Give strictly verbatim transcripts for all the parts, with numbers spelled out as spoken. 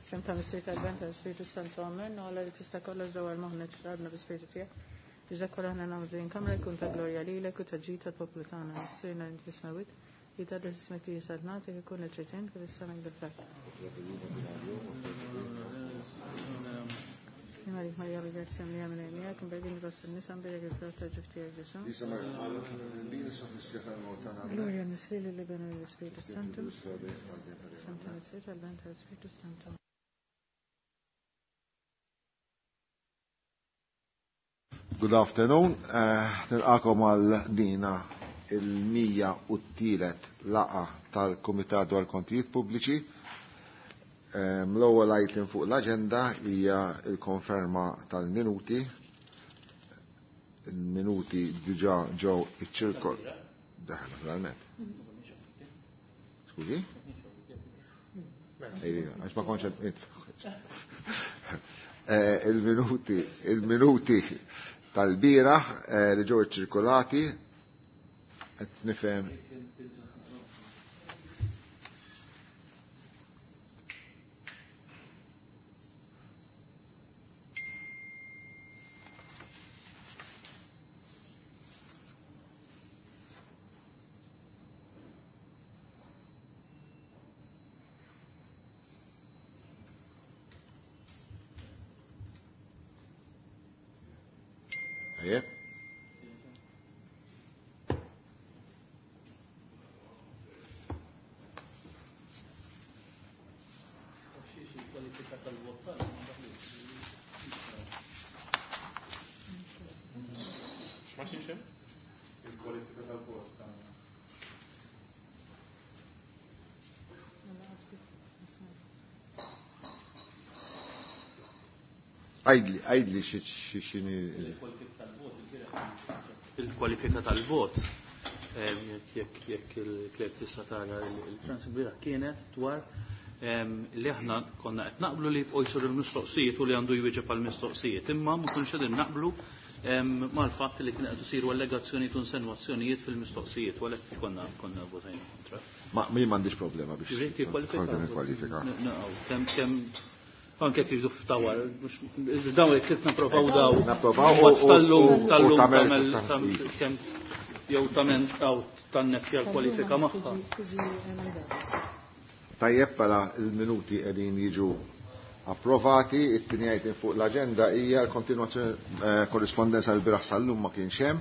F'isem ta' Missier tal-Ben tal-Spiritu Santu Amen, u Alla li tista' kollox dawwar moħħna ċrabna bi-Spiritu tiegħek. Biex dak kollha aħna nagħmlu din kamra jkun ta' glorja lilek u ta' ġid tal-poplu tagħna. Missierna li fis-smewwiet, jitqaddes ismek li saltnatek ikun il-ċirtien kif is-sema bil-fatt. Marik Marija bil-grazzja mlija minn miegħek, imbegħin fost in-nisa mbierek il-frott tal-ġuf tiegħek Ġesù. Gloria l-Missier lill-Iben u lill-Ispiritu Santu. Santa Missier tal-Ben tal-Ispiritu Santu. Good afternoon. Nilqakom għal dina il-mija u t-tielet laqa tal-Kumitat dwar Kontijiet Pubbliċi. L-ewwel item fuq l-aġenda hija l-konferma tal-minuti. Il-minuti diġà ġew iċ-ċirkol. Daħ, naturalment. Skużi? Għax ma kontx il-minuti, il-minuti tal-bieraħ li ġew iċ-ċirkolati qed nifhem. Għajdli, għajdli xini. Il-kwalifika tal-vot, jekk jekk il-kleb tista' tara il-transibira kienet dwar li aħna konna qed naqblu li jibqgħu jsiru l-mistoqsijiet u li għandu jwieġeb għall-mistoqsijiet, imma ma konniex qegħdin naqblu mal-fatt li kien qed isiru allegazzjonijiet u insinwazzjonijiet fil-mistoqsijiet, u għalhekk konna konna votajna kontra. Ma min m'għandix problema biex. Kwalifika. Kemm kemm anke tridu ftawar, daw jekk trid napprovaw daw. Napprovaw u tal-lum tagħmel kemm jew tagħmel taw tannexxja l-kwalifika magħha. Tajjeb bħala l-minuti qegħdin jiġu approvati, it-tieni item fuq l-aġenda hija l-kontinwazzjoni korrispondenza l-bieraħ sal-lum ma kienx hemm.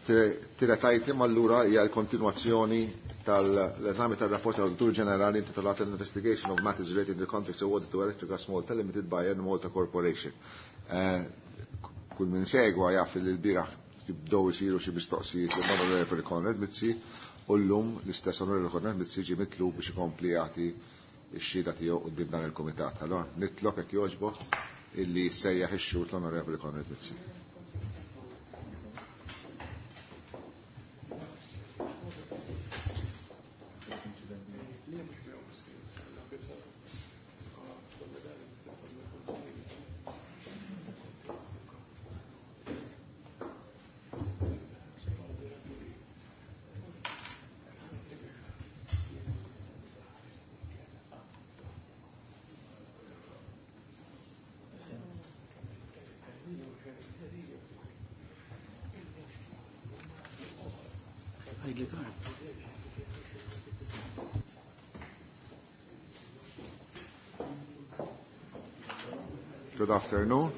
Tielet item allura hija l-kontinwazzjoni tal-eżami tal-rapport tal-Awditur Ġenerali intitolat Investigation of Matters Related to the Contracts Awarded to Electrogas Malta Limited by Malta Corporation. Kull min segwa jaf li l-bieraħ jibdew isiru xi mistoqsijiet lill-Onorevoli Konrad Mizzi u llum l-istess Onorevoli Konrad Mizzi ġie mitlub biex ikompli jagħti x-xhieda tiegħu quddiem dan il-kumitat. Allora nitlob hekk jogħġbok illi jsejjaħ ix-xhud l-Onorevoli Konrad Mizzi. Good afternoon.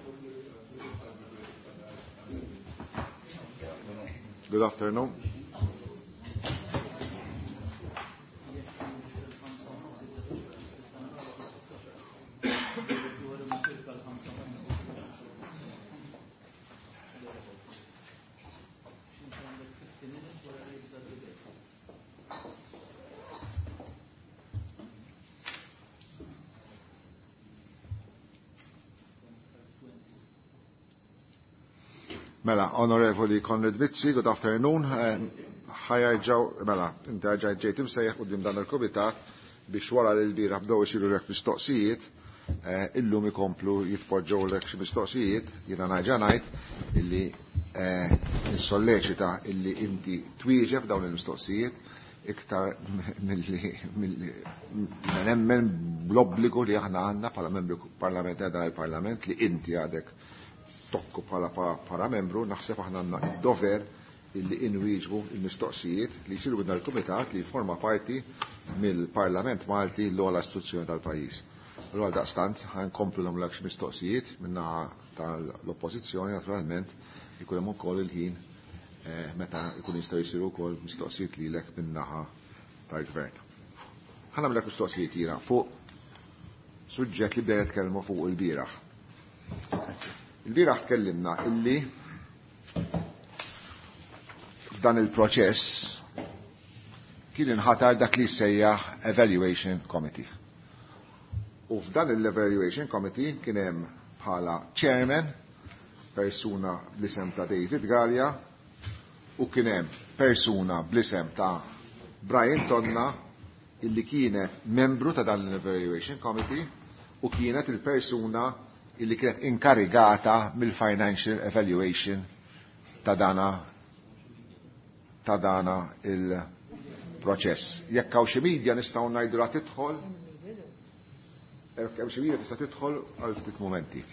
Good afternoon. Mela, Onorevoli Konrad Mizzi, good afternoon. Ħajarġaw, mela, inti ġajt ġejt imsejjaħ quddiem dan il-kumitat biex wara li l-bieraħ bdew isiru lek mistoqsijiet, illum ikomplu jitpoġġew lek xi mistoqsijiet, jiena ngħid ngħid illi nissolleċita illi inti twieġeb dawn il-mistoqsijiet, iktar milli nemmen bl-obbligu li aħna għandna bħala membru parlamentari dan il-Parlament li inti għadek tokku bħala bħala membru, naħseb aħna għandna id-dover illi inwieġbu il-mistoqsijiet li jsiru minn il-Kumitat li forma parti mill-Parlament Malti l-ogħla istituzzjoni tal-pajjiż. Allura daqstant ħankomplu nagħmlu xi mistoqsijiet min-naħa tal-Oppożizzjoni, naturalment ikun hemm ukoll il-ħin meta jkun jistgħu jsiru wkoll mistoqsijiet lilek min-naħa tal-Gvern. Ħa nagħmlek mistoqsijiet jiena fuq suġġett li bdejna nitkellmu fuq il-bieraħ. Il-bieraħ tkellimna illi f'dan il-proċess kien inħatar dak li sejjaħ Evaluation Committee. U f'dan l-Evaluation Committee kien hemm bħala chairman persuna bl-isem ta' David Galea u kien hemm persuna bl-isem ta' Brian Tonna illi kienet membru ta' dan l-Evaluation Committee u kienet il-persuna illi kienet inkarigata mill-Financial Evaluation ta' dana ta' dana il-proċess. Jekk hawn xi media nistgħu ngħidu tidħol, jekk hemm xi media tista' tidħol għal ftit mumenti.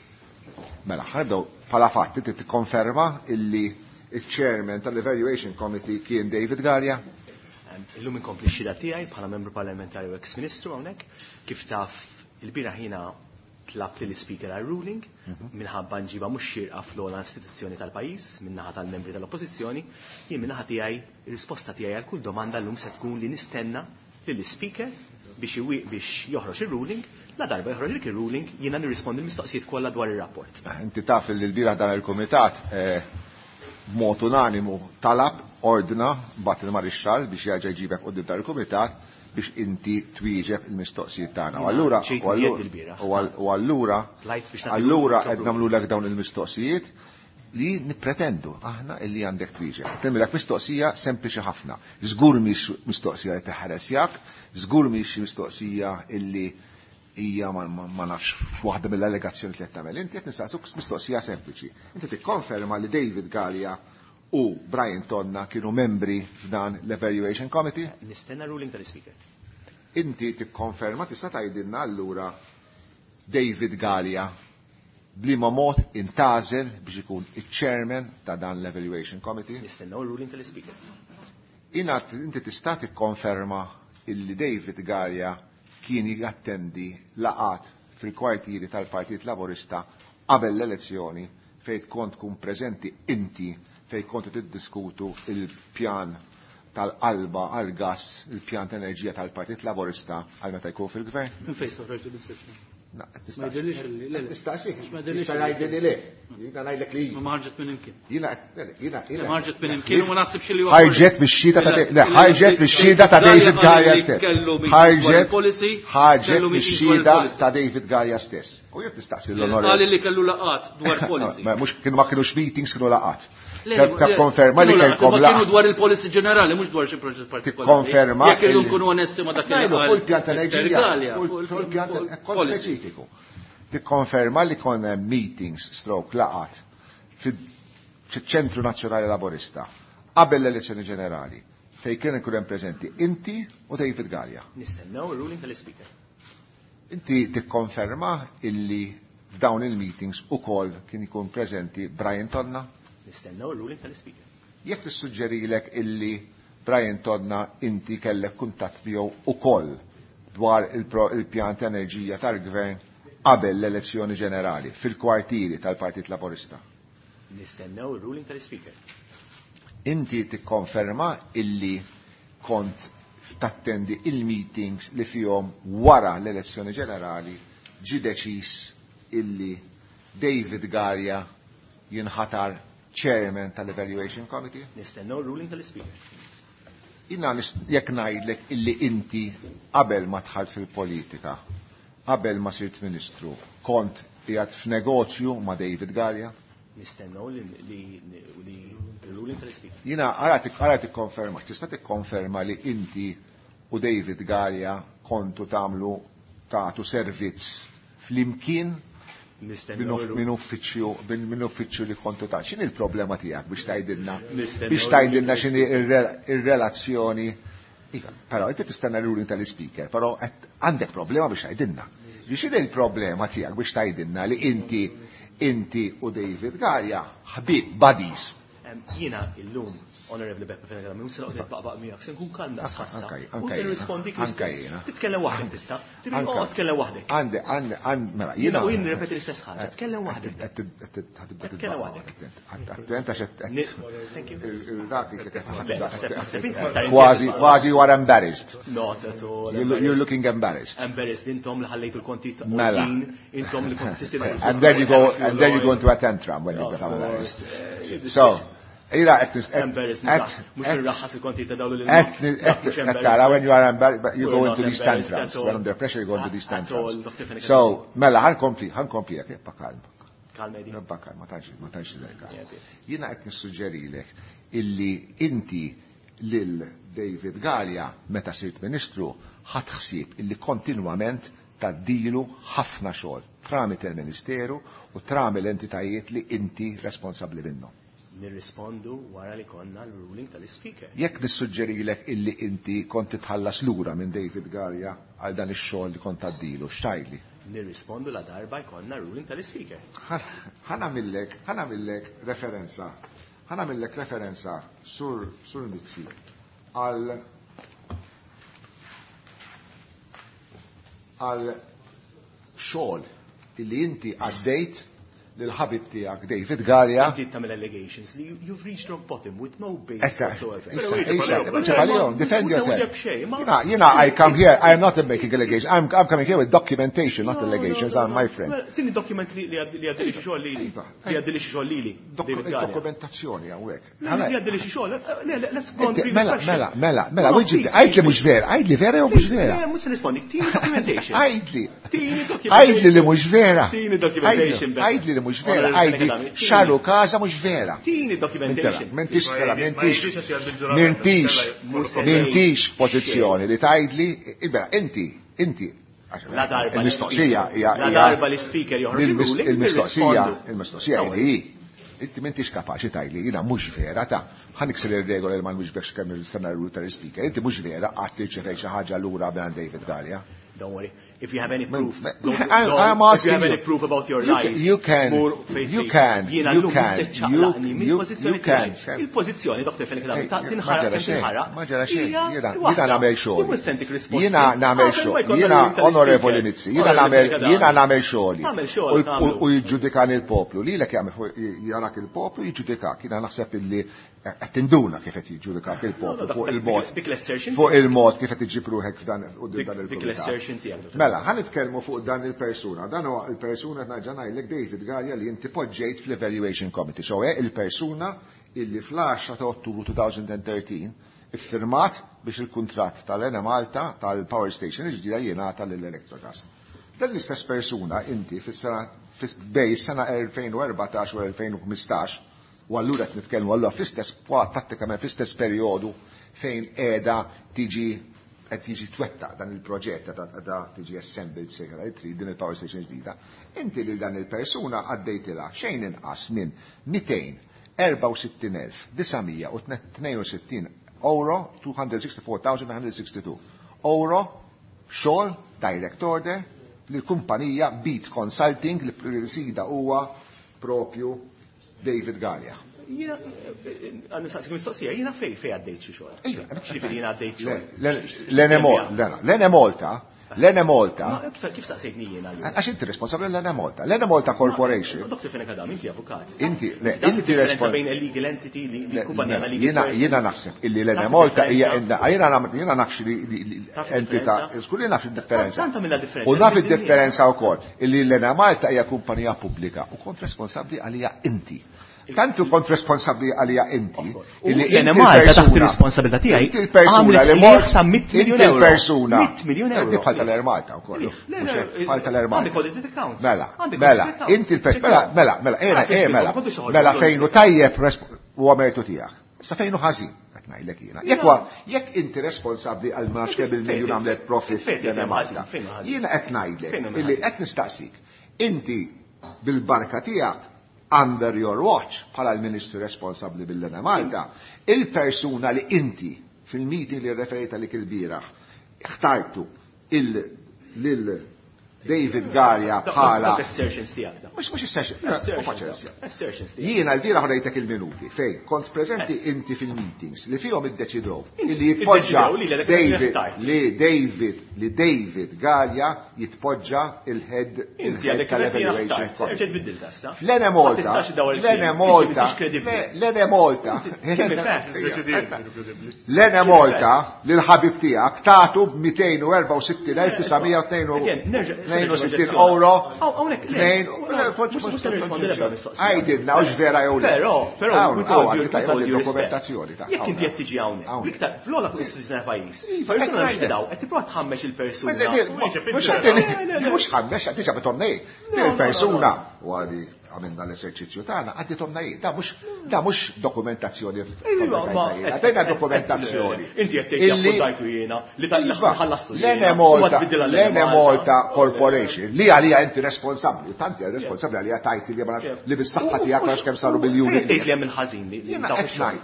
Mela, ħanibdew bħala fatt inti tikkonferma illi il-chairman tal-Evaluation Committee kien David Galea? Illum inkompli x-xhieda tiegħi bħala membru parlamentari u ex-ministru hawnhekk. Kif taf il-bieraħ jiena tlabt li l-speaker għal ruling minħabba nġiba mhux xierqa fl-ogħla istituzzjoni tal-pajjiż min-naħa tal-membri tal-Oppożizzjoni, jien min-naħa tiegħi ir-risposta tiegħi għal kull domanda llum se tkun li nistenna lill-speaker biex biex joħroġ ir-ruling, la darba joħroġ dik ir-ruling jiena nirrispondi l-mistoqsijiet kollha dwar ir-rapport. Inti taf li l-bieraħ dan il-kumitat b'mod unanimu talab ordna bat il-marixxall biex jerġa' jġibek quddiem dan il-kumitat biex inti twieġeb il-mistoqsijiet tagħna. U allura u allura allura qed nagħmlulek dawn il-mistoqsijiet li nippretendu aħna illi għandek twieġeb. Tagħmilek mistoqsija sempliċi ħafna. Żgur mhix mistoqsija li teħaresjak, żgur mhix mistoqsija illi hija ma nafx waħda mill-allegazzjoni li qed tagħmel. Inti qed nistaqsuk mistoqsija sempliċi. Inti tikkonferma li David Galea u Brian Tonna kienu membri f'dan l-Evaluation Committee? Nistenna ruling tal-Speaker. Inti tikkonferma, tista' tgħidilna allura David Galea b'liema mod intgħażel biex ikun iċ-chairman ta' dan l-Evaluation Committee? Nistennew ruling tal-Speaker. Ina inti tista' tikkonferma illi David Galea kien jattendi laqat fil-kwartieri tal-Partit Laburista qabel l-elezzjoni fejn kont tkun preżenti inti fejn kontu tiddiskutu il-pjan tal-qalba għal-gas, il-pjan ta' enerġija tal-Partit Laburista għal meta jkun fil-gvern? Minn fejn toħroġ din is-sezzjoni? Ma jidhirlix li le. Nistaqsik. Ma jidhirlix li le. Jiena ngħidlek li. Ma ħarġet minn imkien. Jiena jiena jiena. Ma ħarġet minn imkien u ma naħsibx li ħarġet mix-xhieda ta' le ħarġet mix-xhieda ta' David Galea stess. Ħarġet ħarġet mix-xhieda ta' David Galea stess. U jekk nistaqsi l-onorevoli. Qal li kellu laqat dwar policy. Ma mhux kienu ma kienux meetings, kienu laqat. Tikkonferma li kellkom laqat. Kienu dwar il-policy ġenerali, mhux dwar xi proġett partikolari. Tikkonferma. Jekk irridu nkunu onesti ma dak li qal. Fuq il-pjan tal-enerġija. Fuq il-pjan speċifiku. Tikkonferma li kon hemm meetings stroke laqat fiċ-Ċentru Nazzjonali Laburista qabel l-elezzjoni ġenerali fejn kien ikun hemm preżenti inti u David Galea. Nistennew ir-ruling tal-Speaker. Inti tikkonferma illi f'dawn il-meetings ukoll kien ikun preżenti Brian Tonna? Nistennew ir-ruling tal-Speaker. Jekk nissuġġerilek illi Brian Tonna inti kellek kuntatt miegħu ukoll dwar il-pjan ta' enerġija tal-gvern qabel l-elezzjoni ġenerali fil-kwartieri tal-Partit Laburista. Nistennew ir-ruling tal-Speaker. Inti tikkonferma illi kont tattendi il-meetings li fihom wara l-elezzjoni ġenerali ġie deċiż illi David Galea jinħatar chairman tal-Evaluation Committee? Nistennew ir-ruling tal-Speaker. Jina jekk ngħidlek illi inti qabel ma dħalt fil-politika, qabel ma sirt ministru, kont qiegħed f'negozju ma' David Galea? Nistennew li l-ruling tal-Speaker. Jina ara tikkonferma, tista' tikkonferma li inti u David Galea kontu tagħmlu tagħtu servizz flimkien minn uffiċċju minn uffiċċju li kontu ta'. X'inhi l-problema tiegħek biex tgħidilna biex tgħidilna x'inhi ir-relazzjoni Iva, però inti tistenna l-ruling tal-speaker, però għandek problema biex tgħidilna. Biex il-problema tiegħek biex tgħidilna li inti inti u David Galea ħbib buddies. Jiena illum, Honorable Beppe Fenech Adami, mhux se noqgħod nitbaqbaq miegħek, se nkun kalm daqs ħassa. U se nirrispondik l-istess. Titkellem waħdek tista'. Tibqa' tkellem waħdek. Għandi, għandi, għandi, mela, jiena. U jien nirrepeti l-istess ħaġa, tkellem waħdek. Tkellem waħdek. Attent għax Kważi, kważi you are embarrassed. Not at all. You're looking embarrassed. Embarrassed intom li ħallejtu l-konti Mela. Intom li konti tisimgħu. And then you go, and then you go into a tantrum when you become embarrassed. So, Ira, embarrassed, mhux irraħħas il-konti ta' dawlu li tara when you are embarrassed, you go into these tantrums. When under pressure, you go into these tantrums. So, mela, ħa nkompli, ħa nkompli, jek, ibqa' kalm. Kalm, Edi. Ibqa' kalm, ma tantx, ma tantx tidher. Jiena qed nissuġġerilek illi inti lil David Galea meta sirt ministru ħadd ħsieb illi kontinwament taddilu ħafna xogħol tramite il-Ministeru u tramite l-entitajiet li inti responsabbli minnhom. Nirrispondu wara li konna l-ruling tal-speaker. Jekk nissuġġerilek illi inti kont titħallas lura minn David Galea għal dan ix-xogħol li kont tgħaddilu, x'tgħidli? Nirrispondu la darba jkollna ruling tal-speaker. Ħa nagħmillek, ħa nagħmillek referenza, ħa nagħmillek referenza sur sur Mizzi għal għal xogħol illi inti għaddejt lil-ħabib tiegħek David Galea. Inti tagħmel allegations li you've reached rock bottom with no basis whatsoever. Defend yourself. Jiena, I come here, I am not making allegations, I'm, I'm coming here with documentation, not allegations, I'm my friend. Tini document li għaddili xi xogħol lili. Li għaddili xi xogħol lili. Dokumentazzjoni hawnhekk. Li għaddili xi xogħol, let's go on previous Mela, mela, mela, mela, għidli mhux vera, għidli vera jew mhux vera. Le, mhux se nirrispondi, tini documentation. Għidli. Tini documentation. Għidli li mhux vera. Tini documentation. Għidli li mhux vera, għidli xaru kaza mhux vera. Tini documentation. M'intix, m'intix, m'intix, m'intix pożizzjoni li tgħidli, ibra, inti, inti, il-mistoqsija hija. La darba l-speaker joħroġ il-mistoqsija, il-mistoqsija hi. Inti m'intix kapaċi tgħidli jiena mhux vera ta' ħa nikser ir-regola li ma nwiġbekx kemm nistenna r-rule tal-speaker. Inti mhux vera qatt tirċevejt xi ħaġa lura minn David Galea. Don't worry. If you have any proof, go, I, go, I'm if asking you have any you. proof about your You lies, can, you can, you can, you can, you, you, you can. Il-pożizzjoni, Doctor Fenech Adami, ta' Ma tinħaraq ġara kemm xejn, tinħaraq. ma ġara xejn. hija Jiena waħda. jiena nagħmel xogħli. Mhux sentik risposti. Jiena nagħmel Qabel ma xogħol. jkollna Jiena l-ruling tal-speaker. Onorevoli Mizzi, jiena Onorevoli nagħmel Fenech Adami. jiena nagħmel xogħli. Nagħmel xogħol, U- u- nagħmlu. U jiġġudikani l-poplu. Lilek jagħmel fuq jarak il-poplu jiġġudikak. Jiena naħseb illi qed tinduna kif qed jiġġudikak il-poplu No, no, fuq dik- il-mod. dik l-assertion Fuq il-mod kif qed iġib ruħek f'dan quddiem Dik dan dik il-kumitat. l-assertion tiegħek. Dottor Mela, ħa nitkellmu fuq dan il-persuna. Dan huwa il-persuna qed nerġa' ngħidlek David Galea li inti poġġejt fl-Evaluation Committee. So eh, il-persuna illi fl-għaxra ta' Ottubru elfejn u tlettax iffirmat biex il-kuntratt tal-Enemalta tal-Power Station il-ġdida jingħata lill-Electrogas. Dan l-istess persuna inti fis-sena bej sena elfejn u erbatax u elfejn u ħmistax, u allura qed nitkellmu allura fl-istess prattikament fl-istess perjodu fejn qiegħda tiġi qed jiġi twetta dan il-proġett ta' tiġi assembled sejħa li trid din il-power station ġdida. Inti lil dan il-persuna għaddejtilha xejn inqas minn mitejn erbgħa u sittin elf disa' mija u tnejn u sittin euro, two hundred sixty-four thousand nine hundred sixty-two euro, xogħol direct order lill-kumpanija Beat Consulting li sida huwa propju David Galea. Jiena, għandi saqsik mistoqsija, jiena fej fej għaddejt xi xogħol. Ejja, Ġifieri jiena għaddejt xogħol. L-Enemalta, l-Enemalta. Ma kif kif saqsejtni jiena allura? Għax inti responsabbli l-Enemalta. L-Enemalta Corporation. Doctor Fenech Adami, inti avukat. Inti, le, Taf inti id-differenza respon- bejn a legal entity li li kumpanija Le, legal Jiena person. jiena naħseb illi Taf l-Enemalta hija id-differenza? jiena naf- jiena nafx li li- li- Taf entità, id-differenza? żgur li naf id-differenza. Tant tagħmilha differenza. U naf Fid-dinja. id-differenza wkoll illi l-Enemalta hija kumpanija pubblika u kont responsabbli għalija inti. Tantu kont responsabbli għalija inti. U illi inti l-Enemalta taħt l-persuna- ir-responsabilità tiegħi Inti l-persuna għamlet li qligħ mort ta' mitt miljun Inti euro. l-persuna. Mitt miljun euro. Inti bħal tal-Air Malta wkoll. Le, le, Mhux bħal tal-Air Malta. Għandek audited accounts. Mela, Għandek mela, audited accounts. inti l-persuna, mela, mela, mela, ejna, Għandek eh, mela, ma kontux ħorġu mela l- fejn hu tajjeb huwa mertu tiegħek. Sa fejn hu ħażin, qed ngħidlek jiena. Jekk huwa, jekk inti responsabbli għal ma nafx kemm il-miljun għamlet profit Fejn l fejn Malta. ħażin, fejn ħażin? Jiena qed ngħidlek Fejn hemm illi ħażin? qed nistaqsik. Inti bil-barka tiegħek under your watch bħala l-ministru responsabbli bil-Enemalta, il-persuna li inti Fil-meeting li referejta lik il-bieraħ, ħtartu lil David Galea bħala. Assertions tiegħek. Mhux mhux assertions. Jiena l-bieraħ rejtek il-minuti fejn kont preżenti inti fil-meetings li fihom iddeċidew li jitpoġġa David li David li David Galea jitpoġġa il-head il-head tal-evaluation. Fl-Enemalta, l-Enemalta, l-Enemalta, l-Enemalta lil ħabib tiegħek tagħtu b'mitejn u erbgħa u sittin elf tisa' mija u tnejn u sittin euro. Għajdilna, ux vera jew le. Però, però, dokumentazzjoni. Jekk inti qed tiġi hawnhekk, iktar fl-ogħla fuq istituzzjoni ta' pajjiż. Persuna mhux daw, qed tipprova tħammex il-persuna. Mhux ħammex, qed tiġi bithom ngħid. Il-persuna u għadi għamilna l-eżerċizzju tagħna, għaddithom ngħid. Da mhux da mhux dokumentazzjoni. Għaddejna dokumentazzjoni. Inti qed tgħid dajtu jiena li ħallastu. L-Enemalta, l-Enemalta Corporation li għalija inti responsabbli, tanti għal responsabbli għalija tajti li ma nafx li bis-saħħa tiegħek għax kemm saru miljuni. Tgħid li hemm il-ħażin li għalfejn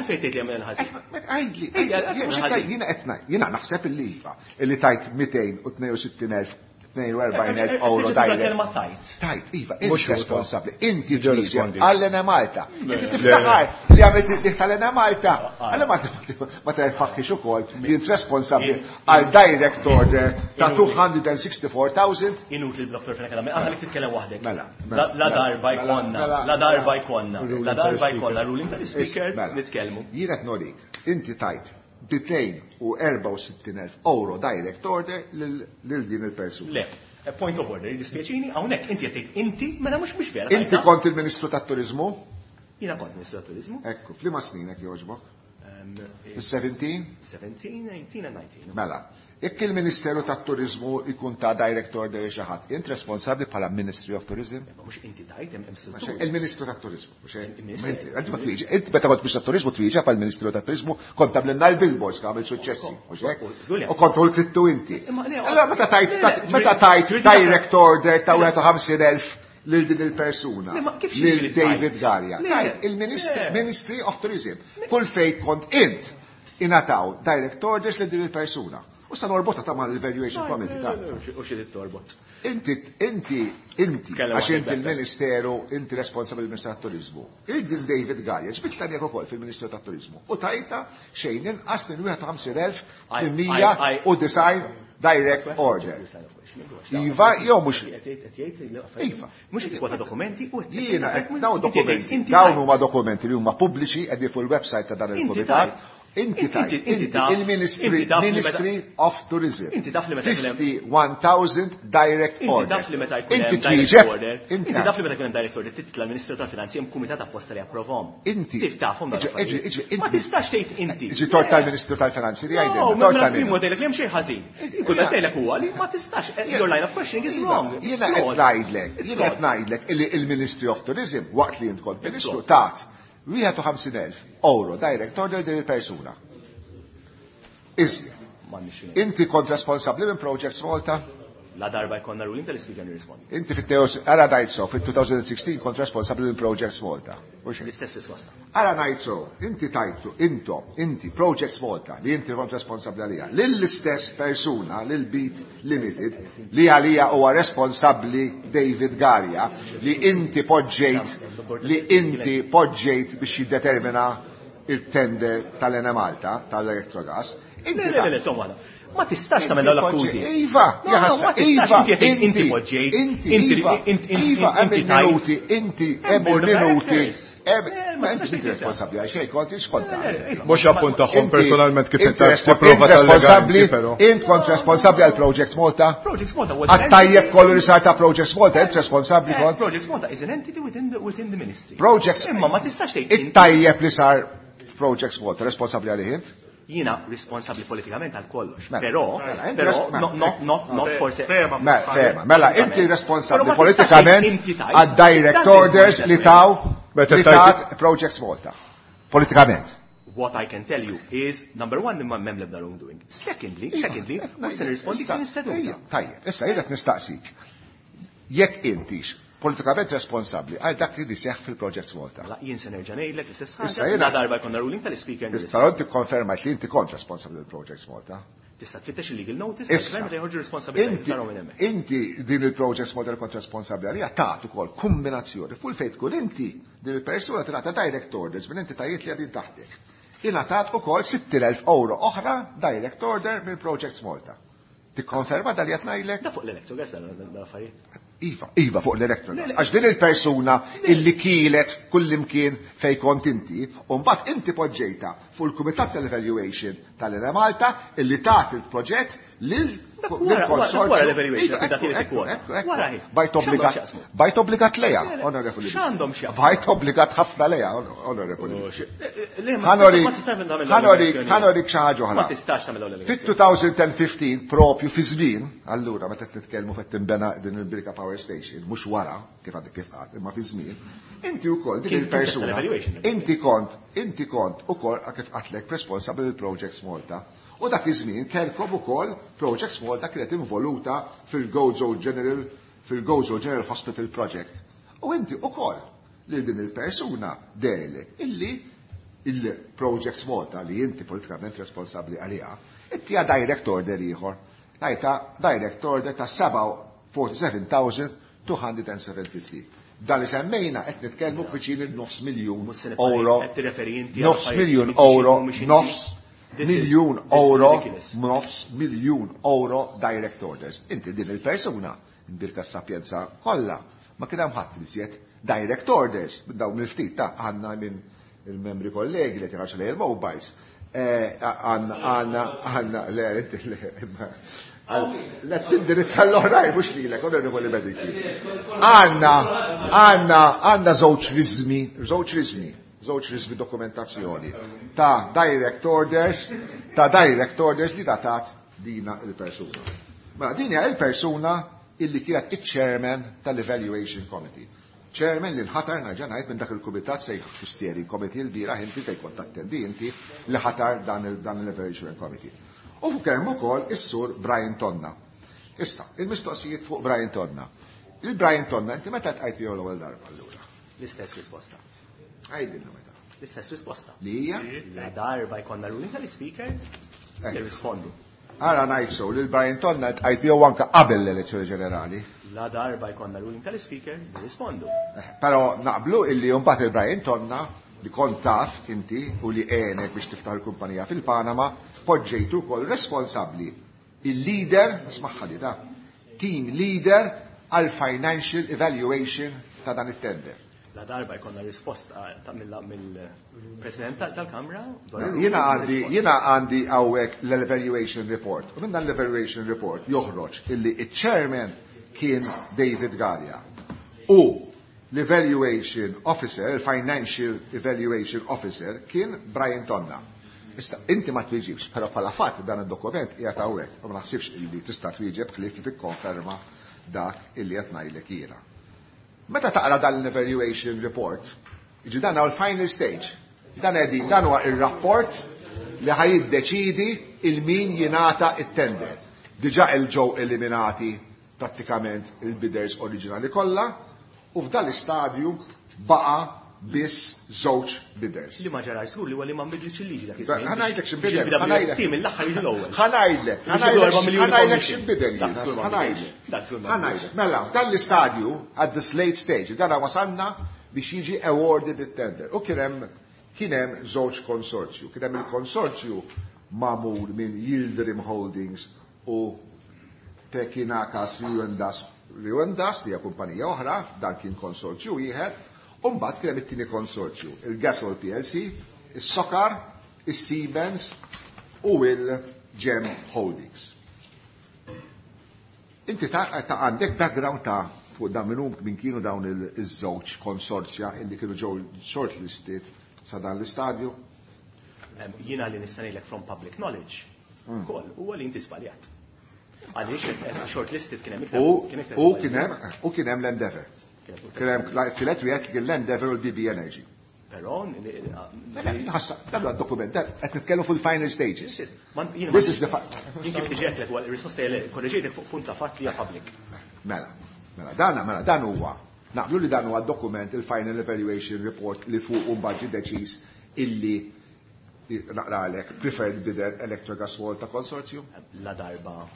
tgħid li hemm il-ħażin. Għajdli, jiena qed ngħid, jiena naħseb illi iva, illi tajt mitejn u tnejn u sittin elf tnejn u erbgħin elf euro direct. Tajt. Tajt, iva, inti responsabbli. Inti twieġeb għall-Enemalta. Inti tiftakar li għamilt li tal-Enemalta. Għal ma terfaħħix ukoll li int responsabbli għal direct order ta' two hundred and sixty-four thousand. Inutli Doctor Fenech, għalli li titkellem waħdek. Mela, La darba jkollna, la darba jkollna, la darba jkollna ruling tal-speaker nitkellmu. Jien qed norik, inti tajt mitejn u erbgħa u sittin elf euro direct order lil din il-persuna. Le, point of order, dispjaċini, hawnhekk inti qed tgħid inti, mela mhux mhux vera. Inti kont il-Ministru tat-Turiżmu? Jiena kont Ministru tat-Turiżmu. Ekku, f'liema snin hekk jogħġbok? Fis-seventeen? Seventeen, eighteen and nineteen. Mela, jekk il-Ministeru tat-Turiżmu jkun ta' direct order xi ħadd, int responsabbli bħala Ministry of Tourism? Imma mhux inti tajt, hemm struttura. Il-Ministru tat-Turiżmu, mhux hekk? Il-Ministru. Inti, inti ma twieġeb, inti meta kont Ministru tat-Turiżmu twieġeb bħal Ministru tat-Turiżmu kont tagħmlilna l-billboards kien għamil suċċessi, mhux hekk? Żgur li U kont u l-krittu inti. Imma le, Allora meta tajt, le, le, meta tajt ġri- direct order ta' wieħed u ħamsin elf lil din il-persuna, Le, ma kif xi lil ġieli David tajt? Galea. Le, Tajt, il-Ministri, le. Ministry of Tourism. Kull fejn kont int ingħataw direct orders lil din il-persuna. U sa norbotha ta' mal-Evaluation Committee ta' U xi trid torbot? Inti, inti, inti, Tkellem għax waħdek inti better. il-Ministeru, inti responsabbli mill-Ministeru tat-Turiżmu. Il-din David Galea, ġbidta miegħek ukoll fil-Ministeru tat-Turiżmu. U tajta xejn inqas minn wieħed u ħamsin elf I- minn mija I- I- u disgħin direct order. Iva, jew mhux. Iva. Mhux qed tikkwota dokumenti u qed Jiena qed tgħid dawn dokumenti, inti dawn tajt. huma dokumenti li huma pubbliċi qegħdin fuq il-website ta' dan Inti il-kumitat. tajt. Inti tajt, Inti- inti inti taf- il-Ministry, inti taf li meta- Ministry of Tourism. Inti taf li meta jkun hemm- fifty-one thousand direct Inti order. taf li meta jkun Inti hemm direct twieġeb, order. inti Inti taf li meta jkun hemm direct order titla' l-Ministru tal-Finanzi hemm kumitat apposta li approvhom. Inti. Tif tafhom dawn Iġi, l-affarijiet. iġi, iġi, Ma inti. tistax tgħid inti. Iġi tort tal-Ministru tal-Finanzi li No, għajdilna, mela tort tal primo min. tgħidlek li hemm xejn ħażin. Kull ma tgħidlek huwa li ma tistax. Your line of questioning is wrong. It's Jiena qed flawed. ngħidlek, It's jiena qed flawed. ngħidlek illi il-Ministry of Tourism waqt li int kont It's Ministru flawed. tat wieħed u ħamsin elf euro direct order din il-persuna. Iżjed. M'għandix xejn. Inti kont responsabbli minn Projects Malta? La darba jkollna ruling tal-Speaker nirrispondi. Inti fit-teos, ara ngħid so, fit-two thousand sixteen kont responsabbli minn Projects Malta. Mhux hekk? L-istess risposta. Ara ngħid so, inti tajtu, intom, inti Projects Malta li inti kont responsabbli għalija, lill-istess persuna, lil Beat Limited, li għalija huwa responsabbli David Galea, li inti poġġejt, li inti poġġejt biex jiddetermina il-tender tal-Enemalta, tal-Electrogas. Inti Le, le, le, le, insomma, ma tistax tagħmel dawn l-akkużi. Iva, No, no, ma tistax, Iva, inti qed tgħid inti inti, poġġejt, inti, inti, Iva, inti, inti, Iva, hemm inti tajt. il-minuti, inti, hemm Hemm board of il-minuti, directors. hemm, Eh, ma ma inti tistax inti tgħid responsabbli għal xejn, kont x'kont tagħmel. Mhux appunt tagħhom Inti- personalment kif inti inti respo- tipprova inti tallega responsabbli, inti, però. int kont responsabbli għal Projects Malta? Projects Malta was an Għat-tajjeb entity- kollu li sar ta' Projects Malta, int responsabbli Eh, kont? Projects Malta is an entity within the, within the ministry. Projects Imma ma tistax tgħid inti. It-tajjeb li sar Projects Malta, responsabbli għalih int? Jiena responsabbli politikament għal kollox. Mela, Però, mela, inti però, res- no, no, not, not forse. Mela, fema, mela, inti Però responsabbli ma tistax politikament tgħid inti tajt. għad direct Doesn't orders work li that taw Meta li tajt- tat Projects Malta. Politikament. What I can tell you is, number one, imma m'hemm l-ebda wrongdoing. Secondly, secondly, mhux se nirrispondi Issa, kien is-seduta. ejja, Tajjeb, issa jien qed nistaqsik. Jekk intix politikament responsabbli għal dak li seħħ fil-Projects Malta. Mela, jien se nerġa' ngħidlek l-istess Issa ħaġa. jiena- La darba jkollna ruling tal-Speaker Però inti konfermajt li inti kont responsabbli għal Projects Malta. Tista' tfittex il-legal notice, Issa, tal-gvern meta joħorġu responsabilità Inti, tarahom minn hemmhekk. inti din il-Projects Malta li kont responsabbli għalija tat ukoll kombinazzjoni fuq fejn tkun inti din il-persuna tingħata direct orders minn entitajiet li qegħdin taħtek. Ingħatat ukoll sittin elf euro oħra direct order minn Projects Malta. Tikkonferma dal qed ngħidlek? Da fuq l-Electrogas dan l-affarijiet. Iva, iva fuq l-Electrogas. Għax din il-persuna illi kielet kullimkien fej kont inti, u mbagħad inti poġġejta fuq il-Kumitat tal-Evaluation tal-Enemalta illi tat il-proġett lil Dak wara- wara- wara l-evaluation, Iva, dak li ekku, tikkwota. ekku, ekku. Wara hi. Bajt X'għandhom obbligat, x'jaqsmu? bajt obbligat leja, Le, le, onorevoli. x'għandhom x'jaqsmu? Bajt obbligat ħafna leja, onorevoli. Le, ma Ħa nurik, ma tistax tagħmel ħa nurik, ħa nurik xi ħaġa oħra. Ma tistax tagħmel l-allegazzjoni. Fit-elfejn u ħmistax propju fi żmien, allura meta qed nitkellmu fejn tinbena din il-Birka Power Station, mhux wara kif għadek kif qatt, imma fi żmien, inti wkoll din Kien il-persuna, tal-evaluation. inti kont, inti kont ukoll kif qatlek responsabbli il-Projects Malta. U dak iż-żmien kellkom ukoll Projects Malta kienet involuta fil-Gozo General fil-Gozo General Hospital Project. U inti ukoll lil din il-persuna delek illi il-Projects Malta li inti politikament responsabbli għaliha, ittieha direct order ieħor. Tajta direct order ta' sebgħa u erbgħin elf u mitejn u sebgħa u tlieta. Dan li semmejna qed nitkellmu viċin il-nofs miljun Mhux se nibqa' euro. qed tirreferi inti għal Nofs affarijiet miljun li inti euro, mhumiex inti. nofs This is- miljun this is euro, ridiculous. nofs miljun euro direct orders. Inti din il-persuna, imbierka s-sapienza kollha, ma kien hemm ħadd li żjed direct orders dawn il-ftit ta' għandna minn il-membri kollegi li tirax lej il-mobiles. Eh, Għandna, għandna, għandna, le, inti, le, imma- Le, tindirizza l-oħrajn, mhux lilek, onorevoli Bedingfield. Għandna, għandna, għandna żewġ rizmi, żewġ rizmi, żewġ rizmi dokumentazzjoni ta' direct orders, ta' direct orders li datat dina il-persuna. Mela, din hija il-persuna illi kienet il-chairman tal-Evaluation Committee. Chairman li nħatar nerġa' ngħid minn dak il-kumitat sejħ steering committee l-bieraħ inti fejn kont attendi inti li ħatar dan il- dan l-Evaluation Committee. U fuq hemm ukoll is-sur Brian Tonna. Issa, il-mistoqsijiet fuq Brian Tonna. Il-Brian Tonna, inti meta tqajt miegħu l-ewwel darba allura? L-istess risposta. Għidilna meta. L-istess risposta. Li hija? La darba jkollna ruling tal-Speaker, Eh. nirrispondu. Ara ngħid so, li l-Brian Tonna tqajt miegħu anke qabel l-elezzjoni ġenerali. La darba jkollna ruling tal-Speaker, nirrispondu. Eh, Però naqblu illi mbagħad il-Brian Tonna li kont taf inti u li għenek biex tiftaħ il-kumpanija fil-Panama, poġġejtu wkoll responsabbli il-leader, ismagħha li ta' team leader għal financial evaluation ta' dan it-tender. La darba jkollna risposta ta' mill- mill-President tal- tal-Kamra. dwar il-ruling, Jiena għandi nirrispondu. jiena għandi hawnhekk l-evaluation report. U minn dan l-evaluation report joħroġ illi il-chairman kien David Galea. U l-evaluation officer, il-financial evaluation officer kien Brian Tonna. Issa, inti ma twieġibx, però bħala fatt dan id-dokument qiegħed hawnhekk u ma naħsibx illi tista' twieġeb ħlief li tikkonferma dak illi qed ngħidlek jiena. Meta taqra dan l-evaluation report, jiġi dan huwa l-final stage. Dan qegħdin dan huwa ir-rapport li ħa jiddeċidi il-min jingħata it-tender. Diġà il-ġew eliminati prattikament il-bidders oriġinali kollha u f'dan l-istadju baqa biss żewġ bidders. Li ma ġara żgur li huwa li ma nbidlitx il-liġi dak Ħa ngħidlek x'inbidel, Biex ħa ngħidlek. il-B W S T mill-aħħar jiġi l-ewwel. Ħa ngħidlek, Biex jiġu erba' miljuni ħa ngħidlek commission. x'inbidel Dak jiena, żgur ma ħa ngħidlek. nbidilx. Dak żgur ma Ħa ngħidlek. Mela, f'dan l-istadju, at this late stage, dan wasalna biex jiġi awarded it-tender. U kien hemm kien hemm żewġ konsorzju. Kien hemm il-konsorzju magħmul minn Yildirim Holdings u Tekinakas Riwendas Riwendas li hija kumpanija oħra, dan kien konsorzju wieħed, u mbagħad kien hemm it-tieni konsorzju, il-Gasol P L C, is-Sokar, is-Siemens u il-Gem Holdings. Inti ta' ta' għandek background ta' fuq dan minnu min kienu dawn il-żewġ konsorzja illi kienu ġew shortlisted sa dan l-istadju? Em, Jiena li nista' ngħidlek from public knowledge, Hmm. ukoll huwa li inti żbaljat. Għaliex eh, shortlisted kien hemm iktar U kien iktar u żbalji. kien hemm u kien hemm l-Endeavour. Kien hemm iktar Kien hemm tielet wieħed kien l-Endeavour u l-B B Energy. Però Ħassa, dan huwa dokument, dan qed nitkellmu fil-final stages. This This is the fact. Jien kif tiġi għedtlek, huwa r-risposta hija le, korreġejtek fuq punt ta' fatt li hija public. Mela, mela, dan, mela, dan huwa Naqblu li dan huwa dokument il-Final Evaluation Report li fuq un ġie deċiż illi naqralek preferred bidder Electrogas Malta Consortium? La darba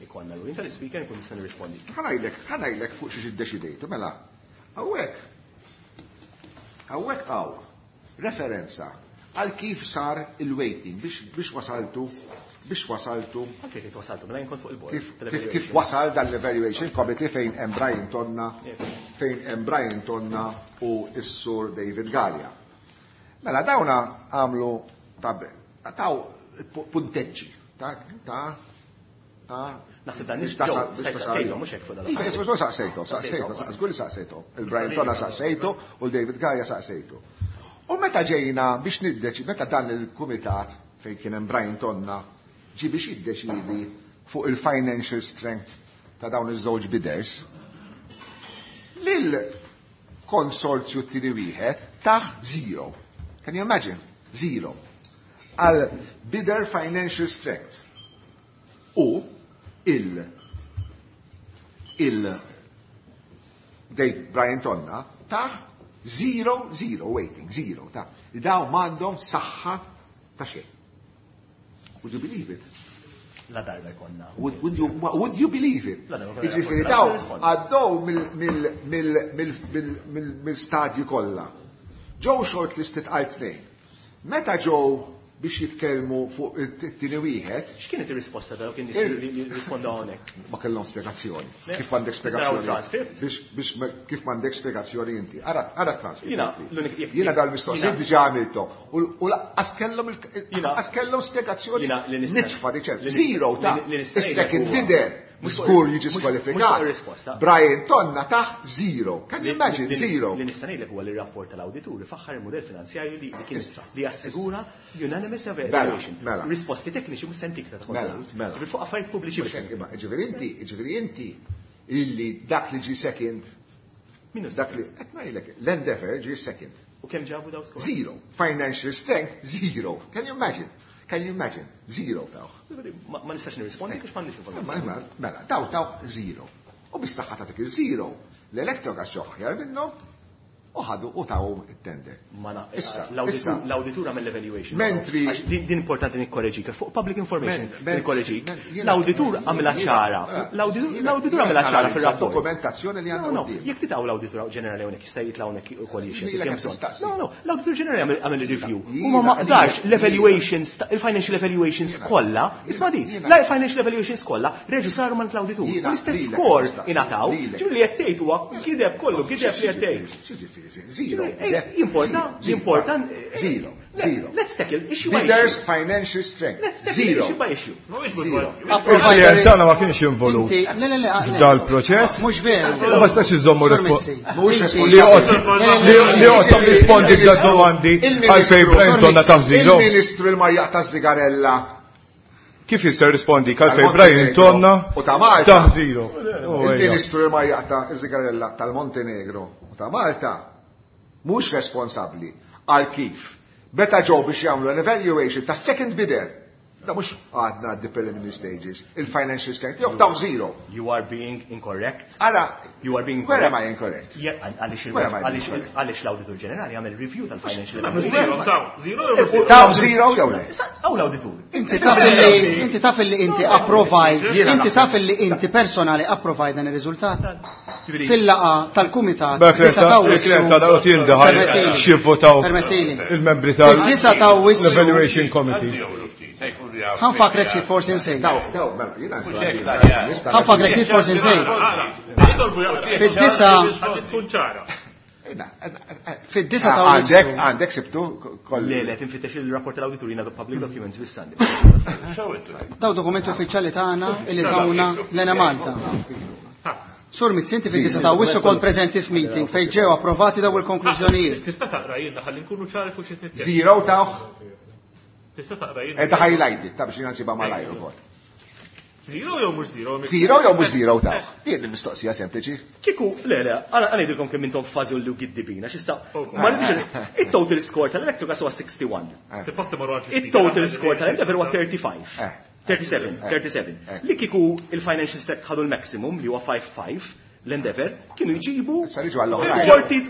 ikollna l tal-speaker nkun nista' nirrispondi. Ħa ngħidlek, ħa ngħidlek fuq xiex iddeċidejtu, mela. Hawnhekk hawnhekk hawn referenza għal kif sar il-weighting biex biex wasaltu biex wasaltu Anke kif wasaltu, mela jien kont fuq il-board. kif kif kif wasal dan l-evaluation committee fejn hemm Brian Tonna fejn hemm Brian Tonna u s-sur David Galea. Mela dawna għamlu tab taw punteġġi ta' ta' ta' Naħseb dan biex ġew, tasal- biex stajt tasal- saqsejthom, mhux hekk fuq dan Iva, isma' saqsejthom, saqsejthom, żgur li saqsejthom. Il-Brian Tonna saqsejtu u l-David Galea saqsejtu. U meta ġejna biex niddeċi, meta dan il-kumitat fejn kien hemm Brian Tonna ġi biex jiddeċidi fuq il-financial strength ta' dawn iż-żewġ bidders, lil konsorzju t-tieni wieħed tah zero. Can you imagine? Zero. Għal bidder financial strength. U il il Dave Brian Tonna tah zero, zero weighting, zero. Ta' daw m'għandhom saħħa ta' xejn. Would you believe it? La darba jkollna. Would, would, you, would you believe it? La darba Jiġifieri daw għaddew mill-stadju kollha. Ġew shortlisted għal tnejn. Meta ġew biex jitkellmu fuq it-tieni wieħed, X'kienet ir-risposta ta' kien jirrisponda hawnhekk? ma kellhom spjegazzjoni. Le. Kif m'għandek Taraw spjegazzjoni? transcript? Biex biex ma- kif m'għandek spjegazzjoni inti. Ara ara transcript. Jiena, inti. l-unik- jekk- Jiena dal-mistoqsijiet jiena- diġà għamilthom. U u lanqas kellhom il- Jiena- lanqas kellhom spjegazzjoni Jiena li nista' nitfa diċer. li nista' Zero ta' li nista' is-second ngħidlek huwa- bidder mhux fuq- żgur jiġi mhux- mhux skwalifikat. fuq ir-risposta. Brian Tonna tah zero. Can you Li- imagine li- zero? Li nista' ngħidlek huwa li r-rapport tal-awditur faħħar il-mudell finanzjarju li li kien li jassigura unanimous evaluation. mela. Risposti tekniċi mhux sentik ta' Mela, mela. Ġifieri fuq affarijiet pubbliċi Mhux hekk, imma, Ġifieri inti, ġifieri inti illi dak li ġi second, Minnu dak li qed ngħidlek, l-Endeavour ġi second. U kemm ġabu daw skor? Zero. Financial strength, zero. Can you imagine? Can you imagine? Zero tawh. Ma ma nistax nirrispondi għax m'għandix Ma- informazzjoni. ma- Mela, daw taw zero. U bis-saħħa ta' dik il-zero, l-Electrogas ġew aħjar minnhom u ħadu u taw it-tender. Ma na, Issa, l-awditur issa. l-awditur għamel l-evaluation. Mentri- Għax Din din importanti nikkoreġik, fuq public information Men- men- nikkoreġik. men- jiena- L-awditur għamilha jiena- ċara. eh, L-awditur jiena- l-awditur jiena għamilha ċara analizza fir-rapport. dokumentazzjoni li għandna No, no, quddiem. jekk titaw l-awditur ġenerali hawnhekk jista' jitla' hawnhekk ukoll jixhed. Lilek jekk hemm qed bżonn. tistaqsi. No, no, l-awditur ġenerali għamel- għamel review. Jiena- U ma maqdarx jiena- l-evaluations, il-financial evaluations Jiena- kollha, isma' di, jiena- la financial evaluations kollha reġu saru mal l-awditur. Jiena- U l-istess lilek score tistaqsi. ingħataw. Lilek. Ġifieri li qed tgħid huwa gideb kollu, gideb li qed tgħid. X'jiġifieri Zero. Eh, Importa, importa. eh, Zero. Zero. Let's tackle issue by Bidders issue. financial strength. Let's tackle Zero. issue by issue. Zero. Il-klient tagħna ma kienx involut Inti, le, le, le, le. f'dal-proċess. Mhux veru. U ma stax iżommu Sur respo- Mizzi, Mhux inti- li joqgħod li- li joqgħod rispondi b'da domandi għalfejn Brian Tonna tah zero. Il-Ministru il-Marjaq ta' Zigarella. Kif jista' jirrispondi għalfejn Brian Tonna U ta' Malta. tah zero? Oh, ejja. Il-Ministru il-Marjaq ta' Zigarella tal-Montenegro u ta' Malta mhux responsabbli għal kif. Meta ġew biex jagħmlu an evaluation ta' second bidder. Da mhux għadna the preliminary stages, il-financial strength tiegħu taw zero. You are being incorrect. Ara, You are being where am incorrect. I incorrect? Yeah, għaliex il- Where am I għaliex incorrect? għaliex l-awditur ġenerali għamel review tal-financial Zero, taw, zero, jew zero. Taw zero jew le? Għaw l-awditur. Inti taf li inti taf li inti approvaj, Jiena inti naħseb. taf li inti personali approvaj dan ir-riżultat. Ġifieri- Fil-laqa tal-kumitat Beh, disa ta' il-klient tagħna qed jindaħal Permettili. x'jivvotaw Permettili. il-membri Fid-disa ta' Awwissu- tal-Evaluation Committee. Ħanfakrek xi forsi nsejt. Daw, daw, mela, jiena nista' Ħanfakrek xi forsi nsejt. Ara, jitolbu jaqra. Fid-disa Ħalli tkun ċara. fid-disa ta' Għandek, Awwissu. għandek sibtu koll. Le, le, tinfittex il-rapport tal-awditur jiena public documents bis-sandi. Daw dokumenti uffiċjali tagħna illi tawna l-Enemalta. Sur Mizzi, inti fid-disa ta' Awwissu kont preżenti f'meeting fejn ġew approvati daw il-konklużjonijiet. Tista' taqra jiena ħalli nkunu ċari fuq xi nitkellem. Zero tawh, Tista' taqra jiena. edha highlighted, ta' biex jiena nsibha malajr ukoll. Zero jew mhux zero? Zero jew mhux zero tawh? Din il-mistoqsija sempliċi. Kiku, le, le, għana ngħidilkom kemm intom fażu li giddibina, x'issa. Ma nafx il-total score tal-Electrogas huwa sixty-one. Suppost imorru għand Il-total score tal-Endeavour huwa thirty-five. Eh. thirty-seven, Eh. thirty-seven. Eh. Li kiku il-financial strength ħadu l-maximum li huwa five five, l-Endeavour kienu jġibu Issa niġu għall-oħrajn. kienu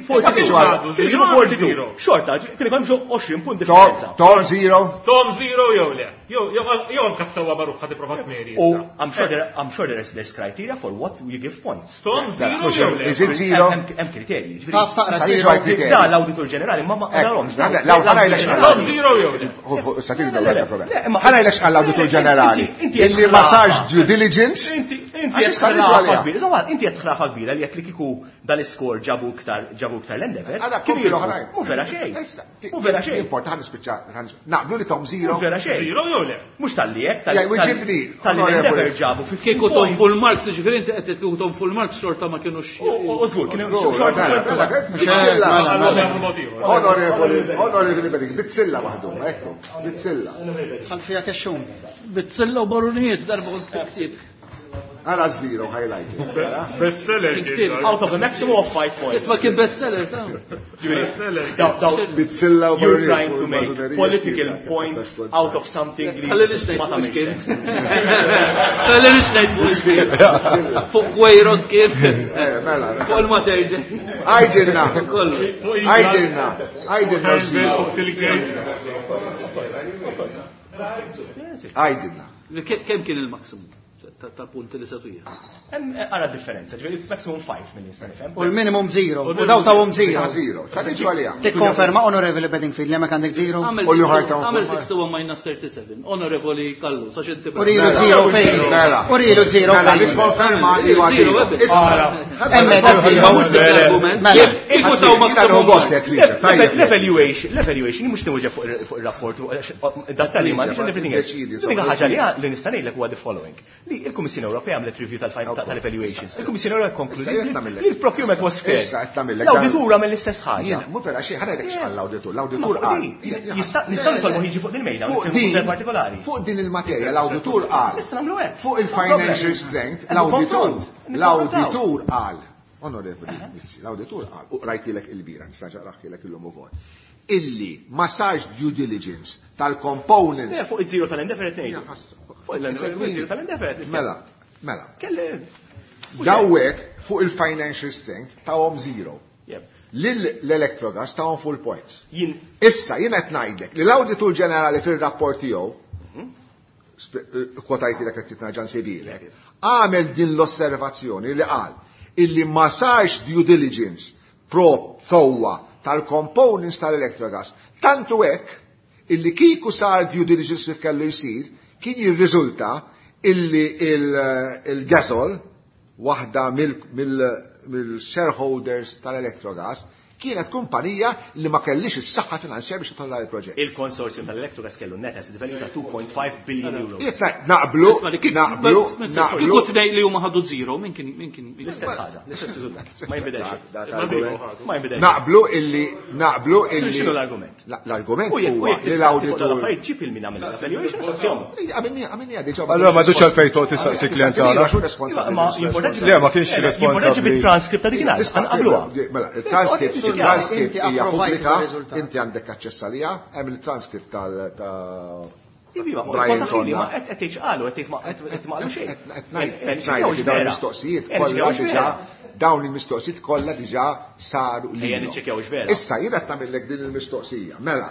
jġibu forty-two. Xorta, kienu jkollhom ġo għoxrin punt differenza. Tom zero. Tom zero jew le. Jew anka sewwa magħruf ħad ipprova tmeri. U I'm sure there I'm sure there is there's criteria for what you give points. Tom zero jew le. Is it zero? Hemm kriterji. Taf taqra Issa niġu zero. għall-kriterji. Da l-Awditur Ġenerali ma ma qarahomx. Ħa ngħidlek x'qal. Tom zero jew le. Issa tiġi dawn il-problema. Ħa ngħidlek x'qal l-Awditur Ġenerali. Illi ma sarx due diligence. Inti inti qed ħrafa kbira. Inti qed ħrafa kbira li jekk li kieku dal-iskor ġabu iktar ġabu iktar l-Endeavour. Kienu l-oħrajn. Mhu vera xejn. Mhu vera xejn. Importa ħa nispiċċa. Naqblu li tom zero. Mhu vera xejn. Zero jew le. Mhux tal-li hekk tal-li tal-Endeavour ġabu fifteen Kieku tom full marks, ġifieri inti qed kieku tom full marks xorta ma kienux. U żgur kienu xorta. Onorevoli, onorevoli Beding, bizzilla waħdu, ekku, bizzilla. Ħal fija kexxun. Bizzilla u barunijiet darba u ktib. Ara zero highlight. Bestseller. Out of a maximum of five points. Isma kien bestseller ta' Bizzilla u You're trying to make political points out of something li ma tagħmilx sens. Ħalli nix ngħid fuq kien. Fuq Kwejros kien. Mela. Fuq il-Mater Dei. Għajdilna. Għajdilna. Għajdilna zero. Għajdilna. Kemm kien il-maximum ta' punti li satija? Hemm ara differenza, ġifieri maximum five mill nista' nifhem. U l-minimum zero. U daw tawhom zero. Zero. Sa tiġu għalija. Tikkonferma Onorevoli Bedingfield li hemmhekk għandek zero. U li ħajta Għamel sixty-one minus thirty-seven. Onorevoli Kallu, sa xinti. Urilu zero fejn. Urilu zero Mela, fejn. nikkonferma li huwa zero. Hemmhekk zero. Mela. Kieku taw maximum. L-evaluation, l-evaluation mhux tinwieġeb fuq ir-rapport dat-tali ma everything else. L-unika ħaġa li li nista' ngħidlek huwa the following. Li il-Kummissjoni Ewropea għamlet review tal-evaluations. Il-Kummissjoni Ewropea konkludiet li l-procurement was fair. L-awditur għamel l-istess ħaġa. Mhu vera xejn, ħa ngħidlek x'qal l-awditur. L-awditur qal. Nistgħu nitolbu jiġi fuq din mejda partikolari. Fuq din il-materja l-awditur qal. Nistgħu nagħmlu hekk. Fuq il-financial strength l-awditur l-awditur qal. Onorevoli Mizzi, l-awditur qal, u rajtilek il-bira, nista' naqraħilek illum ukoll. Illi ma sarx due diligence tal-components. Fuq iż-zero tal-Endeavour qed ngħidu. Fuq il-zero tal-Endeavour. Mela, mela. Dawek fuq il-financial strength tawhom zero. L-Electrogas tawhom full points. Issa jien qed ngħidlek li l-Awditur Ġenerali fir-rapport tiegħu kwotajtilek qed titnaġan sebilek, għamel din l-osservazzjoni li qal illi ma sarx due diligence pro sewwa tal-components tal-Electrogas. Tantu hekk illi kieku sar due diligence kif kellu jsir, kien jirriżulta illi il-Gasol, waħda mill-shareholders tal-Electrogas, kienet kumpanija li ma kellix is-saħħa finanzjarja biex titla' il-proġett. Il-konsorzjum tal-Electrogas kellu net asset value ta' two point five billion euros. Issa naqblu, naqblu, naqblu. Kieku tnejn li huma ħadu zero, min kien min kien l-istess ħaġa, l-istess riżultat. Ma jinbidel xejn. Ma jinbidel. Naqblu illi naqblu illi X'inhu l-argument? L-argument huwa li l-awditur Affarijiet ġib il-min għamel l-evaluation saqsihom. Għamilni għamilni diġà. Allura ma dux għalfejn toqgħod tistaqsi klient tagħna. Ma importanti Le, ma kienx responsabbli. Bit-transcript ta' dikinhar, nqabluha. Mela, il-transcript il-transcript hija pubblika, inti għandek aċċess għaliha, hemm il-transcript tal ta' Brian Tonna. Qed tgħid x'qalu, qed tgħid ma qed ma qalu xejn. Qed ngħid dawn il-mistoqsijiet kollha diġà dawn il-mistoqsijiet kollha diġà saru Ejja niċċekkjaw x'vera. Issa jien qed nagħmellek din il-mistoqsija. Mela,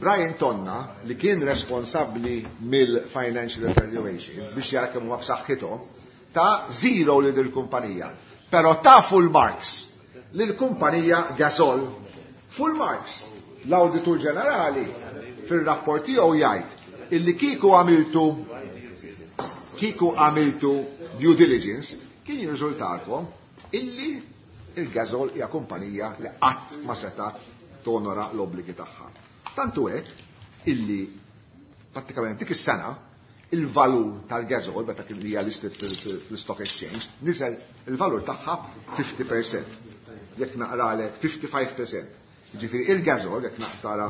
Brian Tonna li kien responsabbli mill-financial evaluation biex jara kemm huma b'saħħithom ta' zero li dil-kumpanija. Però ta' full marks lill-kumpanija Gasol. Full marks. L-Awditur Ġenerali fir-rapport tiegħu jgħid illi kieku għamiltu kieku għamiltu due diligence kien jirriżultalkom illi il-Gasol hija kumpanija li qatt ma setat tonora l-obbligi tagħha. Tantu hekk illi prattikament dik is-sena il-valur tal-Gasol meta kien hija listed fil-Stock Exchange niżel il-valur tagħha fifty percent. Jekk naqralek fifty-five percent. Jiġifieri il-Gasol jekk naqtara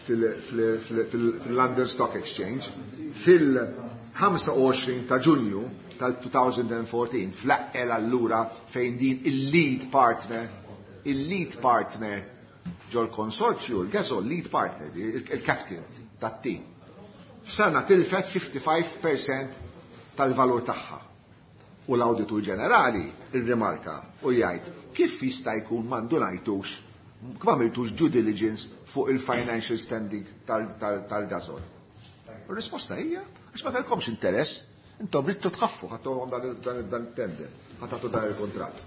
fil-London Stock Exchange fil-ħamsa u għoxrin ta' Ġunju tal-two thousand and fourteen fl-aqel allura fejn din il-lead partner, il-lead partner ġol konsorzju, il-Gasol lead partner, il-captain tat-team. F'sena tilfet fifty-five percent tal-valur tagħha. U l-Awditur Ġenerali irrimarka u jgħid kif jista' jkun m'għandu ngħidux kif għamiltux due diligence fuq il-financial standing tal-Gasol. Ir-risposta hija għax ma kellkomx interess, intom ridtu tħaffu ħadtuhom dan it-tender, ħatatu dan il-kuntratt.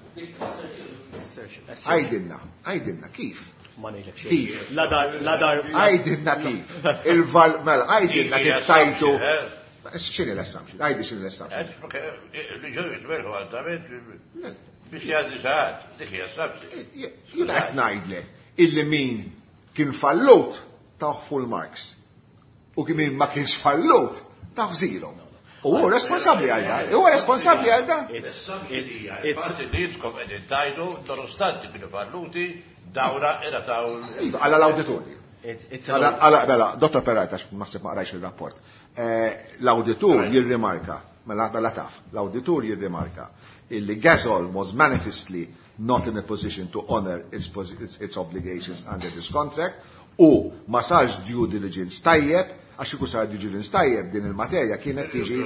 Għajdilna, għajdilna kif? Ma ngħidlek xejn. Kif? La dar, la dar. Għajdilna kif? Il-val, mela, għajdilna kif tajtu. X'inhi l-assumption? Għajdi x'inhi l-assumption? Li ġew jitmerħu għaldament biex jgħaddi saħat, dik hija assumption. Jiena qed ngħidlek illi min kien fallut tawh full marks. U kien min ma kienx fallut tawh zero. U hu responsabbli għal dan. Huwa responsabbli għal dan. Il-fatt li jitkom qegħdin tajdu, nonostante kienu falluti, dawra era taw. Iva, għala l-awditorju. Għala, mela, Dottor Peralta, naħseb ma qrajx il-rapport. L-awditur jirrimarka, mela mela taf, l-awditur jirrimarka illi Gasol was manifestly not in a position to honor its, its, its obligations under this contract u ma sarx due diligence tajjeb, għax iku sar due diligence tajjeb din il-materja kienet tiġi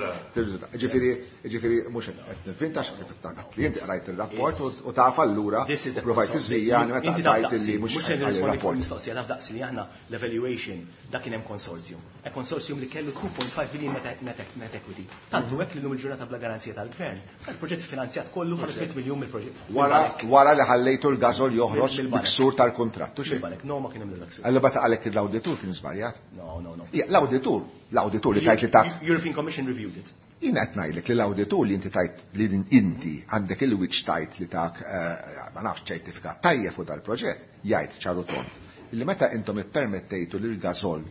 ġifieri ġifieri mhux qed nifvinta kif qed li inti qrajt ir-rapport u taf allura provajt tiżvijani meta qrajt illi mhux mhux se nirrispondi fuq mistoqsija taf daqsi li aħna l-evaluation dak kien hemm consortium. E consortium li kellu two point five billion net, net, net equity. Tantu hekk li llum il-ġurnata bla garanzija tal-gvern. Il-proġett finanzjat kollu ħames miljun mill-proġett. Wara wara li ħallejtu l-Gasol joħroġ biksur tal-kuntratt. Mill-banek, no ma kien hemm l-ksur. Allura bata għalhekk l-awditur kien żbaljat? No, no, no. L-awditur, l-awditur li tajt li tak. European Commission reviewed it. Jien qed ngħidlek li l-awditur li inti tajt li inti għandek il-wiċċ tajt li tak ma nafx ċertifikat tajjeb fuq dal-proġett jgħid ċaru tont. Illi meta intom ippermettejtu li l-Gasol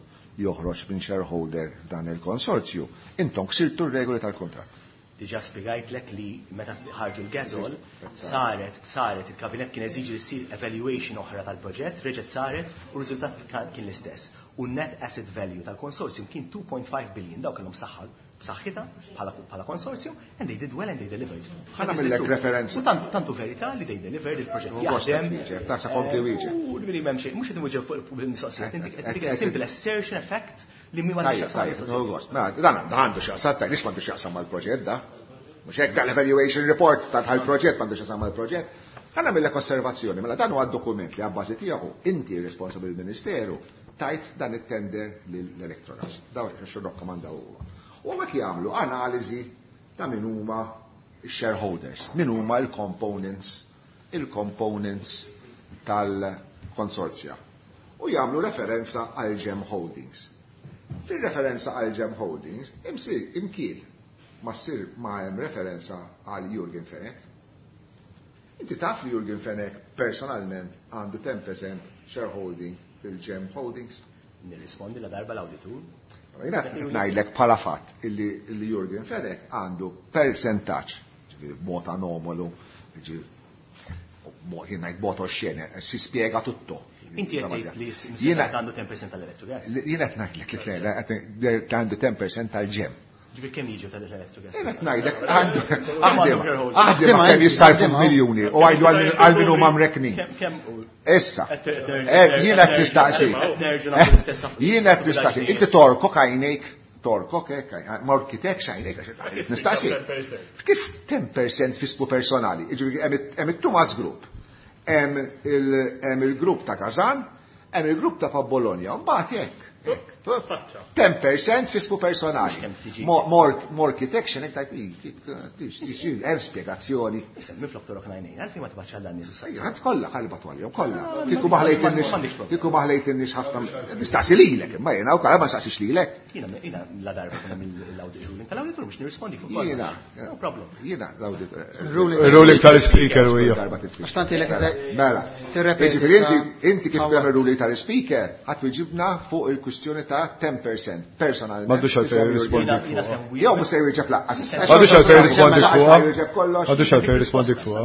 joħroġ minn shareholder dan il-konsorzju, intom ksirtu r-regoli tal-kontratt. Diġà spjegajtlek li meta ħarġu l-Gasol saret saret il-kabinet kien eżiġi li ssir evaluation oħra tal-proġett, reġgħet saret u r-riżultat kien l-istess. U net asset value tal-konsorzjum kien two point five billion, dawk kellhom saħħa b'saħħitha bħala konsorzjum, and they did well and they delivered. Ħana millek referenza. U tantu tantu verità li they delivered il-proġett jaħdem. Ta' sa kompli wieġeb. U li m'hemm xejn, mhux qed inwieġeb fuq il-mistoqsija, inti simple assertion effect li mi ma Tajjeb, dan għandu x'jaqsam, tajjeb, lix m'għandu x'jaqsam mal-proġett da. Mhux hekk dan l-evaluation report ta' tal-proġett m'għandu x'jaqsam mal-proġett. Ħana millek osservazzjoni, mela dan huwa dokument li abbażi tiegħu inti responsabbli mill-Ministeru tajt dan it-tender lill-Electrogas. Daw x'irrakkomandaw huwa. U hekk jagħmlu analiżi ta' min huma shareholders, min huma l-components, il-components tal-konsorzja. U jagħmlu referenza għal Gem Holdings. Fir-referenza għal Gem Holdings, imsir imkien ma ssir ma hemm referenza għal Jurgen Fenech. Inti taf li Jurgen Fenech personalment għandu ten percent shareholding fil-Gem Holdings? Nirrispondi la darba l-awditur. Jina ngħidlek bħala fatt illi, illi Jurgen Fenech għandu percentaġġ, ġifieri b'mod anomalu, ġifieri jien ngħid b'mod oxxene, si spiega tutto. Inti qed tgħid li jiena għandu ten percent tal-Electrogas? Jiena qed ngħidlek li għandu ten percent tal-Gem. Ġifieri kemm jiġu tal-Electrogas? Jien qed ngħidlek għandu aħdem kemm jissarfu f'miljuni u għajdu għal min huma mreknin. Issa, jiena qed nistaqsi. Jiena qed nistaqsi. Inti torkok għajnejk, torkok hekk, morkitek x'għajnejk għax nistaqsi. Kif ten percent fismu personali? Ġifieri hemm it-Tumas Group, hemm il-grupp ta' Kazan, hemm il-grupp ta' Bologna, mbagħad hekk. ten percent fisku personali. Morkitection, hekk tajt, hemm spjegazzjoni. Issa, minflok torok ngħinejn, għalfejn ma tibgħatx għal dan nies issa. Ħadd kollha ħalbat għalihom, kollha. Kieku ma ħlejtinniex, kieku ma ħlejtinniex ħafna. Nistaqsi lilek, imma jiena wkoll ma nistaqsix lilek. Jiena jiena la darba kien hemm l-audit ruling tal-awditur biex nirrispondi fuq kollox. Jiena. No problem. Jiena l-audit. Ruling tal-speaker u hija. Għax tanti lek Mela. Tirrepeti. Inti kif tagħmel ruling tal-speaker, ħadd wieġibna fuq il-kwistjoni ta' ten percent personalment. M'għandux għalfejn jirrispondi fuqha. Jew mhux se jwieġeb laqqas. M'għandux għalfejn jirrispondi fuqha. M'għandux għalfejn jirrispondi fuqha.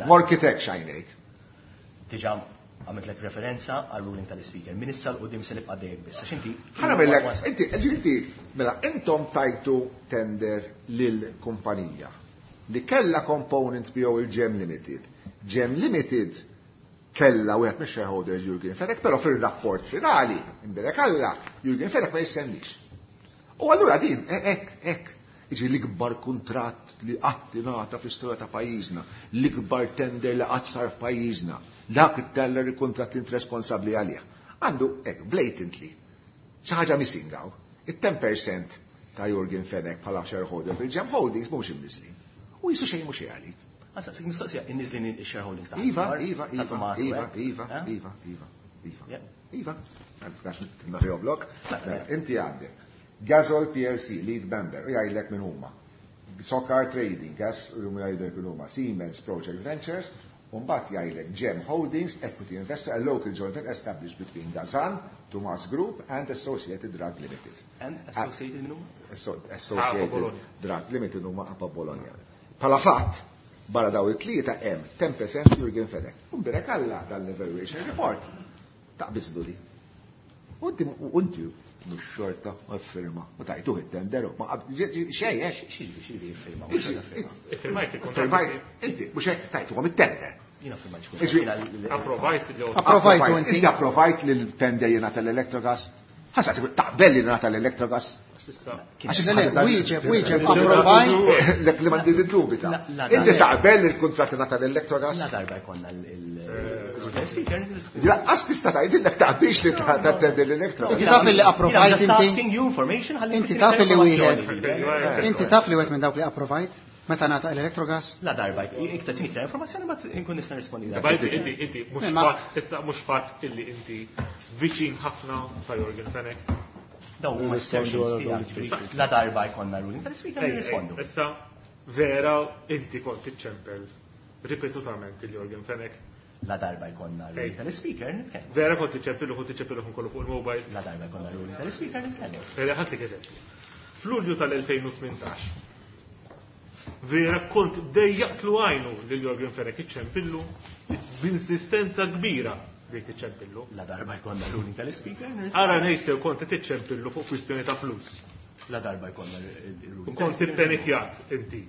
Morkitek x'għajnejk. Diġà għamiltlek referenza għal ruling tal-speaker. Min issa l-qudiem se nibqa' dejjek biss. Għax inti Ħa nagħmellek, inti, inti, mela intom tajtu tender lil kumpanija li kellha component miegħu il-Gem Limited. Gem Limited kella wieħed mix-shareholders Jurgen Fenech, però fir-rapport finali, imbirek Alla, Jurgen Fenech ma jissemmix. U allura din, hekk, hekk, Iġi l-ikbar kuntratt li qatt ingħata fl-istorja ta' pajjiżna, l-ikbar tender li qatt sar f'pajjiżna, dak it-tender il-kuntratt li int responsabbli għalih. Għandu hekk blatantly xi ħaġa missing hawn. It-ten percent ta' Yorgen Fenech bħala shareholder fil-Gem Holdings mhux imniżlin. U jisu xejn mhux għalik. Għasa, sik mistoqsija, inniżlin il-shareholdings ta' Iva, Akbar, Iva, ta' Iva, Tomas Iva, Webb. Iva, Eh? Iva, Iva, Iva. Yeah. Iva, għax naħjoblok. Mela, inti għandek Gasol P L C, lead member, u jgħidlek minn huma. Socar Trading, gas, u jgħidlek minn huma. Siemens Project Ventures, u mbagħad jgħidlek Gem Holdings, Equity Investor, a local joint venture established between Gazan, Tumas Group and Associated Drug Limited. And Associated minn huma? Asso-, Associated Apa Bologna. Drug Limited huma Apa Bologna. Pala fatt, barra daw it-tlieta hemm ten percent Yorgen Fenech. U mbirek Alla dal-evaluation report. Taqbiżlu li. U inti, u inti mhux xorta u firma u tajtuh it-tender u ma qab-, ġi-, ġi-, xejn, eh? Xi ġifieri, xi ġifieri firma, Inti, mhux xorta firma. inti, Iffirmajt il-kuntratt. Firmajt, inti, mhux hekk tajtuhom it-tender. Jiena firmajt xi Iġi- jiena l-, Approvajt li Approvajtu inti. Inti approvajt li l-tender jingħata l-Electrogas. Ħassa taqbel li jingħata l-Electrogas. Issa. Għax Le, le, issa wieġeb, wieġeb, approvajt. Lek li m'għandi dubita. La, la, Inti la. taqbel li l-kuntratt jingħata l-Electrogas? La darba jkollna l-, il-, speaker, nirrispondi. Laqqas tista' tgħidilek taqbilx li ta' tender l-Electrogas. Inti taf li approvajt Just inti? asking you information, ħalli Inti inti taf li wieħed. informazzjoni. Inti taf li wieħed minn dawk li approvajt meta ngħata l-Electrogas? La darba, iktar tini iktar informazzjoni, ma nkun nista' nirrispondi. Ma inti, inti, inti, mhux Ma- fatt, issa mhux fatt illi inti viċin ħafna ta' Yorgen Fenech. Dawn huma assertions tiegħek, ġifieri, la darba jkollna ruling tal-speaker Ej, ej, nirrispondu. Issa, vera, inti kont tiċċempel ripetutament il Yorgen Fenech. La darba jkollna ruling Ej. tal-speaker nitkellmu. Vera kont tiċċempillu, kont tiċċempillu kollu fuq il-mobile. La darba jkollna ruling tal-speaker nitkellmu. Vera, ħadtik eżempju. F'Lulju tal-elfejn u tmintax, vera kont dejjaqtlu għajnu lil Yorgen Fenech iċċempillu b'insistenza kbira bejt iċċempillu. La darba jkollna ruling tal-speaker nirrispondu. Ara ngħid kont qed iċċempillu fuq kwistjoni ta' flus. La darba jkollna ruling U kont ippenikjat inti.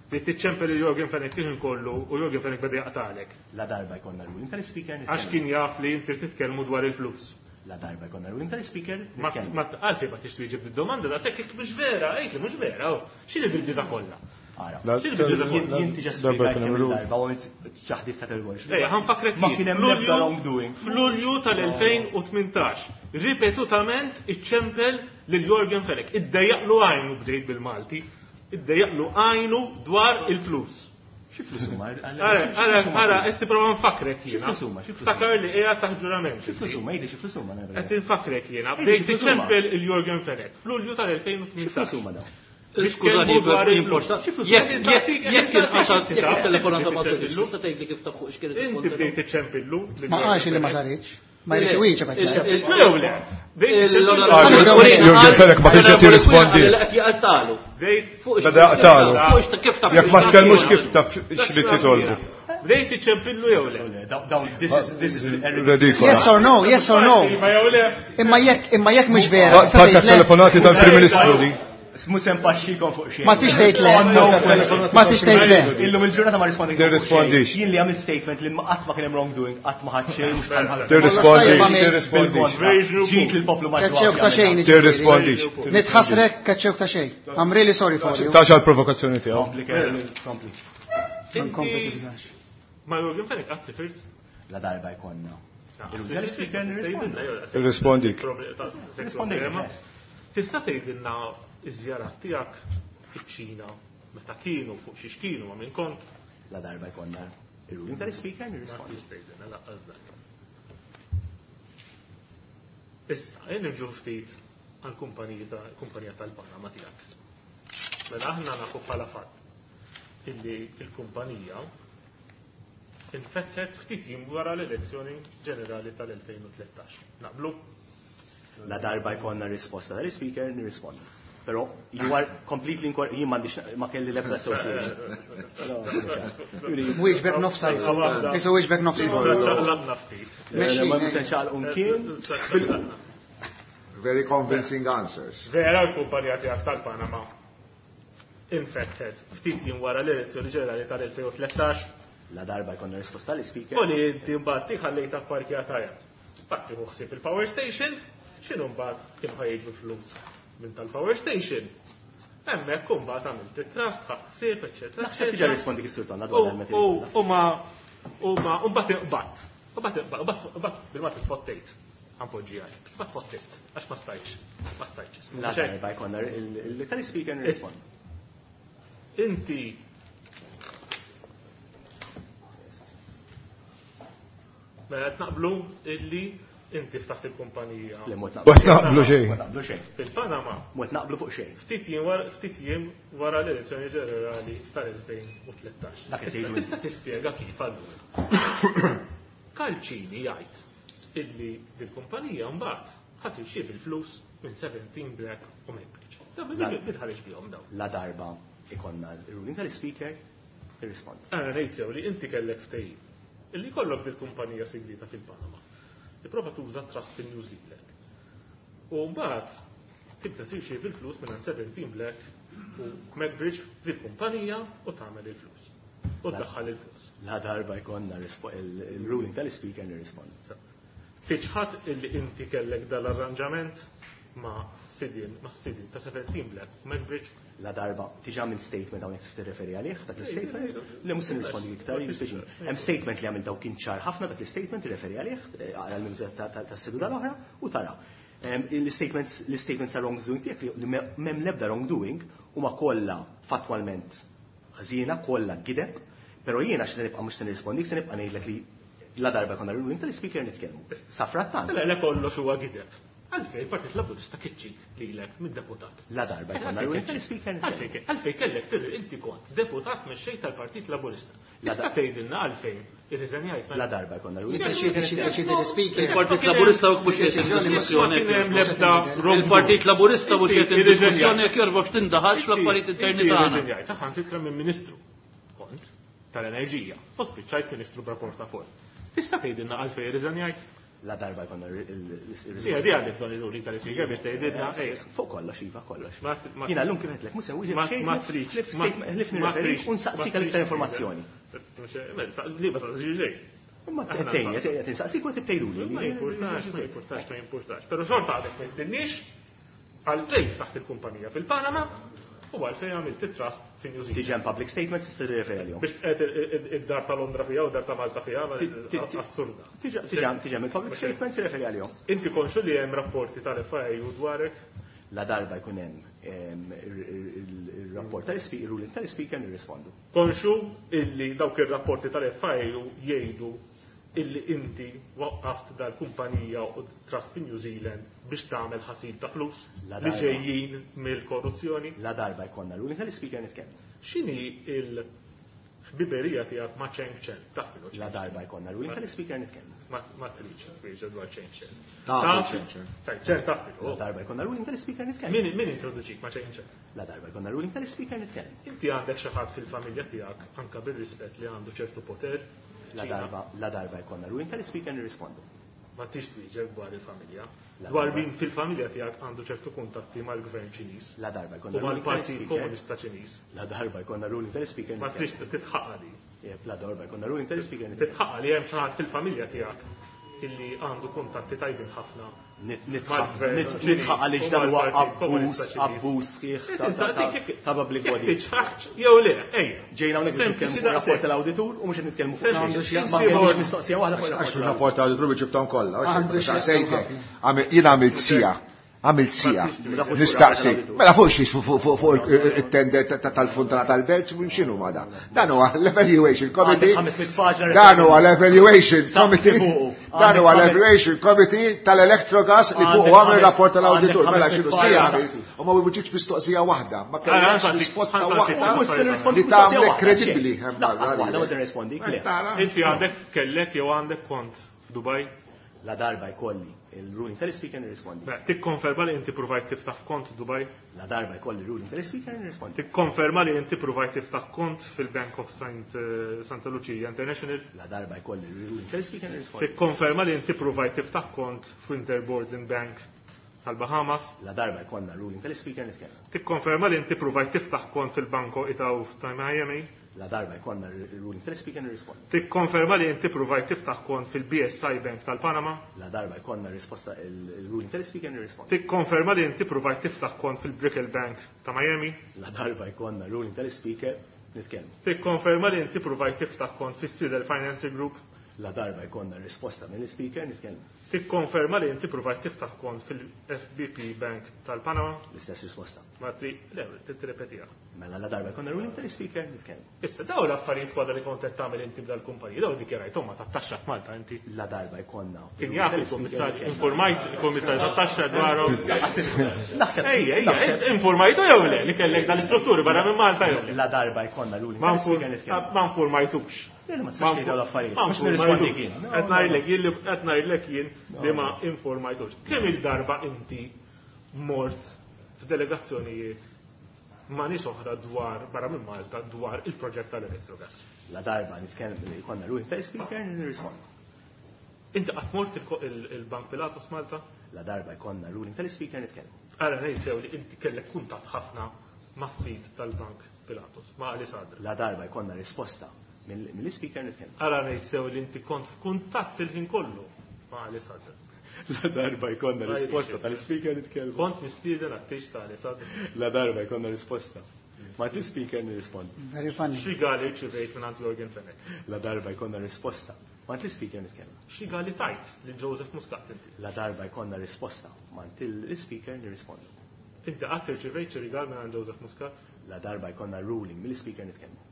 Bejt tiċċempel lil Yorgen Fenech kien kollu u Yorgen Fenech beda jaqtalek. La darba jkollna ruling tal-speaker Għax nitkellmu. kien jaf li inti titkellmu dwar il-flus. La darba jkollna ruling tal-speaker Ma nitkellmu. ma għalfejn ma tix twieġeb id-domanda daqshekk jekk mhux vera, għid li mhux vera, oh. X'inhi bil-biża kollha? Ara. La- X'inhi bil-biża kollha? Jien tiġa Darba spjegajt jkun hemm kemm ruling. il-darba u għamilt ċaħdiet kategoriċi. Ejja, ħanfakrek Ma jien. kien hemm F'Lulju- l-ebda wrongdoing. F'Lulju tal-elfejn u tmintax, ripetutament iċċempel lil Yorgen Fenech. Iddejjaqlu għajnu bdejt bil-Malti, iddejjaqlu għajnu dwar il-flus. Xi flus huma? Ara, ara, ara, issa prova nfakrek Xi jiena. flus huma? Xi flus huma? Ftakar li qiegħed taħt ġurament. Xi flus huma? Jgħidli xi flus huma? Qed infakkrek jiena. Ejja, Bdejt xi flus huma? iċċempel il Yorgen Fenech f'Lulju tal-elfejn u Xi tmintax. flus huma dawn? Skużani, dwar il-flus. importanti. Jekk jekk jekk il-qasat jekk il-telefonata ma saritx, tista' tgħidli kif taf fuq x'kienet Inti bdejt iċċempillu. Ma qalx li ma saritx. Ma jridx iwieġeb qed jgħid. Jew le. Yorgen Fenech ma kienx qed jirrispondi. Bdejt Beda jaqtalu. Jekk ma tkellmux kif taf x'li titolbu. Bdejt iċċempillu jew le. Dawn, this is, this is Redikola. Yes or no, yes or no. Iva jew le. Imma jekk imma jekk mhux vera, tista' Parka tgħid le. telefonati tal-Prim Ministru di. Mhux se npaxxikom fuq xejn. Ma tix tgħid le. Ma tix tgħid le. Illum il-ġurnata ma rispondi. Tirrispondix. Jien li għamilt statement li qatt ma kien hemm wrongdoing, qatt ma ħadd xejn, mhux bħal ħadd. Tirrispondix, tirrispondix. Ġit lill-poplu ma Keċċewk ta' xejn. Tirrispondix. Nitħassrek keċċewk ta' xejn. I'm really sorry for you. Tax għal provokazzjoni tiegħu. Kompli, Kerry, kompli. Ma nkompli tibżax. Ma Yorgen Fenech qatt sifirt. La darba jkollna. Il-speaker nirrispondi. Irrispondik. Rispondejt. Tista' tgħidilna iż-żjarat tiegħek fiċ-Ċina meta kienu fuq xiex kienu ma' min kont? La darba jkollna il-ruling tal-speaker nirrispondi. Ma tgħidilna laqqas dak. Issa, jien nirġu ftit għall-kumpanija ta' kumpanija tal-Panama tiegħek. Mela aħna nafu bħala fatt illi l-kumpanija infetħet ftit jiem wara l-elezzjoni ġenerali tal-elfejn u tlettax. Naqblu? La darba jkollna risposta tal-speaker nirrispondi. Però you are completely incorrect, jien m'għandix ma kelli l-ebda association. Wieġbek nofsa jisu. Jisu wieġbek nofsa. Ċaqlaqna ftit. Ma mhux se nxaqalqu mkien. Very convincing answers. Vera l-kumpanija tiegħek tal-Panama infetħet ftit jiem wara l-elezzjoni ġenerali tal-elfejn u tlettax. La darba jkollna risposta tal-speaker. U li inti mbagħad tiħallejta pparkjata hemm. Mbagħad tieħu ħsieb il-power station, x'inhu mbagħad kienu ħajġu flus minn tal-power station. Hemmhekk imbagħad għamilt it-trust, ħadd eċċetera. Naħseb diġà rispondi kif Sur Tonna dwar il-metri. U ma u ma u mbagħad inqbadt. U mbagħad mbagħad bil-mod tfottejt. Għanpoġġi għalek. Ma tfottejt, għax ma stajtx. Ma stajtx. La darba jkollna il-tal-speaker nirrispondi. Inti Mela qed naqblu illi inti ftaħt il-kumpanija. Le mod naqblu xejn. Mod naqblu xejn. Fil-Panama. Mod naqblu fuq xejn. Ftit jiem wara ftit jiem wara l-elezzjoni ġenerali tal-elfejn u tlettax. Dak qed tgħidu. Tista' tispjega kif allura. Kalċini jgħid illi dil-kumpanija mbagħad ħadd irċievi l-flus minn seventeen Black u Maybridge. Dan bil-ħareġ bihom dawn. La darba ikonna l-ruling tal-speaker tirrispondi. Għana ngħid sew li inti kellek ftehim illi kollok dil-kumpanija segreta fil-Panama. Tipprova tuża trust fil New Zealand. U mbagħad tibda tirċievi l-flus minn seventeen Black u Maybridge fil-kumpanija u tagħmel il-flus. U tdaħħal il-flus. La darba jkollna il-ruling tal-speaker nirrispondi. Tiċħad illi inti kellek dal-arranġament ma' sidin, ma' sidin ta' seventeen Black u Maybridge. La darba, tiġa minn statement hawnhekk tista' tirreferi għalih, dak l-statement, li mhux se nirrispondi iktar, jispeċi. Hemm statement li għamil daw kien ċar ħafna dak l-statement tirreferi għalih, għara l-miżat tas-seduta l-oħra u tara. L-statements, l-statements ta' wrongdoing tiegħek li m'hemm l-ebda wrongdoing huma kollha fattwalment ħażina, kollha gideb, però jiena x'se nibqa' mhux se nirrispondik, se nibqa' ngħidlek li la darba konna ruling tal-speaker nitkellmu. Safrattant. Le, le kollox huwa gideb. Għalfej il-Partit Laburista kiċċik lilek mid-deputat. La darba jkollna ruling tal-speaker nitkellmu. Għalfej kellek tirri inti kont deputat mexxej tal-Partit Laburista. Tista' tgħidilna għalfejn irriżenjajt. La darba jkollna ruling tal-speaker. Il-Partit Laburista mhux qed diskussjoni. Il-Partit Laburista mhux qed diskussjoni jekk jorbok tindaħalx fl-affarijiet interni tagħna. Irriżenjajt saħansitra minn Ministru kont tal-Enerġija u spiċċajt Ministru bra portafol. Tista' tgħidilna għalfejn irriżenjajt? La darba jkollna il-risposta. Ija, di għandek bżonn il-ruling tal-speaker biex tgħidilna. Fuq kollox, iva, kollox. Jiena llum kif qedlek, mhux se nwieġeb xejn. Ma tridx. Ħlif nirreferi u nsaqsik għal iktar informazzjoni. Li ma saqsix xejn. Ma tgħidni, qed insaqsik u qed tgħiduli. Ma jimpurtax, ma jimpurtax, ma jimpurtax. Però xorta għadek ma jgħidilniex għalfejn ftaħt il-kumpanija fil-Panama u għalfejn għamilt it-trust fi New Zealand. Tiġi hemm public statements tista' tirreferi għalihom. Biex qed id-dar ta' Londra fiha u dar ta' Malta fiha, assurda. Tiġi hemm il-public statements tirreferi għalihom. Inti konxu li hemm rapporti tal-F I U dwarek? La darba jkun hemm ir-rapport tal-speaker, ir-ruling tal-speaker nirrispondu. Konxu illi dawk ir-rapporti tal-F I U jgħidu illi inti waqqaft dal-kumpanija u trust in New Zealand biex tagħmel ħasil ta' flus li ġejjin mill-korruzzjoni. La darba jkollna ruling tal-speaker nitkellmu. X'inhi il-ħbiberija tiegħek ma' Cheng Chen? Taf minnu La darba jkollna ruling tal-speaker nitkellmu. Ma tridx twieġeb dwar Cheng Chen. Taf Cheng Chen. Cheng Chen taf minnu. La darba jkollna ruling tal-speaker nitkellmu. Min min introduċik ma' Cheng Chen? La darba jkollna ruling tal-speaker nitkellmu. Inti għandek xi ħadd fil-familja tiegħek anke bir-rispett li għandu ċertu poter. La darba, la darba jkollna ruling tal-speaker nirrispondu. Ma tix twieġeb dwar il-familja. Dwar min fil-familja tiegħek għandu ċertu kuntatti mal-gvern Ċiniż. La darba jkollna u mal-Partit Komunista Ċiniż. La darba jkollna ruling tal-speaker. Ma trix titħaqqa li. La darba jkollna ruling tal-speaker. Titħaqqa li hemm xi ħadd fil-familja tiegħek illi għandu kuntatti tajbin ħafna. Nitħaq għaliex dan huwa abbuż, abbuż sħiħ ta' public body. Jew le, ejja. Ġejna hawnhekk biex nitkellmu fuq rapport tal-awditur u mhux qed nitkellmu fuq. Ma kellix mistoqsija waħda fuq Għax rapport tal-awditur biex ġibthom kollha. Jien għamilt sija. Għamilt sija. Nistaqsi. Mela fuq xiex fuq it-tender tal-Funtana tal-Belt, x'inhu ma da? Dan huwa l-evaluation committee. Dan huwa l-evaluation committee. Dan huwa l-evaluation committee tal-Electrogas li fuq għamel rapport tal-awditur. Mela x'inhu sija għamilt. U ma wiġibx mistoqsija waħda. Ma kellekx risposta waħda li tagħmlek kredibbli. Waħda ma se nirrispondi. Inti għandek kellek jew għandek kont f'Dubaj? La darba jkolli il-ruling tal-speaker nirrispondi. Tikkonferma li inti provajt tiftaħ kont Dubai? La darba jkolli il-ruling tal-speaker nirrispondi. Tikkonferma li inti provajt tiftaħ kont fil-Bank of Saint Santa Lucia International? La darba jkolli il-ruling tal-speaker nirrispondi. Tikkonferma li inti provajt tiftaħ kont f'Interborden Bank tal-Bahamas? La darba jkollna ruling tal-Ispeaker nitkellem. Tikkonferma li inti provajt tiftaħ kont fil-Banco Itaú ta' Miami? La darba jkollna ruling tal-Ispeaker nirrispondi. Tikkonferma li inti provajt tiftaħ kont fil-B S I Bank tal-Panama? La darba jkollna risposta il-ruling tal-Ispeaker nirrispondi. Tikkonferma li inti provajt tiftaħ kont fil-Brickell Bank ta' Miami? La darba jkollna ruling tal-Ispeaker nitkellmu. Tikkonferma li inti provajt tiftaħ kont fis-Sidel Financing Group? La darba jkollna risposta mill-Ispeaker nitkellmu. Tikkonferma li inti provajt tiftaħ kont fil-F B P Bank tal-Panama? L-istess risposta. Ma tri, le, tirrepetiha. Mela la darba jkollna ruling tal-Ispeaker nitkellmu. Issa daw l-affarijiet kollha li kont qed tagħmel inti b'dal-kumpaniji, daw dikjarajthom ma tat-taxxa f'Malta inti. La darba jkollna. Kien jaf il-kummissarju, informajt il-kummissarju tat-taxxa dwarhom. Naħseb. Ejja, ejja, informajtu jew le li kellek dal-istrutturi barra minn Malta jew le. La darba jkollna ruling Ma tal-Ispeaker nitkellmu. Ma informajtux. Le, ma tistax tgħid dawn l-affarijiet. Ma Mhux nirrispondi jien. Qed ngħidlek jien li qed ngħidlek jien li ma informajtux. Kemm il-darba inti mort f'delegazzjonijiet ma' nies oħra dwar barra minn Malta dwar il-proġett tal-Electrogas? La darba nitkellem li jkollna ruling tal-Ispeaker nirrispondi. Inti qatt mort il-Bank Pilatus Malta? La darba jkollna ruling tal-Ispeaker nitkellem. Ara ngħid sew li inti kellek kuntatt ħafna mas-sid tal-Bank Pilatus, ma' Ali Sadr. La darba jkollna risposta mill-Ispeaker nitkellem. Ara ngħid sew li inti kont f'kuntatt il-ħin kollu ma' Ali Sadr. La darba jkollna risposta tal-Ispeaker nitkellem. Kont mistieden għat-tieġ ta' Ali Sadr. La darba jkollna risposta. Ma t-Ispeaker nirrispondi. Very funny. Xi gali rċivejt minn għand Yorgen Fenech? La darba jkollna risposta. Ma t-Ispeaker nitkellem. Xi gali tajt lil Joseph Muscat inti? La darba jkollna risposta. Ma t-Ispeaker nirrispondi. Inti qatt irċivejt xi rigal minn għand Joseph Muscat? La darba jkollna ruling mill-Ispeaker nitkellem.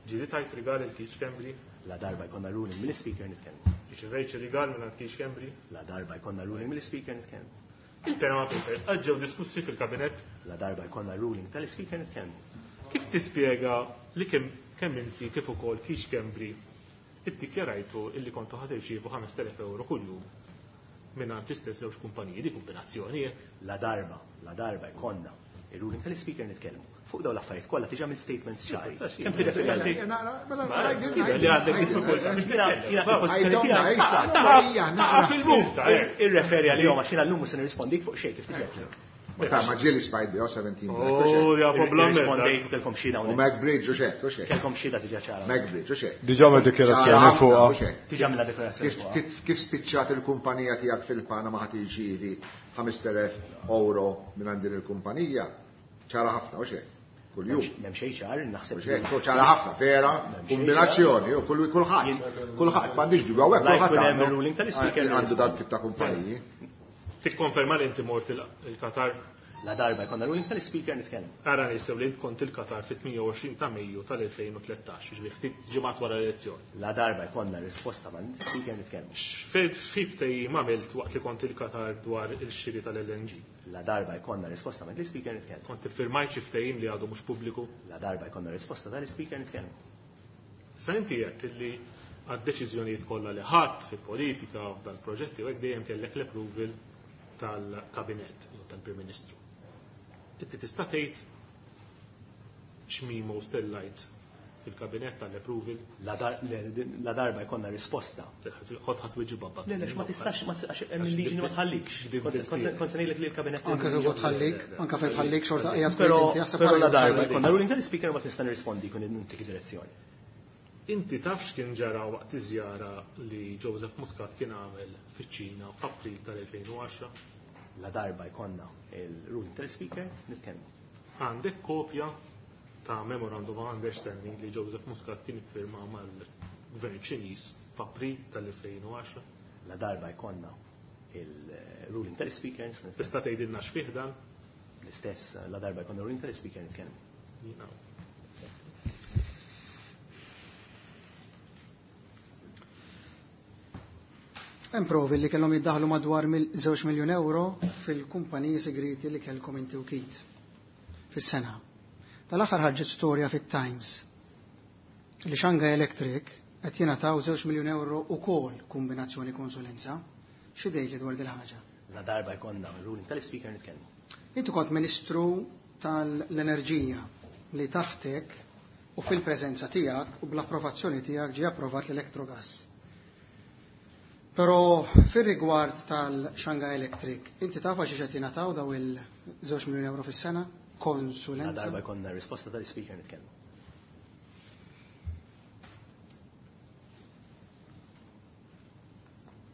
Ġieli tajt rigal il Keith Schembri? La darba jkollna ruling mill-Ispeaker nitkellem. Irċivejt xi rigal minn għand Keith Schembri? La darba jkollna ruling mill-Ispeaker nitkellem. Il-Panama Papers qatt ġew diskussi fil-kabinett? La darba jkollna ruling tal-Ispeaker nitkellem. Kif tispjega li kemm, kemm inti kif ukoll Keith Schembri iddikjarajtu illi kontu ħad irċievu ħames elef euro kuljum minn għand l-istess żewġ kumpaniji, di kombinazzjoni hekk? La darba, la darba jkollna ir-ruling tal-Ispeaker nitkellmu. Fuq dawn l-affarijiet kollha tiġi għamil statements ċari. Kemm tirreferi għal dik? Li għandek diffikultà biex titkellem. Taqa' fil-multa, hekk. Irreferi għalihom għax jiena llum mhux se nirrispondik fuq xejn kif tiġi. Ma ta' ma ġieli smajt biha seventeen Black, u Oh, xejn. ja, problem. Irrispondejt u kellkom xhieda U hawnhekk. Mac Bridge u xejn, u xejn. Kellkom xhieda diġà ċara. Mac Bridge u xejn. Diġà għamel dikjarazzjoni Ċara ħafna, fuqha. u xejn. Diġà għamilha dikjarazzjoni Kif, fuqha. kif, kif spiċċat il-kumpanija tiegħek fil-Panama ħadd irċievi ħames elef euro minn għand din il-kumpanija? Ċara ħafna, u xejn. Kuljum. M'hemm xejn ċar, naħseb. U xejn, ċara ħafna, vera, kombinazzjoni, u kull kulħadd. Kulħadd, m'għandix dubju, hawnhekk La kulħadd jkun hemm għandu il-ruling tal-Ispeaker għandu dan tip ta' kumpaniji. Tikkonferma li inti mort il-, il-Qatar? La darba jkollna ruling tal-Ispeaker nitkellem. Ara nisew li int kont il-Qatar fit-tmien u għoxrin ta' Mejju tal-elfejn u tlettax, jiġifieri ftit ġimgħat wara l-elezzjoni. La darba jkollna risposta mal-Ispeaker nitkellem. X'fib tejjim għamilt waqt li kont il-Qatar dwar il-xiri tal-L N G? La darba jkollna risposta mal-Ispeaker nitkellem. Kont iffirmajt xi ftehim li għadu mhux pubbliku? La darba jkollna risposta tal-Ispeaker nitkellem. Sa inti għedt li għad-deċiżjonijiet kollha li ħadd fil-politika u f'dal-proġetti u hekk dejjem kellek l-approval tal-kabinett jew tal-Prim Ministru. Inti tista' tgħid x'mimo stellajt fil-kabinett tal-approval? La dar-, le, la darba jkollna risposta. Ħodd ħadd wieġib babba. Le, le, ma tistax, ma tistax, hemm il-liġi li ma tħallikx. Kont se ngħidlek li l-kabinett Anke kif tħallik, anke fejn tħallik xorta qiegħed Però inti jaħseb però la ħallik. darba jkollna ruling tal-Ispeaker ma tista' nirrispondi jkun intik direzzjoni. Inti taf x'kien ġara waqt iż-żjara li Joseph Muscat kien għamel fiċ-Ċina f'April tal-elfejn u għaxra? La darba jkollna il-ruling tal-Ispeaker nitkellmu. Għandek kopja ta' Memorandum of Understanding li Joseph Muscat kien iffirma mal-Gvern Ċiniż f'April tal-elfejn u għaxra? La darba jkollna il-ruling tal-Ispeaker nitkellmu. Tista' tgħidilna x'fih dan? L-istess, la darba jkollna ruling tal-Ispeaker nitkellmu. Jiena. Hemm provi li kellhom jiddaħlu madwar mil-, żewġ miljun euro fil-kumpaniji segreti li kellkom inti u Keith fis-sena. Tal-aħħar ħarġet storja fit-Times li Shanghai Electric qed jingħataw żewġ miljun euro ukoll kombinazzjoni konsulenza. Xi dejli dwar din ħaġa? La darba jkollna ruling tal-Ispeaker nitkellmu. Inti kont Ministru tal-Enerġija li taħtek u fil-preżenza tiegħek u bl-approvazzjoni tiegħek ġie approvat l-Electrogas. Però fir-rigward tal-Shanghai Electric, inti taf għax qed jingħataw daw il-żewġ miljun euro fis-sena? Konsulenza. La darba jkollna risposta tal-Speaker nitkellmu.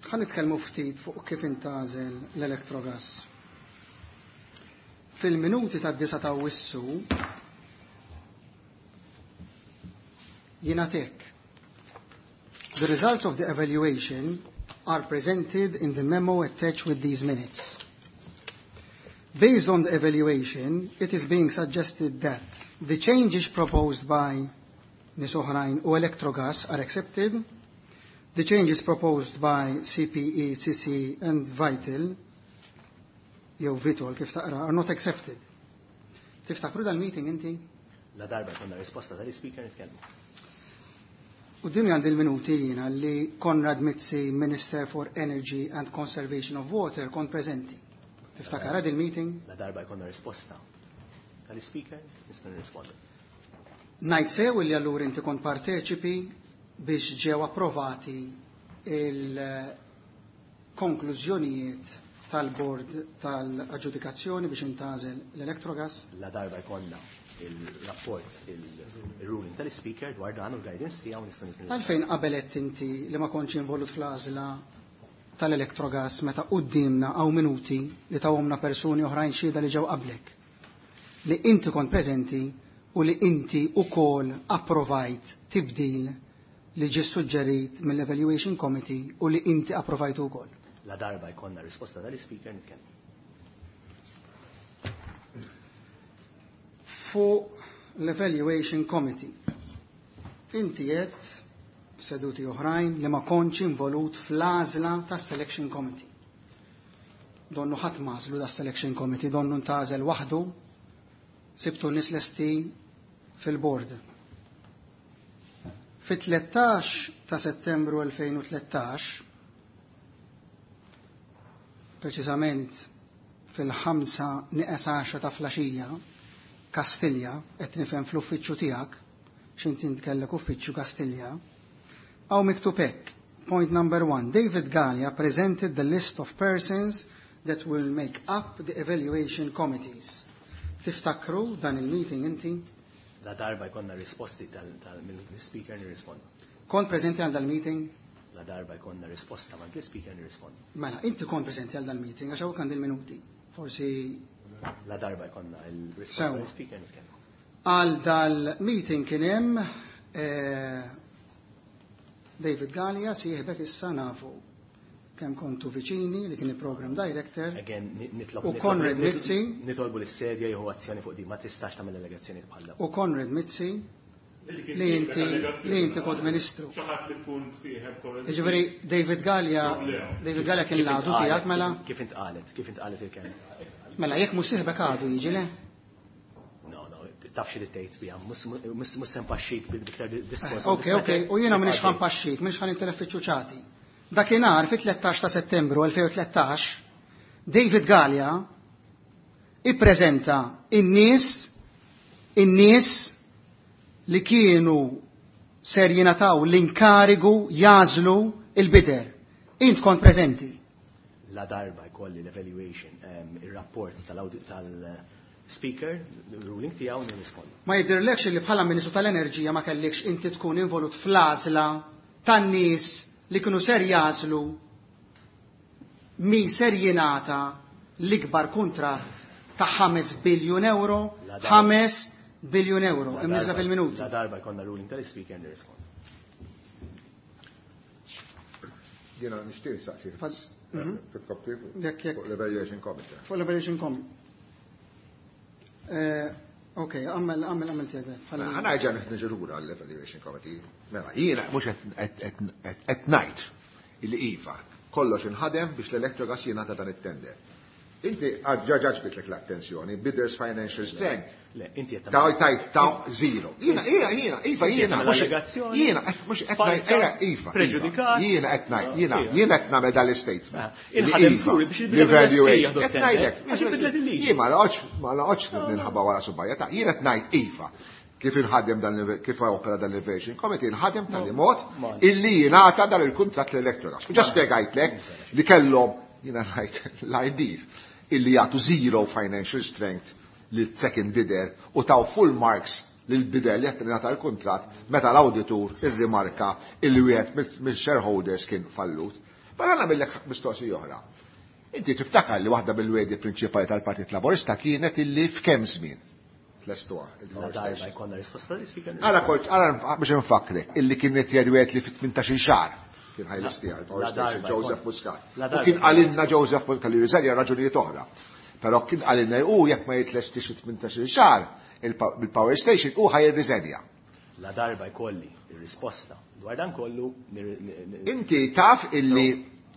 Ħa nitkellmu ftit fuq kif intgħażel l-Electrogas. Fil-minuti tad-disa ta' Awwissu jingħad hekk. The results of the evaluation are presented in the memo attached with these minutes. Based on the evaluation, it is being suggested that the changes proposed by nies oħrajn u Electrogas are accepted, the changes proposed by C P E, C C and Vital, jew Vitol kif taqra, are not accepted. Tiftakru dal-meeting inti? La darba jkollna risposta tal-Speaker nitkellmu. U din għandi l-minuti jiena li Konrad Mizzi, Minister for Energy and Conservation of Water, kont preżenti. Tiftakar il-meeting? La darba jkollna risposta tal-Speaker nista' nirrispondi. Ngħid sew li allura inti kont parteċipi biex ġew approvati il-konklużjonijiet tal-bord tal-aġġudikazzjoni biex intgħażel l-Electrogas? La darba jkollna il-rapport, il-ruling tal-Speaker dwar dan u l-guidance tiegħu nista' nirrispondi. Għalfejn qabel qed inti li ma kontx involut fl-għażla tal-Electrogas meta quddiemna hawn minuti li tawhomna persuni oħrajn xhieda li ġew qablek, li inti kont preżenti u li inti ukoll approvajt tibdil li ġie suġġerit mill-Evaluation Committee u li inti approvajtu wkoll. La darba jkollna risposta tal-Speaker nitkellmu. Fuq l-Evaluation Committee, inti qed seduti oħrajn li ma kontx involut fl-għażla tas-Selection Committee. Donnu ħadd m'għażlu das-Selection Committee, donnu ntgħażel waħdu, sibtu nies lesti fil-board. Fit-tlettax ta' Settembru elfejn u tlettax, preċiżament fil-ħamsa nieqes għaxra ta' filgħaxija, Kastilja, qed nifhem fl-uffiċċju tiegħek, x'inti kellek uffiċċju Kastilja, hawn miktub hekk. Point number one, David Galea presented the list of persons that will make up the evaluation committees. Tiftakru dan il-meeting inti? La darba jkollna risposti tal-Speaker nirrispondu. Kont preżenti għal dal-meeting? La darba jkollna risposta ma' l-Speaker nirrispondu. Mela, inti kont preżenti għal dal-meeting, għax hawn għandi il-minuti. Forsi La darba jkollna il-risposta Sewa. tal-Speaker nitkellmu. Għal dal-meeting kien hemm eh, David Galea, sieħbek issa nafu kemm kontu viċini li kien il-program director. Again, nitlob U Konrad Mizzi. Nitolbu l-sedja jieħu azzjoni fuq di, ma tistax tagħmel allegazzjoni bħal dawn. U Konrad Mizzi li inti li inti kont ministru. Xi ħadd li tkun sieħeb Konrad. Jiġifieri David Galea, David Galea kien Kif l-għadu intqalet- tiegħek mela, Kif intqalet, kif intqalet il-kelma. Mela jekk mhux sieħbek għadu jiġi le? No, no, taf xi tgħid biha, mhux se npaxxik bil-iktar diskors. Ok, ok, u jiena m'iniex ħa npaxxik, m'iniex ħa nintilef fiċ-ċuċati. Dakinhar fit-tlettax ta' Settembru elfejn u tlettax, David Galea ippreżenta in-nies in-nies li kienu ser jingħataw l-inkarigu jagħżlu il-bidder. Int kont preżenti. La darba jkolli l-evaluation, em, il-rapport tal-Speaker, il-ruling tiegħu nirrispondu. Ma jidhirlekx li bħala Ministru tal-Enerġija ma kellekx inti tkun involut fl-għażla tan-nies li kienu ser jagħżlu min ser jingħata l-ikbar kuntratt ta' ħames biljun euro, La darba. ħames biljun euro, La imniżla darba- fil-minuti. La darba jkollna ruling tal-Speaker nirrispondu. Jiena nixtieq saqsi. Fad- Mhm. Titkopri Jekk jekk fuq l-Evaluation Committee. Fuq l-Evaluation Committee. Eh, Ok, għamel għamel għamel tiegħek. Mela, ħa nerġa' niġi lura l-Evaluation Committee. Mela, jiena mhux qed ngħid illi iva, kollox inħadem biex l-Electrogas jingħata dan it-tender. Inti ġa ġbitlek l-attenzjoni, bidders financial strength. Le, inti qed Ta' ta' ta' zero. Jiena, jiena, jiena, iva, jiena, tagħmel mhux allegazzjoni jiena, mhux qed ngħid, falsa, era, iva, iva, preġudikat. Jiena qed ngħid, jiena, Iva. jiena qed nagħmel dal-statement. Ah, inħadem Li iva, żgur biex il-bidder l-evaluation. jieħdu Qed t-tender, ngħidlek, għax inbidlet il-liġi. Jien ma noqgħodx ma noqgħodx ninħaba wara subgħajja ta' jiena qed ngħid iva. Kif inħadem dan kif opera dan l-Evaluation Committee, inħadem tal mod illi jingħata dan il-kuntratt l-Electrogas. U ġa spjegajtlek li kellhom jiena ngħid l-ideal illi jagħtu zero financial strength lil second bidder u taw full marks lil bidder li qed jingħata l-kuntratt meta l-awditur irrimarka illi wieħed mill-shareholders kien fallut. Mela nagħmellek mistoqsija oħra. Inti tiftakar li waħda mill-wegħdi prinċipali tal-Partit Laburista kienet illi f'kemm żmien tlestuha il-power station. Għala kont, għala biex nfakrek, illi kienet jgħid li fit-tmintax-il xahar kien ħajlestiha il-power station Joseph Muscat. U kien qalilna Joseph Muscat li riżenja raġunijiet oħra. Però kien qalilna u jekk ma jitlestix fit-tmintax-il xahar il-power station u ħajrriżenja. La darba jkolli ir-risposta dwar dan kollu. Inti taf illi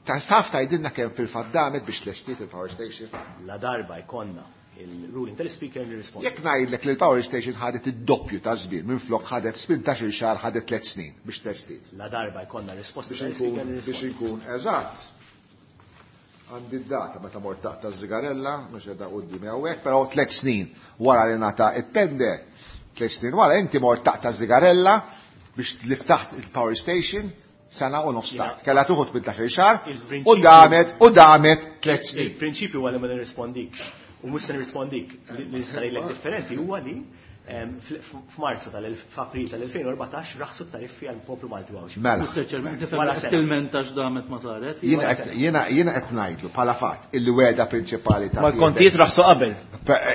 taf tgħidilna kemm fil-fatt damet biex tlestiet il-power station? La darba jkollna il-ruling tal-speaker nirrispondi. Jekk ngħidlek li l-power station ħadet id-doppju ta' żmien, minflok ħadet tmintax-il xahar ħadet tliet snin biex tlestiet. La darba jkollna risposta tal-speaker nirrispondi. Biex inkun eżatt. Għandi d-data meta mort taqta' ż-żigarella, mhux qiegħda quddiemi hawnhekk, però tliet snin wara li ngħata it-tender, tliet snin wara inti mort taqta' ż-żigarella biex li ftaħt il-power station sena u nofs tard. Kellha tuħu tmintax-il xahar u damet u damet tliet snin. Il-prinċipju huwa li ma nirrispondikx. U mhux se nirrispondik li nista' ngħidlek differenti huwa li f'Marzu tal-April tal-elfejn u erbatax raħsu t-tariffi għall-poplu Malti Għawdxi. Mela. Tilmentax damet ma saret. Jiena qed ngħidlu bħala fatt illi wegħda prinċipali ta' mal-kontijiet raħsu qabel.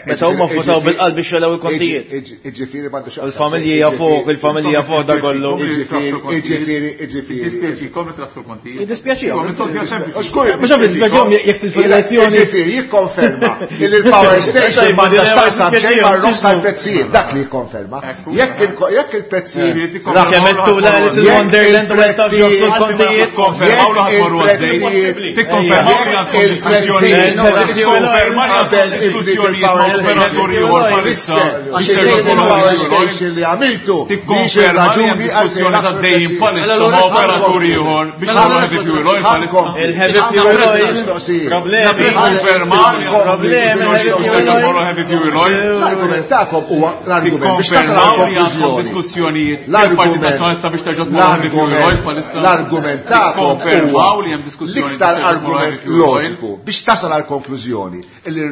Meta huma votaw bil-qalb biex jolaw il-kontijiet. Iġifieri m'għandu x'jaqsam. Il-familji fuq, il-familja fuq da kollu. Iġifieri, iġifieri, iġifieri. Jiddispjaċikom li traħsu l-kontijiet. Jiddispjaċihom. Mhux għam jiddispjaċihom jekk tilfu l-elezzjoni. Iġifieri jikkonferma li l-power station m'għandha x'taqsam xejn mar-roħs tal-prezzijiet. Dak li jikkonferma. Jekk il-prezzijiet kemm l-Alice in Wonderland u meta joqsu l-kontijiet. Tikkonfermaw li ħatmorru għaddej. Tikkonfermaw li għandkom diskussjonijiet. Tikkonfermaw li għandkom diskussjonijiet ma' operaturi ieħor bħalissa. Għax il-power station li għamiltu. Tikkonferma li hemm diskussjoni għaddejjin bħalissa ma' operaturi ieħor biex tagħmlu heavy fuel oil bħalissa. Il-heavy fuel oil. Problemi. Tikkonfermaw li għandkom diskussjoni heavy fuel oil. L-argument tagħkom huwa l-argument biex tasal għal diskussjonijiet il-Partit Nazzjonalista biex terġa' tmur heavy fuel oil bħalissa. L-argument tagħkom huwa l-iktar argument loġiku biex tasal għal konklużjoni li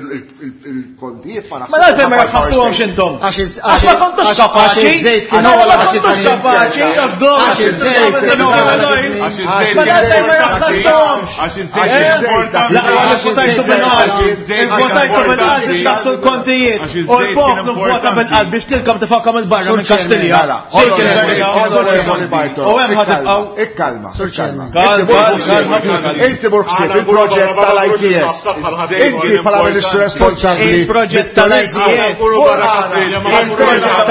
il-kontijiet ma Ma l-għalfejn ma raħħastuhomx intom. Għax ma kontux kapaċi. Ma kontux kapaċi. Għax iż-żejt kien Ma l-għalfejn ma raħħastuhomx. Għax iż-żejt Laqwa li votajtu bil-qalb. Votajtu bil-qalb biex taħsu l-kontijiet. U l-poplu vota bil-qalb biex tilkom tifakkom il-barra minn Kastilja. U hemm ħatibqgħu. Ikkalma. Chairman. Inti mur ħsieb il-proġett tal-I T S. Inti bħala Ministru responsabbli. Il-proġett tal-I T S. Il-proġett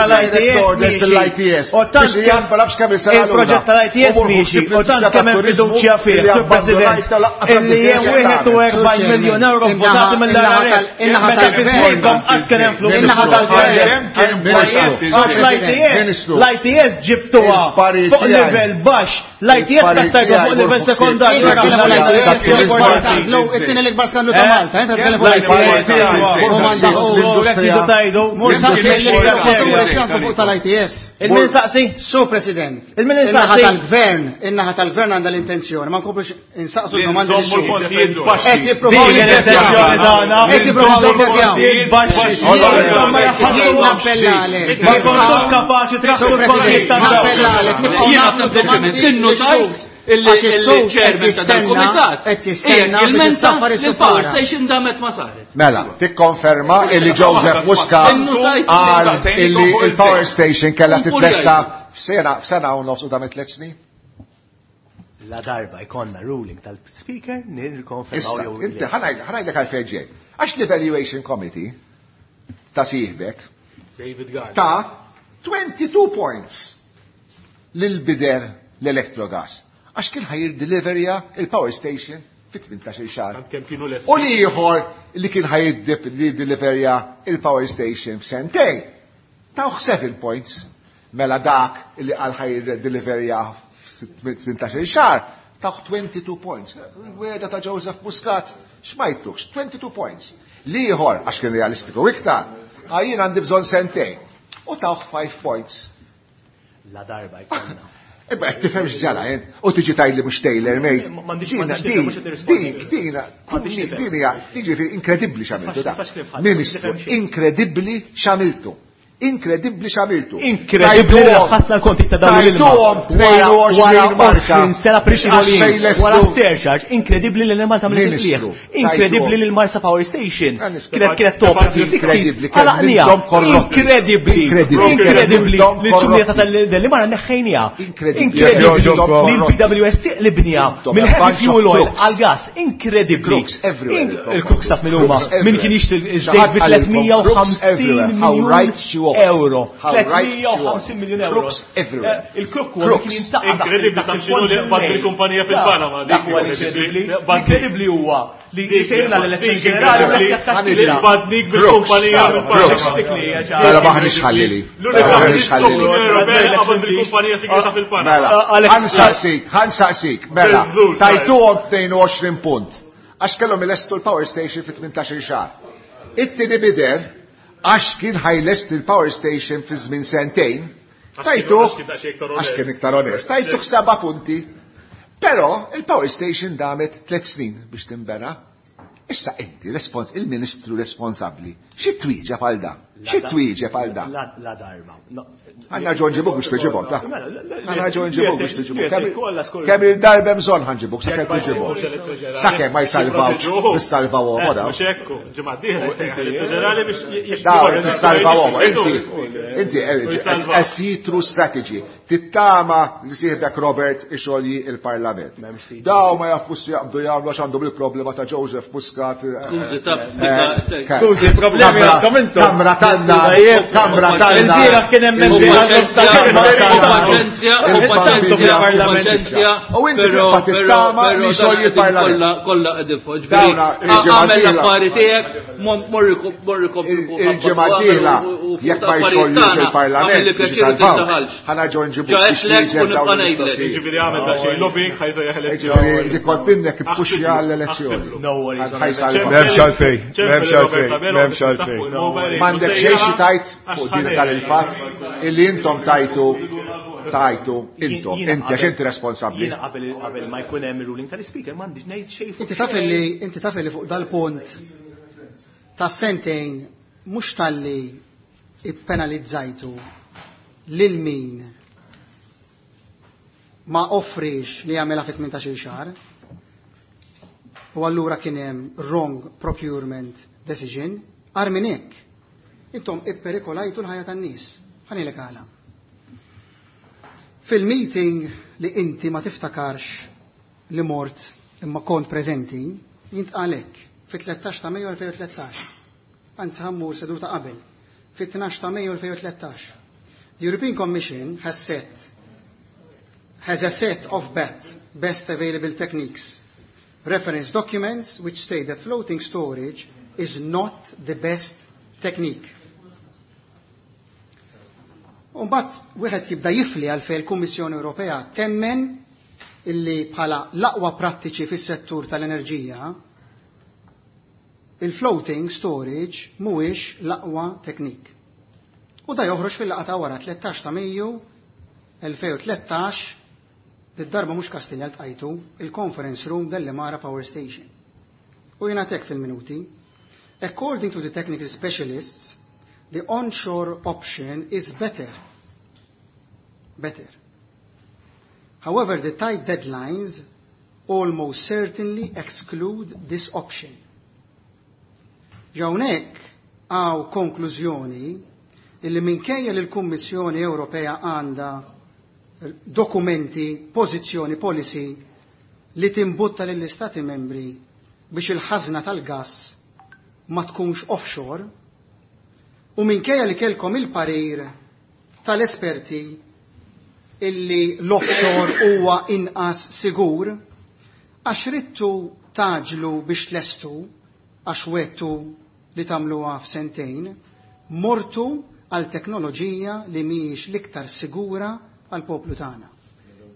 tal-I T S. U tant il-proġett tal-I T S miexi. U tant kemm hemm fiduċja fih, Sur President, illi hemm wieħed u erbgħin miljun euro votati mill-R R F. Meta fi żmienkom qatt kien hemm flus. Għax l-I T S, l-I T S ġibtuha fuq livell baxx, l-I T S trattajtu fuq livell sekondarju. It-tieni l-ikbar skandlu ta' Malta, inta tkellem fuq l-I T S. Fuq tal-I T S. Il-min saqsi? Su President. Il-min In-naħa saqsi? tal-gvern, in-naħa tal-gvern għandha l-intenzjoni, ma nkomplux insaqsu domandi li Nżommu l-kontijiet baxxi. Qed jippruvaw Din l-intenzjoni tagħna. Qed jippruvaw jiddevjaw. Intom ma Jien nappella għalek. Ma kontux kapaċi traħsu l-kontijiet Nappella għalek. tad-dawla. Jiena sempliċement innutajt illi il-chairman ta' dal-kumitat Qed jistenna qiegħed biex jilmenta issaffar li l-power is-sufara. station damet ma saret. Mela, tikkonferma illi Joseph Muscat qal illi il-power station kellha titlesta f'sena f'sena u nofs u damet tliet snin. La darba jkollna ruling tal-speaker nirkonfermaw Issa, jew inti ħanajdlek għalfejn ġej. Għax l-evaluation committee ta' sieħbek David Gardner. ta' twenty-two points lil bider l-Electrogas. Għax kien ħajr deliverja il-power station fi tmintax-il xahar. Tant kemm kienu lesti. U li ieħor li kien ħajr deliverja il-power station f'sentejn. Tawh seven points. Mela dak li qal ħajr deliverja tmintax-il xahar, tawh twenty-two points. Weda ta' Joseph Muscat, x'majtux, twenty-two points. Li ieħor, għax kien realistiku iktar, għajjien għandi bżonn sentejn. U tawh five points. La darba jkollna. Imma qed tifhem x'ġara int u tiġi tgħidli mhux tailor made. M'għandix Din din din hija tiġifieri inkredibbli x'għamiltu da. Ministru, inkredibbli x'għamiltu. Inkredibbli x'għamiltu. Inkredibbli raħħasna l-konti ta' dawn il Wara sena prixi wara surcharge, inkredibbli li l-Malta mill Inkredibbli li l-Marsa Power Station kienet kienet topra Inkredibbli Inkredibbli. Inkredibbli li l-ċumnija ta' l-Mara neħħejnija. Inkredibbli li l-P W S T li bnija mill-heavy fuel oil għal-gas. Inkredibbli. Il-Crooks taf minn huma min kien jixtri ż-żejt bi tliet mija u ħamsin miljun euro. tliet mija u ħamsin miljun euro. Crooks everywhere. Il-Crook huwa kien jintaqa' Inkredibbli ta' xinu li qbad bil-kumpanija fil-Panama. Dak huwa inkredibbli. Inkredibbli huwa li sejna l-elezzjoni ġenerali li qbadnik bil-kumpanija fil-Panama. Mela maħniex ħallili. L-unika Ewropea qabad bil-kumpanija segreta fil-Panama. Mela, ħansaqsik, ħansaqsik, mela, tajtuhom tnejn u għoxrin punt. Għax kellhom ilestu l-power station fi tmintax-il xahar. It-tieni bider għax kien ħajlest il-power station fi żmien sentejn, tajtuh għax kien iktar onest, tajtuh seba' punti. Però il-power station damet tliet snin biex tinbena. Issa inti il-ministru responsabbli, xi twieġeb għal dan? Xi twieġeb għal dan? La darba. Għandna ġo nġibuk biex tweġibhom, ta' Għandna ġo nġibuk biex tweġibhom. Kemm il-darba bżonn ħanġibuk, sakemm tweġibhom. Sakemm ma jsalvawx, nissalvawhom daw. Mhux hekk, ġimgħa dieħla ġenerali biex Daw nissalvawhom. Inti, inti a see-through strategy. Tittama li sieħbek Robert ixolji il-Parlament. Daw ma jafux jaqbdu jagħmlu għax għandhom il-problema ta' Joseph Muscat. Skużi, taf, Skużi, problemi għandhom intom. Kamra tanna, kamra tanna. Il-bieraħ kien hemm membri Paċenzja, paċenzja, paċenzja. U inti tibqa' tittama li xogħol il-Parlament. Kollha qegħdin fuq. Għamel l-affari tiegħek, morri Il-ġimgħa d-dieħla jekk ma jxollux il-Parlament biex isalvaw, ħana ġo nġibu biex jieġeb dawn il-mistoqsijiet. Jiġifieri għamel daqsxejn lobbying ħajsejjaħ elezzjoni. Jiġifieri dik kont minnek ippuxja għall-elezzjoni. M'hemmx għalfejn, m'hemmx għalfejn, m'hemmx għalfejn. M'għandek xejn xi tajt fuq din dan il-fatt illi intom tajtu tajtu intom, inti għax inti responsabbli. Jiena qabel qabel ma jkun hemm ir-ruling tal-ispeaker m'għandix ngħid xejn fuq. Inti taf li inti taf li fuq dal-punt ta' sentejn mhux talli ippenalizzajtu lil min ma offrix li jagħmilha fi tmintax-il xahar. U allura kien hemm wrong procurement decision, ar minn hekk. Intom ipperikolajtu l-ħajja tan-nies. Ħanilek għala. Fil-meeting li inti ma tiftakarx li mort imma kont preżenti, jintqalek fit-tlettax ta' Mejju elfejn u tlettax. Anzi ħammur seduta qabel. Fit-tnax ta' Mejju elfejn u tlettax. The European Commission has set has a set of B A T, best available techniques, reference documents which state that floating storage is not the best technique. Umbat wieħed jibda jifli għalfejn il-Kummissjoni Ewropea temmen illi bħala l-aqwa prattiċi fis-settur tal-enerġija il-floating storage mhuwiex l-aqwa teknik. U da joħroġ fil-laqgħa ta' wara tlettax ta' Mejju elfejn u tlettax, bid-darba mhux Kastilja ltqajtu il-conference room Delimara Power Station. U jingħatek fil-minuti, according to the technical specialists, the onshore option is better. Better. However, the tight deadlines almost certainly exclude this option. Ġawnek għaw konklużjoni illi minkejja li l-Kummissjoni Ewropea għandha dokumenti, pożizzjoni, policy li timbutta lill-Istati membri biex il-ħażna tal-gass ma tkunx offshore, u minkejja li kelkom il-parir tal-esperti illi l-offshore huwa inqas sigur, għax rittu taġlu biex tlestu, għax wettu li tagħmluha f'sentejn, mortu għal teknoloġija li mhijiex l-iktar sigura għal poplu tagħna.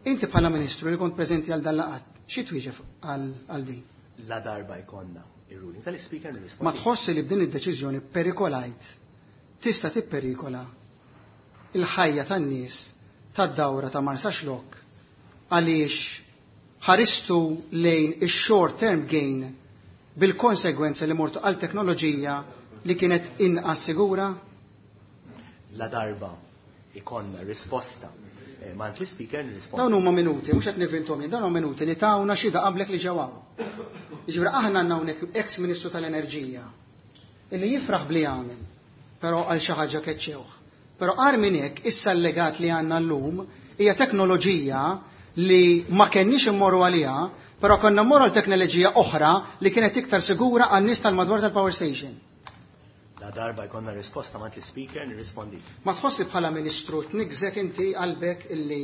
Inti bħala ministru li kont preżenti għal dal-laqat, xi twieġeb għal din? La darba jkollna ir-ruling tal-ispeaker nirrispondi. Ma tħossi li b'din id-deċiżjoni perikolajt, tista' tipperikola il-ħajja tan-nies tad-dawra ta' Marsaxlokk għaliex ħaristu lejn ix-short term gain bil-konsegwenza li mortu għal teknoloġija li kienet inqas sigura? La darba ikonna risposta eh, mant l-speaker nirrispondi. Dawn huma minuti, mhux qed nivvintom jien, dawn huma minuti li tawna xhieda qablek li ġew hawn. Jiġifieri aħna għandna hawnhekk ex-Ministru tal-Enerġija illi jifraħ bli għamel, però għal xi ħaġa keċċewh. Però agħar minn hekk issa l-legat li għandna llum hija teknoloġija li ma kenniex immorru għaliha, però konna mmorru għal teknoloġija oħra li kienet iktar sigura għan-nies tal-madwar tal-power station. La darba jkollna risposta mant l-speaker nirrispondi. Ma tħoss li bħala ministru tniggżek inti qalbek illi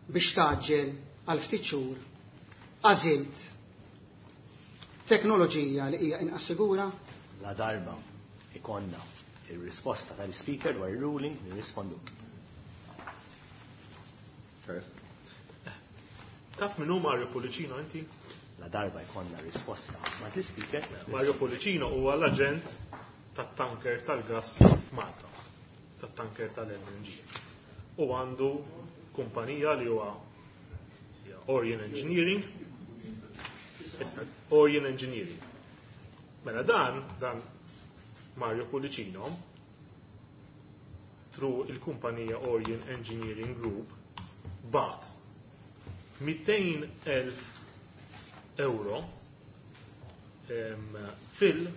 biex tgħaġġel għal ftit xhur għażilt teknoloġija li hija inqas sigura? La darba ikonna il-risposta tal-speaker dwar il-ruling nirrisponduk. Taf min hu Mario Pullicino inti? La darba jkollna risposta mant l-speaker. Mario Pullicino huwa l-aġent tat-tanker tal-gas f'Malta, tat-tanker tal-L N G. U għandu kumpanija li huwa Orion Engineering. Issa, Orion Engineering. Mela dan, dan Mario Pullicino, through il-kumpanija Orion Engineering Group, bagħat mitejn elf euro em, fil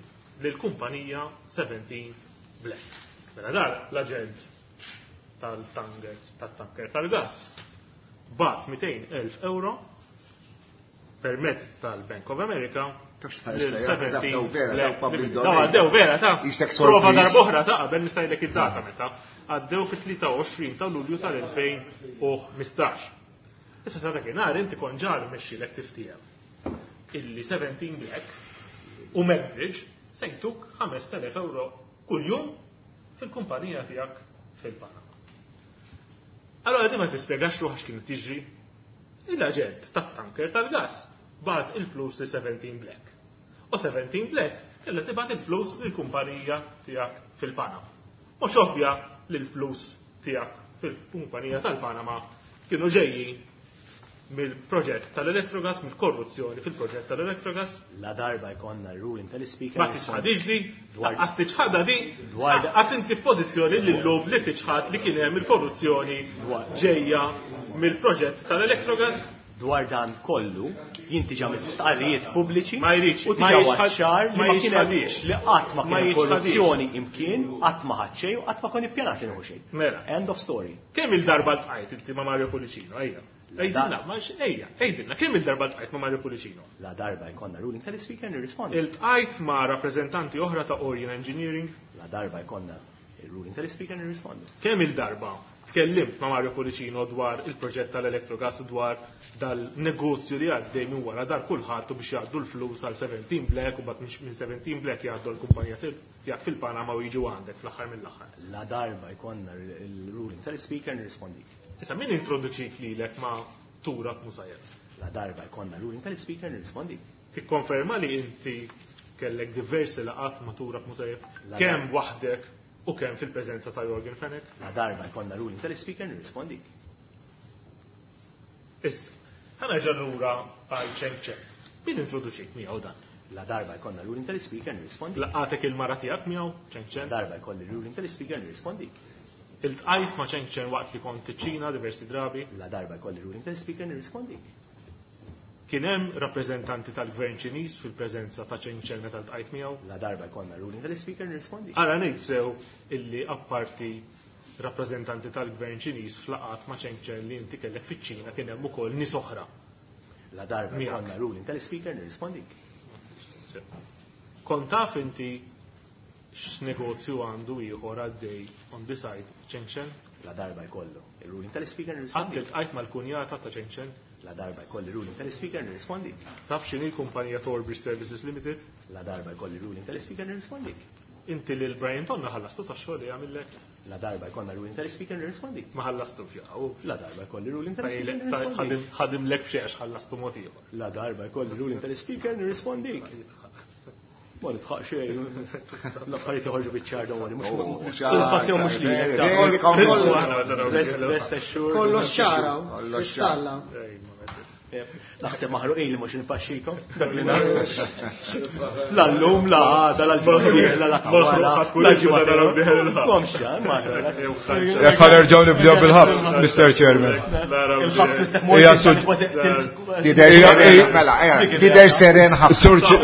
lill-kumpanija seventeen Black. Mela dan l-aġent tal-tanker tal-tanker tal-gas bagħat mitejn elf euro permezz tal-Bank of America Tafx tħares lejha, daw vera, daw public Daw domain. għaddew vera ta' Isek prova sorpriż. darb'oħra ta' qabel nista' ngħidlek id-data meta għaddew fit-tlieta u għoxrin ta' Lulju tal-elfejn u ħmistax. Issa sa dakinhar inti kont ġa rnexxielek tiftiehem illi seventeen Black u Macbridge se jtuk ħamest elef euro kuljum fil-kumpanija tiegħek fil-Panama. Allora di ma tispjegax ruħax kienu tiġri. Il-aġent tat-tanker tal-gas bagħat il-flus li seventeen Black. U seventeen Black kella tibgħat il-flus lill-kumpanija tiegħek fil-Panama. Mhux ovvja li l-flus tiegħek fil-kumpanija tal-Panama kienu ġejjin mill-proġett tal-Electrogas, mill-korruzzjoni fil-proġett tal-Electrogas. La darba jkollna ruling tal-speaker. Ma tiċħadix di, Dwar- għas tiċħadha di, Dwar- għas inti f'pożizzjoni li llum li tiċħad li kien hemm il-korruzzjoni Dwar- ġejja mill-proġett tal-Electrogas. Dwar dan kollu, jinti ġa stqarrijiet pubbliċi Ma jridx, u ma diġà jixħad- ċar li ma ma kien hemm- jixħadix. li qatt ma Ma kien hemm jixħadix. korruzzjoni imkien, qatt ma ħadd xejn u qatt ma kont ippjanat li nieħu xejn. Mela. End of story. Kemm il-darba ltqajt inti ma' Mario Pullicino, ejja. Għidilna, ma ejja, għidilna, kemm il-darba ltqajt ma' Mario Pullicino? La darba jkollna ruling tal-speaker nirrispondi. Iltqajt ma' rappreżentanti oħra ta' Orion Engineering? La darba jkollna il-ruling tal-speaker nirrispondi. Kemm il-darba tkellimt ma' Mario Pullicino dwar il-proġett tal-Electrogas u dwar dal-negozju li għaddej minn wara dar kulħadd u biex jgħaddu l-flus għal seventeen Black u bat minn seventeen Black jgħaddu l-kumpanija tiegħek fil-Panama u jiġu għandek fl-aħħar mill-aħħar? La darba jkollna il-ruling tal-speaker nirrispondi. Issa min introduċik lilek ma' Turab Musayev? La darba jkollna ruling tal-speaker nirrispondi. Tikkonferma li inti kellek diversi laqat ma' Turab Musayev, La kemm waħdek u kemm fil-preżenza ta' Yorgen Fenech? La darba jkollna ruling tal-speaker nirrispondi. Issa, ħa nerġa' lura għal Cheng Cheng. Min introduċik miegħu dan? La darba jkollna ruling tal-speaker nirrispondi. Laqatek il-mara tiegħek miegħu Cheng La Cheng? darba jkolli ruling tal-speaker nirrispondi. Iltqajt ma' Cheng Cheng waqt li kont iċ-Ċina diversi drabi? La darba jkolli ruling tal-speaker nirrispondi. Kien hemm rappreżentanti tal-gvern Ċiniż fil-preżenza ta' Cheng Cheng meta ltqajt miegħu? La darba jkollna ruling tal-speaker nirrispondi. Ara ngħid sew illi apparti rappreżentanti tal-gvern Ċiniż f'laqat ma' Cheng Cheng li inti kellek fiċ-Ċina kien hemm ukoll nies oħra. La darba Miegħek. jkollna ruling tal-speaker nirrispondi. Kont taf inti x'negozju għandu ieħor għaddej on the side Cheng Cheng? La darba jkollu il-ruling tal-speaker Qatt nirrispondi. iltqajt mal-kunjata ta' Cheng Cheng? La darba jkolli ruling tal-speaker nirrispondi. Taf x'inhi l-kumpanija Torbridge Services Limited? La darba jkolli ruling tal-speaker nirrispondi. Inti lil Brian Tonna ħallastu tax-xogħol li għamillek? La darba jkollna ruling tal-speaker nirrispondi. Ma ħallastu fjaw. La darba jkolli ruling tal-speaker nirrispondi. Ħadimlek f'xiex ħallastu mod ieħor. La darba jkolli ruling tal-speaker nirrispondi. Ma nitħaq xejn. L-affarijiet joħorġu biċ-ċar don't worry. Sodisfazzjon mhux lilek. Kollox ċara, kristalla. Naħseb maħruqin li mhux infaxxikom. Dak li nagħmlu. La llum, la għada, la l-ġimgħa, la la ġimgħa. Komx ċar, ma Jekk ħa nerġgħu nibdew bil-ħabs, Mister Chairman. Il-ħabs misteħ Tidher seren ħafna.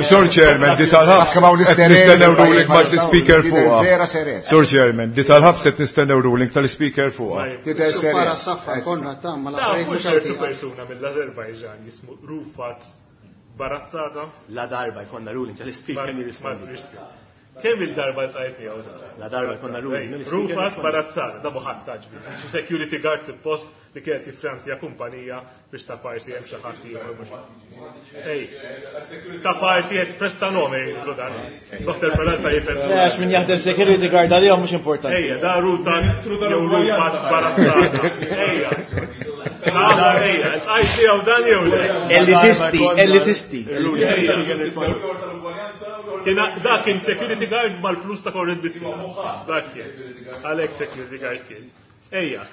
Sur Chairman, di tal-ħabs qed nistennew ruling mal-speaker fuqha. Vera seren. Sur Chairman, di tal-ħabs qed nistennew ruling tal-speaker fuqha. Tidher seren. Para saffa Konrad ta' ma l-affarijiet mhux ċertu għaltija. persuna mill-Azerbajġan jismu Rufat Barazzata. La darba jkollna ruling tal-speaker nirrispondi. Kemm il-darba ltqajt miegħu da? La darba jkollna ruling tal-speaker. Rufat Barazzata, da muħadd taġbi. Xi security guard suppost li kienet jiffrantja kumpanija biex ta' parsi hemm xi ħadd ieħor mhux. Ej, ta' parsi qed presta nome jgħidlu dan. Dottor Peralta jifhem. Għax min jaħdem security guard għalihom mhux importanti. Ejja, da Rufat jew Rufat Barazzata. Ejja. Da, ejja, ltqajt miegħu dan jew le? Elitisti, elitisti. Kien da kien security guard mal-flus ta' Konrad Mizzi. Dak kien. Għalhekk security guard kien. Ejja.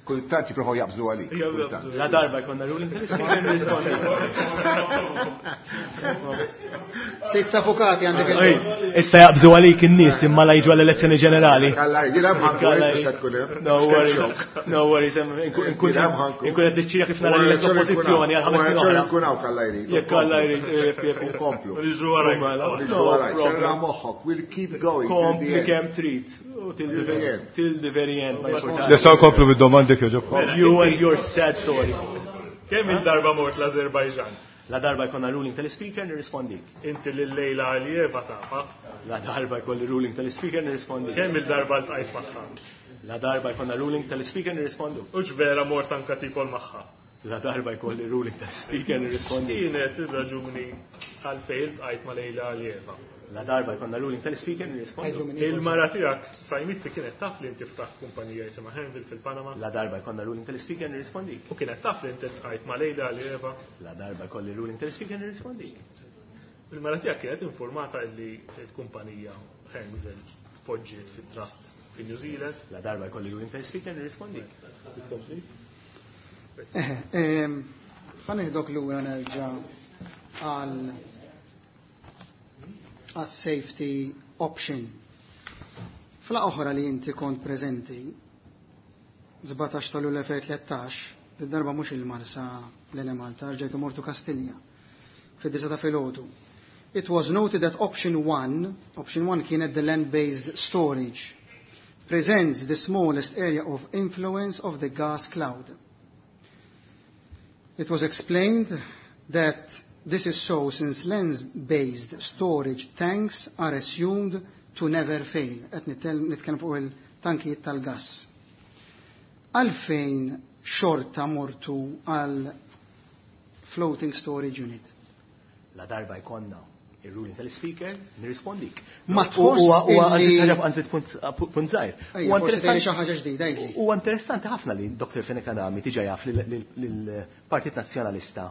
Kultant jipprovaw jaqbżu għalik. Kultant. La darba jkollna ruling tal-speaker nirrispondi. Sitt avukati għandek il Issa jaqbżu għalik in-nies imma la jiġu għall-elezzjoni ġenerali. Kalla, jiena ħankun biex tkun hemm. No worries, no worries, inkun inkun qed niċċira kif nara l-oppożizzjoni għal ħames snin oħra. Nkun hawn kalla jrid. Jekk Alla jrid, jekk jekk. Komplu. Niġru warajk. Niġru warajk. Xerra moħħok. We'll keep going. till the Kompli end. kemm trid. U till the very- till the very end ma jimpurtax. Nistgħu nkomplu bid-domandi kieġobkom. You and your sad story. Kemm il-darba mort l-Azerbajġan? La darba jkollna ruling tal-speaker nirrispondik. Inti lil Lejla Alijeva tafa. La darba jkolli ruling tal-speaker nirrispondik. Kemm il-darba ltqajt magħha? La darba jkollna ruling tal-speaker nirrispondu. U vera mort anka tikol magħha. La darba jkolli ruling tal-speaker nirrispondi. Kienet ir-raġuni għalfejn iltqajt ma' Lejla Alijeva. La darba jkollna ruling tal-speaker nirrispondu. Il-mara tiegħek Sajmitti kienet taf li inti ftaħt kumpanija jisimha Henville fil-Panama. La darba jkollna ruling tal-speaker nirrispondik. U kienet taf li inti ltqajt ma' Lejla Alijeva. La darba jkolli ruling tal-speaker nirrispondik. Il-mara tiegħek kienet informata li l-kumpanija Henville tpoġġiet fit-trust fi New Zealand. La darba jkolli ruling tal-speaker nirrispondik. Ħa nieħdok lura nerġa' għal għas safety option. Fla oħra li inti kont preżenti, sbatax ta' Lulju elfejn tlettax, darba mhux il-Marsa l-Enemalta, rġajtu mortu Kastilja, fid-disa ta' filgħodu. It was noted that option one, option one kienet the land-based storage, presents the smallest area of influence of the gas cloud. It was explained that this is so since land-based storage tanks are assumed to never fail. Qed nitkellem fuq il-tankijiet tal-gas. Għalfejn xorta mortu għal floating storage unit? La darba jkollna il-ruling tal-speaker, nirrispondik. Ma tħoss illi- Għanzi punt żgħir. Ejja, Huwa forsi tgħidli interessanti- xi ħaġa ġdida, għidli. Huwa interessanti ħafna li Dottor Fenech Adami diġà jaf li l-Partit Nazzjonalista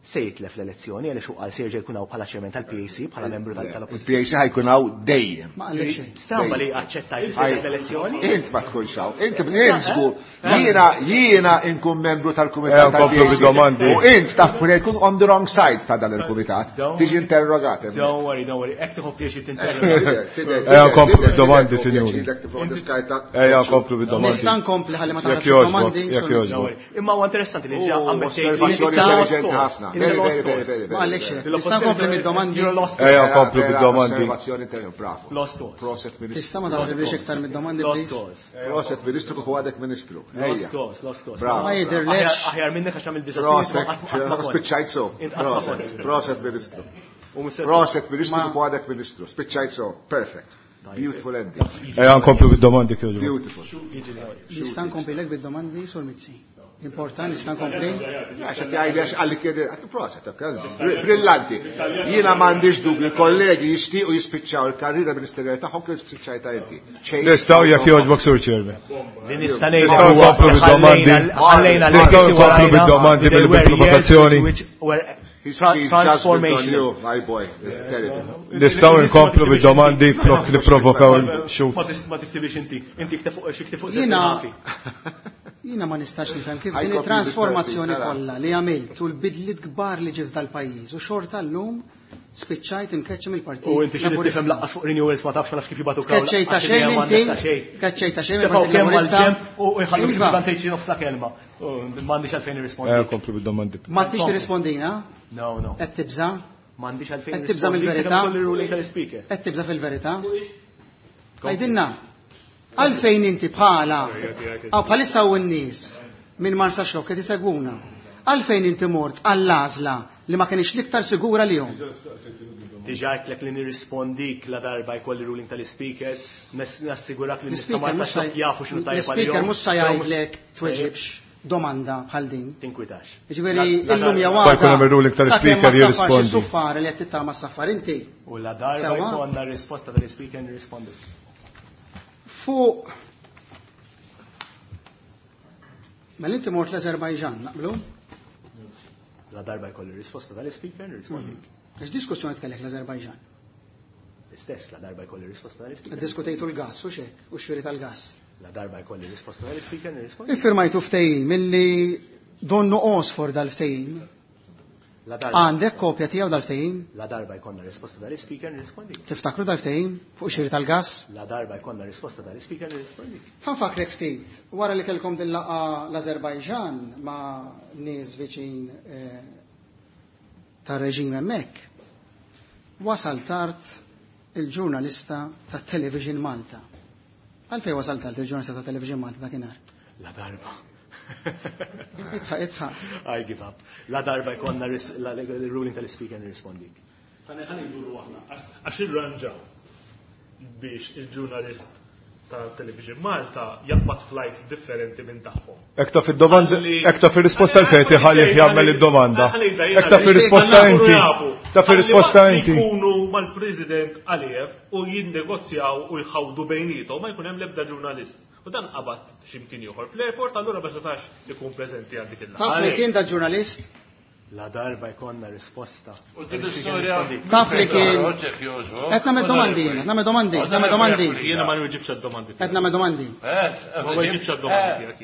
se jitlef l-elezzjoni għaliex hu qal se jerġa' jkun hawn bħala chairman tal-P A C, bħala membru tal- tal-oppożizzjoni. Il-P A C ħa jkun hawn dejjem. Ma qallek xejn. Stramba li aċċettajt li se jitlef l-elezzjoni. Int ma tkunx hawn. Int int żgur. Jiena jiena inkun membru tal-kumitat Ejja, nkomplu tal-P A C. bid-domandi. U int taf li tkun on the wrong side ta' dan il-kumitat. Don't- Tiġi interrogat hemmhekk. Don't worry, don't worry. Hekk tieħu pjaċir tinterroga. Ejja, nkomplu bid-domandi, sinjuri. Ejja, nkomplu bid-domandi. Nista' nkompli ħalli ma Jekk taħrabx jogħġbok, domandi. jekk sorry. jogħġbok. Don't worry. Imma huwa interessanti li ġa Oh, ammettejt li osservazzjoni Nista' intelligenti ħafna. Very, very, very, very, Ma qallek xejn. very. Nista' nkompli mid-domandi. You're lost. Ejja, nkomplu Vera, bid-domandi. Osservazzjoni intelligenti, bravo. Lost cause. Proset ministru. Tista' ma taħrabx iktar mid-domandi, Lost please. cause. Proset ministru kieku għadek ministru. Lost Ejja. cause, lost cause. Bravo. Ma jidhirlekx. Aħjar aħjar minnek għax għamil diżastru. Proset, spiċċajt so. Proset, proset ministru. Proset ministru Ma- kieku għadek ministru. Spiċċajt so. Perfect. Beautiful ending. Ejja, nkomplu bid-domandi kieġobkom. Beautiful. Nista' nkomplilek bid-domandi, Sur Mizzi. Important, nista' nkompli. Għax qed jgħidli għax qalli kien għat proset, brillanti. Jiena m'għandix dubju, kollegi jixtiequ jispiċċaw il-karriera ministerjali tagħhom kif spiċċajta inti. Chase Nistgħu jekk jogħġbok, Sur Chairman. Li nista' ngħid Nistgħu huwa nkomplu bid-domandi. ħallejna Nistgħu l-arti nkomplu warajna bid-domandi they were bil-provokazzjoni. years which were Transformation. My boy, it's terrible. Nistgħu nkomplu bid-domandi flok nipprovokaw il-xut. Ma tiktibix inti, inti kteb fuq xi fuq Jiena jiena ma nistax nifhem kif din it-transformazzjoni kollha li għamilt u l-bidliet kbar li ġiet dal-pajjiż u xorta llum spiċċajt imkeċċi mill-partit. U inti xi tifhem laqqas fuq renewals ma tafx ma nafx kif jibgħatu kawla. Tkeċċejta xejn inti, tkeċċejta xejn mill-Partit Laburista. U jħallu kif tgħid nofsa kelma. M'għandix għalfejn nirrispondi. Eh, komplu bid-domandi. Ma tix tirrispondina? No, no. Qed tibża'? M'għandix għalfejn. Qed tibża' mill-verità? Qed tibża' fil-verità? Għidilna. Għalfejn inti bħala, għaw bħalissa u n-nies minn Marsaxlokk qed isegwuna. Għalfejn inti mort għall-għażla li ma kienx l-iktar sigura li jom? Diġà għedtlek li nirrispondik la darba jkolli ruling tal-speaker, nassigurak li nista' Marsaxlokk jafu x'inhu tajjeb għalihom. L-speaker mhux se jgħidlek tweġibx domanda bħal din. Tinkwitax. Jiġifieri illum jew għada. Jkun hemm ir-ruling tal-speaker jirrispondi. Suffar li qed tittama s-saffar inti. U la darba jkollna risposta tal-speaker nirrispondik. Fuq Mela inti mort l-Azerbajġan, naqblu? La darba jkolli risposta tal-speaker, nirrispondik. Għax diskussjoni tkellek l-Azerbajġan? L-istess, la darba jkolli risposta tal-speaker. Diskutejtu l-gas, u xek, u xiri tal-gas. La darba jkolli risposta tal-speaker, nirrispondik. Iffirmajtu ftehim illi donnu Osfor dal-ftehim. Għandek kopja tiegħu dal-ftehim? La darba jkollna risposta tal-speaker, nirrispondik. Tiftakru dal-ftehim fuq xiri tal-gas? La darba jkollna risposta tal-speaker, nirrispondik. Fanfakrek ftit, wara li kellkom din laqgħa l-Azerbajġan ma' nies viċin tar-reġim hemmhekk, wasal tard il-ġurnalista ta' Television Malta. Għalfejn wasal tard il-ġurnalista ta' Television Malta dakinhar? La darba. Itħaq, itħaq. I give up. La darba jkollna l-ruling tal-speaker nirrispondik. Ħa nduru aħna għax irranġaw biex il-ġurnalist ta' Television Malta jaqbad flight differenti minn tagħhom. Hekk taf id-domanda, hekk taf ir-risposta għalfejn tiħallih jagħmel id-domanda. Hekk taf ir-risposta inti. Taf ir-risposta inti. Jkunu mal-President Aliyev u jinnegozjaw u jħawdu bejniethom ma jkun hemm l-ebda ġurnalist. U dan qabad x'imkien ieħor fl-airport, allura ma setax ikun preżenti għal dik il-laqgħa. Taf li kien da ġurnalist? La darba jkollna risposta. Taf li kien. Qed nagħmel domandi jien, qed nagħmel domandi, qed nagħmel domandi. Jiena ma nweġibx għad-domandi. Qed nagħmel domandi. Ma nweġibx għad-domandi tiegħek.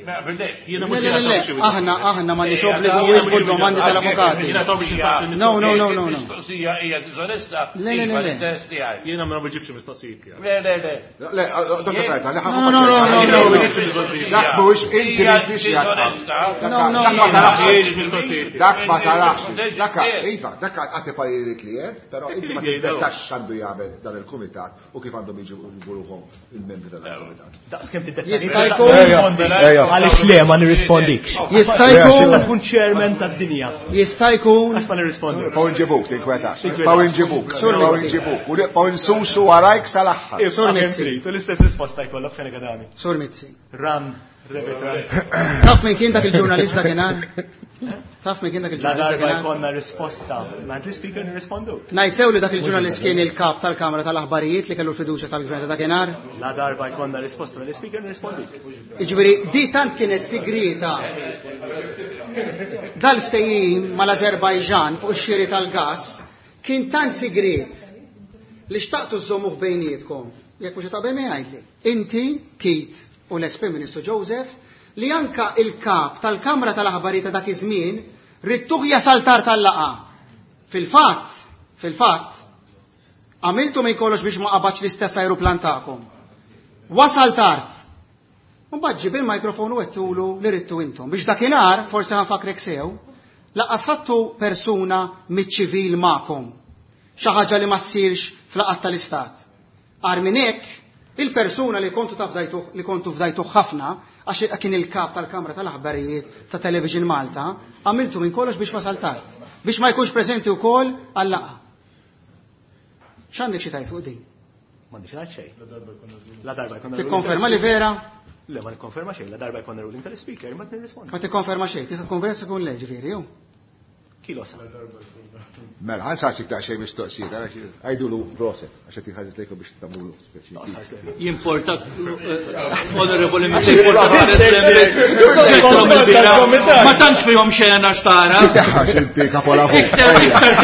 Jiena mhux Aħna aħna m'għandniex obbligu nwieġbu d-domandi tal-avukati. No, no, no, no, no. Mistoqsija hija diżonesta. Le, le, le. Jiena ma nweġibx mistoqsijiet tiegħek. Le, le, le. Le, Dottor Frajta, le No, no, no, no. Dak mhuwiex inti li tixi. No, no, no. Dak ma tarax. Dak iva, dak għati pariri li klient, però inti ma tiddettax x'għandu jagħmel dan il-kumitat u kif għandhom jiġu ruħhom il-membri tal-kumitat. Daqs kemm tiddettax. Jista' jkun. Għaliex le ma nirrispondikx. Jista' jkun. Tkun chairman tad-dinja. Jista' jkun. Għax ma nirrispondikx. Paw inġibuk, tinkwetax. Paw inġibuk. Paw inġibuk. U paw insusu warajk sal-aħħar. Sur Mizzi. L-istess risposta jkollok fejn akademi. Sur Mizzi. Ram, rebet ram. Taf min kien dak il-ġurnalist dakinhar? Taf min kien dak il-ġurnalist La darba dakinhar? jkollna risposta. Mant l-speaker nirrispondu. Ngħid sew li dak il-ġurnalist kien il-kap tal-Kamra tal-Aħbarijiet li kellu l-fiduċja tal-Gvern ta' dakinhar? La darba jkollna risposta mill-speaker nirrispondik. Jiġifieri di tant kienet sigrieta. Dal-ftehim mal-Azerbajġan fuq ix-xiri tal-gass kien tant sigriet li xtaqtu żommuh bejnietkom. Jekk mhux taqbel mi jgħidli. Inti, Keith u l-ex-Prim Ministru Joseph, li anka il-kap tal-Kamra tal-Aħbarijiet ta' dak iż-żmien ridtuh jasal tard tal-laqgħa. Fil-fatt, fil-fatt, għamiltu minn kollox biex ma qabadx l-istess ajruplan tagħkom. Wasal tard. Mbagħad ġib il-mikrofon u għedtulu li ridtu intom. Biex dakinhar, forsi ħanfakrek sew, laqqas ħadtu persuna miċ-ċivil magħkom. Xi ħaġa li ma ssirx fl-laqgħat tal-Istat. Agħar minn hekk, il-persuna li kontu tafdajtuh, li kontu fdajtuh ħafna, għax kien il-kap tal-Kamra tal-Aħbarijiet ta' Television Malta, għamiltu minn kollox biex wasal tard, biex ma jkunx preżenti wkoll għal-laqgħa. X'għandek xi tgħid fuq din? M'għandix ngħid xejn. La darba jkollna. Tikkonferma li vera? Le, ma nikkonferma xejn, la darba jkollna ruling tal-speaker, ma nirrispondi. Ma tikkonferma xejn, tista' tkun vera tkun le, ġifieri, jew? Kilo sa. Mela, ħa nsaqsik daqsxejn mistoqsijiet, għajdulu proset, għax qed inħares lejkom biex tagħmlu speċi. Jimporta, onorevoli, ma tantx fihom xena xtara. Titeħħax inti kapolavur. Iktar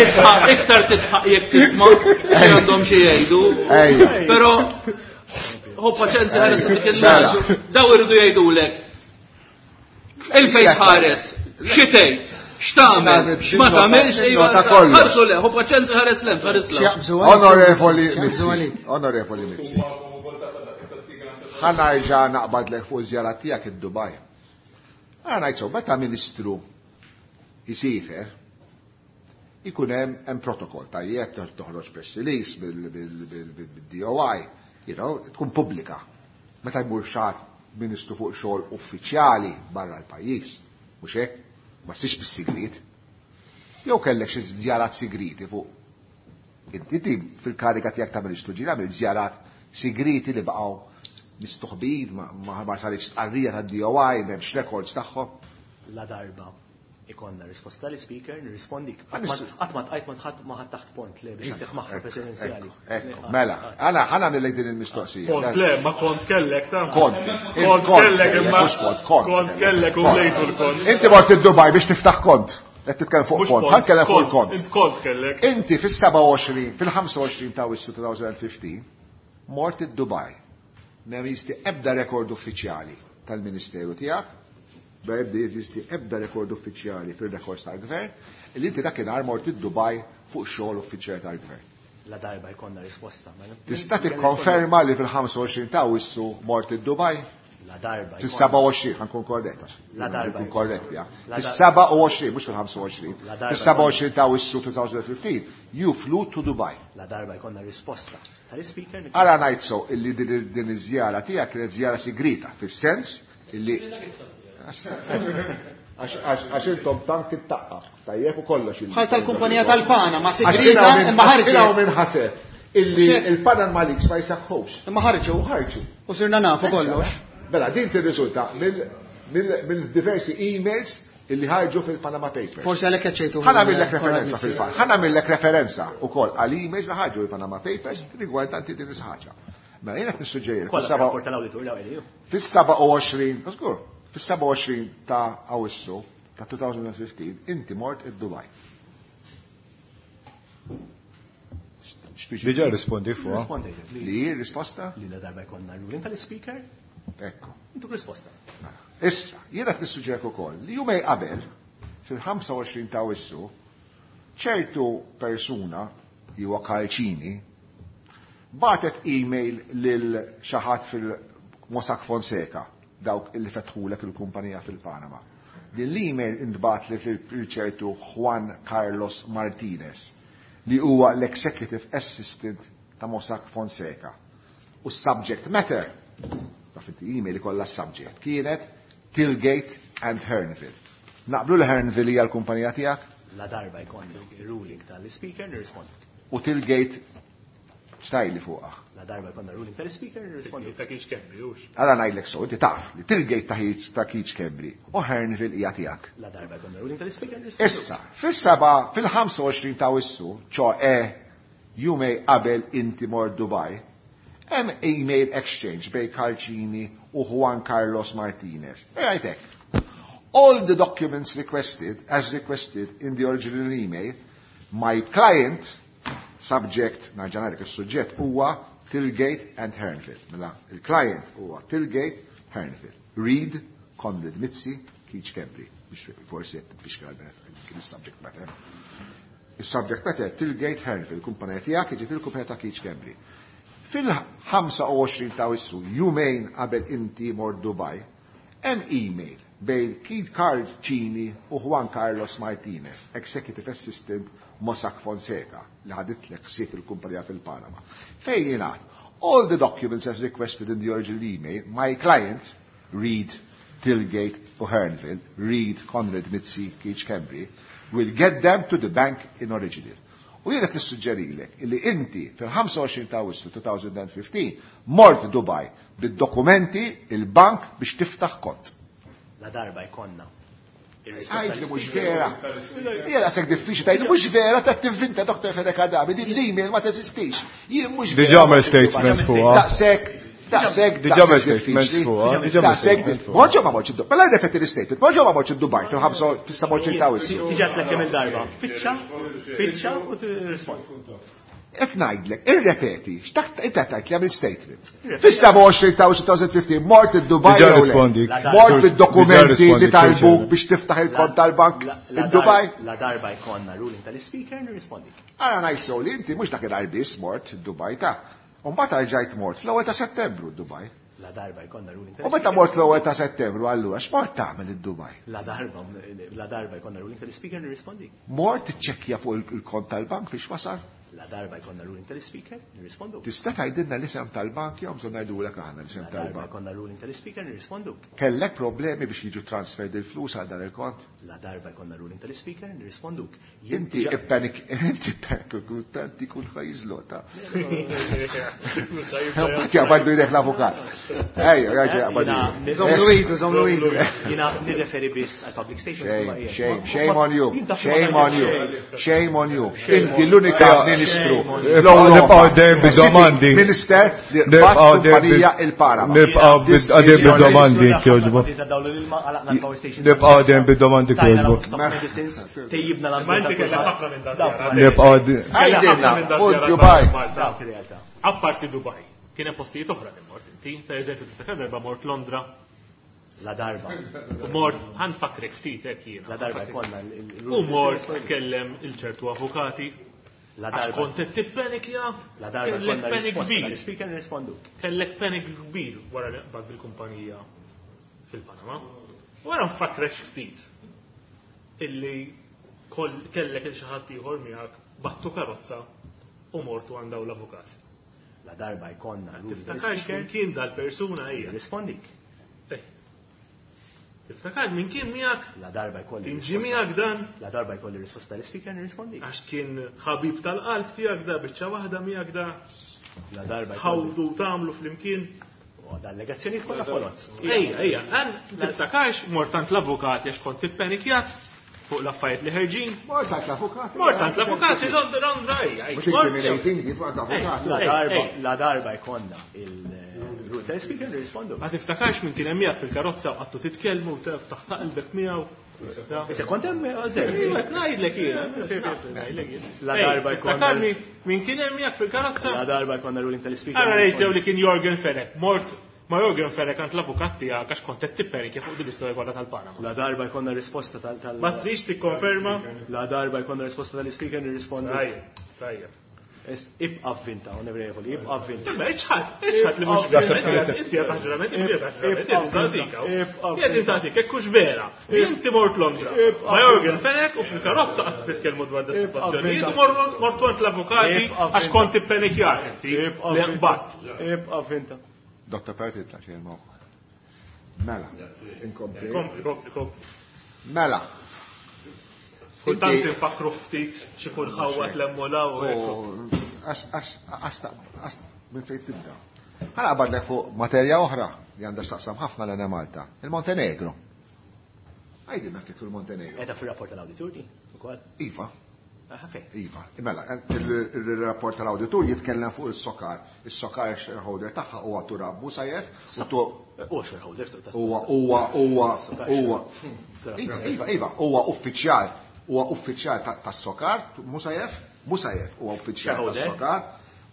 titħaq, iktar titħaq jekk tisma' xi għandhom xi jgħidu. Però ħu paċenzja ħares dik il-naġ. Daw iridu jgħidulek. Il-fejn ħares, xi tgħid? X'tagħmel? Ma tagħmelx iva. Ħarsu le, hu paċenza ħares lem, ħares lem. Onorevoli Mizzi, Onorevoli Mizzi. Ħa nerġa' naqbadlek fuq żjara tiegħek id-Dubaj. Ħa ngħid so, meta ministru jisifer, ikun hemm hemm protokoll tajjeb toħroġ press release bil-D O I, you know, tkun pubblika. Meta jmur xi ministru fuq xogħol uffiċjali barra l-pajjiż, mhux hekk? Ma ssirx bis-sigriet. Jew kellek xi żjarat sigriti fuq. Inti ti fil-kariga tiegħek ta' ministru ġieli għamilt żjarat sigriti li baqgħu mistoħbin, ma ma saritx stqarrija tad-D O I, m'hemmx records tagħhom. La darba ikonna risposta tal-speaker, nirrispondik. Qatt ma tqajt ma tħadd ma ħadd taħt pont le biex nagħtih maħra presidenzjali. Ekku, mela, għana ħana nillek din il-mistoqsija. Kont le, ma kont kellek ta'. Kont. Kont kellek imma. Mhux kont, kont. Kont kellek u mlejtu l-kont. Inti mort id-Dubaj biex tiftaħ kont. Qed titkellem fuq kont, ħa nkellem fuq il-kont. Int kont kellek. Inti fis-seba' u għoxrin, fil-ħamsa u għoxrin ta' Awwissu two thousand fifteen, mort id-Dubaj. M'hemm jeżisti ebda rekord uffiċjali tal-Ministeru tiegħek, ma jibda jeżisti ebda rekord uffiċjali fil-rekords tal-gvern, li inti dakinhar mort id-Dubaj fuq xogħol uffiċjali tal-gvern. La darba jkollna risposta, ma nibda Tista' tikkonferma li fil-ħamsa u għoxrin ta' Awwissu mort id-Dubaj? La darba Fis-seba' u għoxrin, ħa nkun korrett, għax La darba nkun korrett, ja. La dar- Fis-seba' u għoxrin, mhux fil-ħamsa u għoxrin. La darba Fis-seba' u għoxrin ta' Awwissu two thousand fifteen, you flew to Dubai. La darba jkollna risposta tal-speaker. Ara ngħid so illi din din iż-żjara tiegħek kienet żjara sigrita, fis-sens illi għax intom tant tittaqqa, tajjeb u kollox il- Bħal tal-kumpanija tal-Pana, ma Għax sigrita kien hawn imma min- kien hawn ħarġu. min ħaseb illi Xek. il-Panama Leaks ma jsaħħux. Imma ħarġu. U ħarġu. U sirna nafu kollox. Mela, din tirriżulta mill-diversi emails illi ħarġu fil-Panama Papers. Forsi għalhekk qed ċejtu. Ħa nagħmillek referenza fil-fatt. Ħa nagħmillek referenza wkoll għal emails li ħarġu fil-Panama Papers rigwardanti din is-ħaġa. Mela jiena qed nissuġġerili Kollha fis-seba' rapport tal-awditur l-ewwel. fis-seba' u għoxrin, żgur, fis-seba' u għoxrin ta' Awwissu ta' two thousand fifteen inti mort id-Dubaj. Diġà rispondi fuq. Rispondejt. Li risposta? Li la darba jkollna ruling tal-speaker, Ekku. intu risposta. Issa, jiena qed nissuġġerik ukoll li jumej qabel, fil-ħamsa u għoxrin ta' Awwissu, ċertu persuna, huwa Karl Cini, batet email lil xi ħadd fil-Mossack Fonseca, dawk illi fetħulek il-kumpanija fil-Panama. Din l-email intbat lil ċertu Juan Carlos Martinez, li huwa l-Executive Assistant ta' Mossack Fonseca. U subject matter, taf inti email ikollha subject, kienet Tillgate and Hearnville. Naqblu li Hearnville hija l-kumpanija tiegħek? La darba jkollna ruling tal-speaker nirrispondi. U Tillgate xtajli fuqha. La darba jkollna ruling tal-speaker nirrispondi. Ta' Keith Schembri, hux. Ara ngħidlek so, inti taf li Tillgate ta' Keith ta' Keith Schembri u Hearnville hija tiegħek. La darba jkollna ruling tal-speaker nirrispondi. Issa, fis-seba, fil-ħamsa u għoxrin ta' Awwissu, ċoè jumej qabel inti mort Dubai, hemm email exchange bejn Karl Cini u Juan Carlos Martinez. E għajtek. All the documents requested, as requested in the original email, my client, subject, nerġa' ngħidlek is-suġġett huwa Tillgate and Hearnville. Mela, il-client huwa Tillgate, Hearnville. Read, Konrad Mizzi, Keith Schembri. Biex forsi qed tfixkel kien is-subject matter. Is-subject matter Tillgate Hearnville, kumpanija tiegħek, jiġifieri kumpanija ta' Keith Schembri. Fil-ħamsa u għoxrin ta' Awwissu, jumejn qabel inti mort Dubai, hemm email bejn Keith Karl Cini u Juan Carlos Martinez, Executive Assistant Mossack Fonseca, li ħaditlek ħsieb il-kumpanija fil-Panama. Fejn jingħad, all the documents as requested in the original email, my client, read Tillgate u Hearnville, read Konrad Mizzi, Keith Schembri, will get them to the bank in original. U jiena nissuġġerilek illi inti fil-ħamsa u għoxrin ta' Awwissu two thousand fifteen mort Dubai bid-dokumenti il-bank biex tiftaħ kont. La darba jkollna Għajd li mhux vera. Hija daqshekk diffiċli tgħid mhux vera ta' tivvinta Doktor Fenech Adami, din l-email ma teżistix. Jien mhux vera. Diġà għamel statements fuqha. Daqshekk, daqshekk, Diġà għamel statements fuqha. Daqshekk, Monġo ma morx id-Dubaj. Mela rrepeti l-statement, Monġo ma morx id-Dubaj fil-ħamsa fis-sebgħa ta' Awwissu. Diġà tlek kemm il-darba. Fittxa, fittxa u tirrispondi. Qed ngħidlek, irrepeti, x'dak inti qed tgħid li għamil statement. Fis-sebgħa u għoxrin ta' Awwissu elfejn u ħmistax mort id-Dubaj Diġà jew le? rispondik. Mort Diġà fid-dokumenti rispondik, li talbuk Chair. biex tiftaħ il-kont tal-bank La id-Dubaj? La darba jkollna ruling tal-speaker nirrispondik. Ara ngħid sew li inti mhux dakinhar biss mort id-Dubaj ta'. U mbagħad rġajt mort fl-ewwel ta' Settembru d-Dubaj. La darba jkollna ruling U meta mort fl-ewwel ta' Settembru allura x'mort tagħmel id-Dubaj? La darba la darba jkollna ruling tal-speaker nirrispondik. Mort tiċċekkja fuq il-kont tal-bank fiex wasal? La darba jkollna ruling tal-speaker nirrispondu. Tista' tgħidilna l-isem tal-bank jew bżonn ngħidulek aħna l-isem La darba tal-bank. jkollna ruling tal-speaker nirrisponduk. Kellek problemi biex jiġu transferred il-flus għal dan il-kont? La darba jkollna ruling tal-speaker nirrisponduk. Inti ippanik, inti ippanik, tanti kull ħajżlota. Mbagħad jaqbaddu jdejh l-avukat. Ejja, raġel jaqbaddu. Żomlu idu, żomlu idu. Jiena nirreferi biss għal public stations. Shame, shame, shame on you. Shame on you. Shame on you. Inti l-unika ministru. Nibqgħu dejjem bid-domandi. Minister li Nibqgħu bat dejjem kumpanija bil- il-Panama. Nibqgħu bid- għadejjem bid-domandi kjoġbu. Nibqgħu dejjem bid-domandi kjoġbu. Tejjibna Ma l-ambjent. inti kellek ħafna minn dan żjara. Nibqgħu għadej- Għajdilna, Minn dan u żjara Dubai. Malta. Apparti Dubai, kien hemm postijiet oħra li mort inti, per eżempju tiftakar darba mort Londra, La darba. u mort ħanfakrek ftit hekk jiena. La darba jkollna U mort tkellem il-ċertu avukati. La Għax darba. kont qed tippenikja, La darba kellek jkollna panic risposta kbir. tal-speaker nirrisponduk. Kellek panic kbir wara li qbad bil-kumpanija fil-Panama. Wara nfakrek ftit illi koll- kellek il xi ħadd ieħor miegħek battu karozza u mortu għand dawn l-avukat. La darba jkollna ruling Tiftakarx tal-speaker min kien dal-persuna hija. nirrispondik. Eh. Tiftakar min kien miegħek? La darba jkolli. Kien ġie miegħek dan? La darba jkolli risposta tal-speaker nirrispondik. Għax kien ħabib tal-qalb tiegħek da, biċċa waħda miegħek da, La darba jkolli. ħawdu tagħmlu flimkien. U da allegazzjonijiet kollha foloz. Ejja, ejja, għan tiftakarx mort għand l-avukati għax kont ippenikjat fuq l-affarijiet li ħerġin. Mort għand l-avukat. Mort għand l-avukati Londra, Londra, ejja. Mhux incriminating, kif għand l-avukat. La Ej, darba, ej. la darba jkollna il-ruling tal-speaker nirrispondu. Ma tiftakarx minn kien hemm miegħek fil-karozza u qattu titkellmu u taħt qalbek miegħu. Issa kont hemm għaddej. Iva, qed ngħidlek jiena. Ngħidlek jiena. La Ej, darba jkollna- Tiftakarni minn kien hemm miegħek fil-karozza? La darba jkollna ruling tal-speaker. Ara ngħid sew li kien Yorgen Fenech, mort ma Yorgen Fenech għand l-avukat tiegħek għax kont qed tippenikja fuq din l-istorja kollha tal-Panama. La darba jkollna risposta tal tal Ma trix tikkonferma? La darba jkollna risposta tal-speaker nirrispondu. Tajjeb, tajjeb. Ibqa' vvinta, onorevoli, ibqa' vvinta. Imma iċħat, iċħat li mhux vera. Inti qed taħġurament, inti qed taħġurament, inti tagħtik hawn. Jien tagħtik hekk hux vera. Inti mort Londra. Ma Yorgen Fenech u fil-karozza qatt titkellmu dwar dis-sitwazzjonijiet u mort għand l-avukati għax kont ippenikjat inti li nqbadt. Ibqa' vvinta. Dottor Perti tla xejn moħħ. Mela, inkompli. Kompli, kompli, kompli. Mela. Kultant Inti- infakru ftit xi kun ħawat l-emmola u hekk. U għax, għax, għax, għax, minn fejn tibda. Ħa naqbadlek fuq materja oħra li għandha x'taqsam ħafna l Malta, il-Montenegro. Għajdilna ftit fil-Montenegro. Edha fil-rapport tal-awditur di, ukoll. Iva, Aha, fejn. Iva. Mela, il-rapport tal-awditur jitkellem fuq il-SOCAR. Il-SOCAR shareholder tagħha huwa Turab Musayev u tu U shareholder huwa huwa huwa huwa Iva, Iva, Iva, huwa uffiċjal, huwa uffiċjal tas-SOCAR, Musayev, Musayev huwa uffiċjal Shareholder. tas-SOCAR,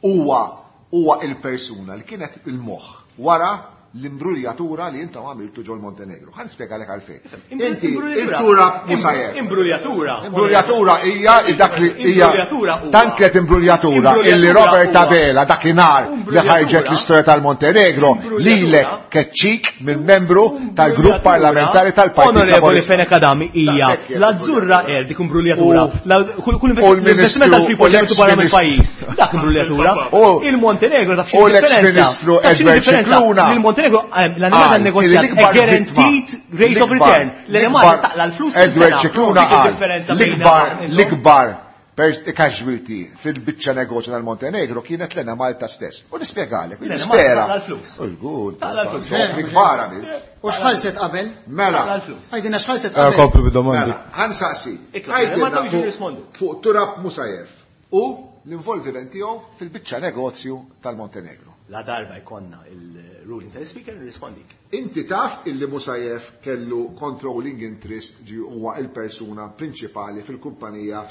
huwa huwa il-persuna li kienet il-moħħ wara l-imbruljatura li intom għamiltu ġol Montenegro. Ħa nispjegalek għalfejn. Inti il-Turab Musayev. Imbruljatura. Imbruljatura hija dak li hija Imbruljatura huwa. tant kienet imbruljatura illi Imbruljatura Robert huwa. Abela dakinhar li ħarġet l-istorja tal-Montenegro lilek keċċik minn membru tal-grupp parlamentari tal-Partit Onorevoli Laburista. Fenech Adami hija Daqshekk kienet l-azzurra imbruljatura. er dik imbruljatura. U- La- Kull kull u l-Ministru- investiment tal-Freeport u li barra l-ex-ministru- mill-pajjiż. Dak imbruljatura. U- Il-Montenegro taf u x'inhi differenza. l-ex-ministru Taf x'inhi Edward differenza? Scicluna. Il-Montenegro eh, l-animal Qal negozjat li l-ikbar guaranteed vittma- rate of l-ikbar- return. L-animal l-ikbar- taqla l-flus kull Edward sena. Scicluna Dik qal id-differenza bejna l-ikbar intom. l-ikbar Casualty fil-biċċa negozju tal-Montenegro kienet l-Enemalta stess. U nispjegalek, nispera. Taqla l-flus. Good. Taqla l-flus. Kbar għamil. U x'ħalset qabel? Mela. Taqla l-flus. Għidilna x'ħalset Eh, qabel. Kompli bid-domandi. Mela, ħa nsaqsi. Itla, ma tawx jirrispondu. Fuq Turab Musajev u l-involviment tiegħu fil-biċċa negozju tal-Montenegro. La darba jkollna il-ruling tal-Speaker nirrispondik. Inti taf illi Musajev kellu controlling interest ġi huwa il-persuna prinċipali fil-kumpanija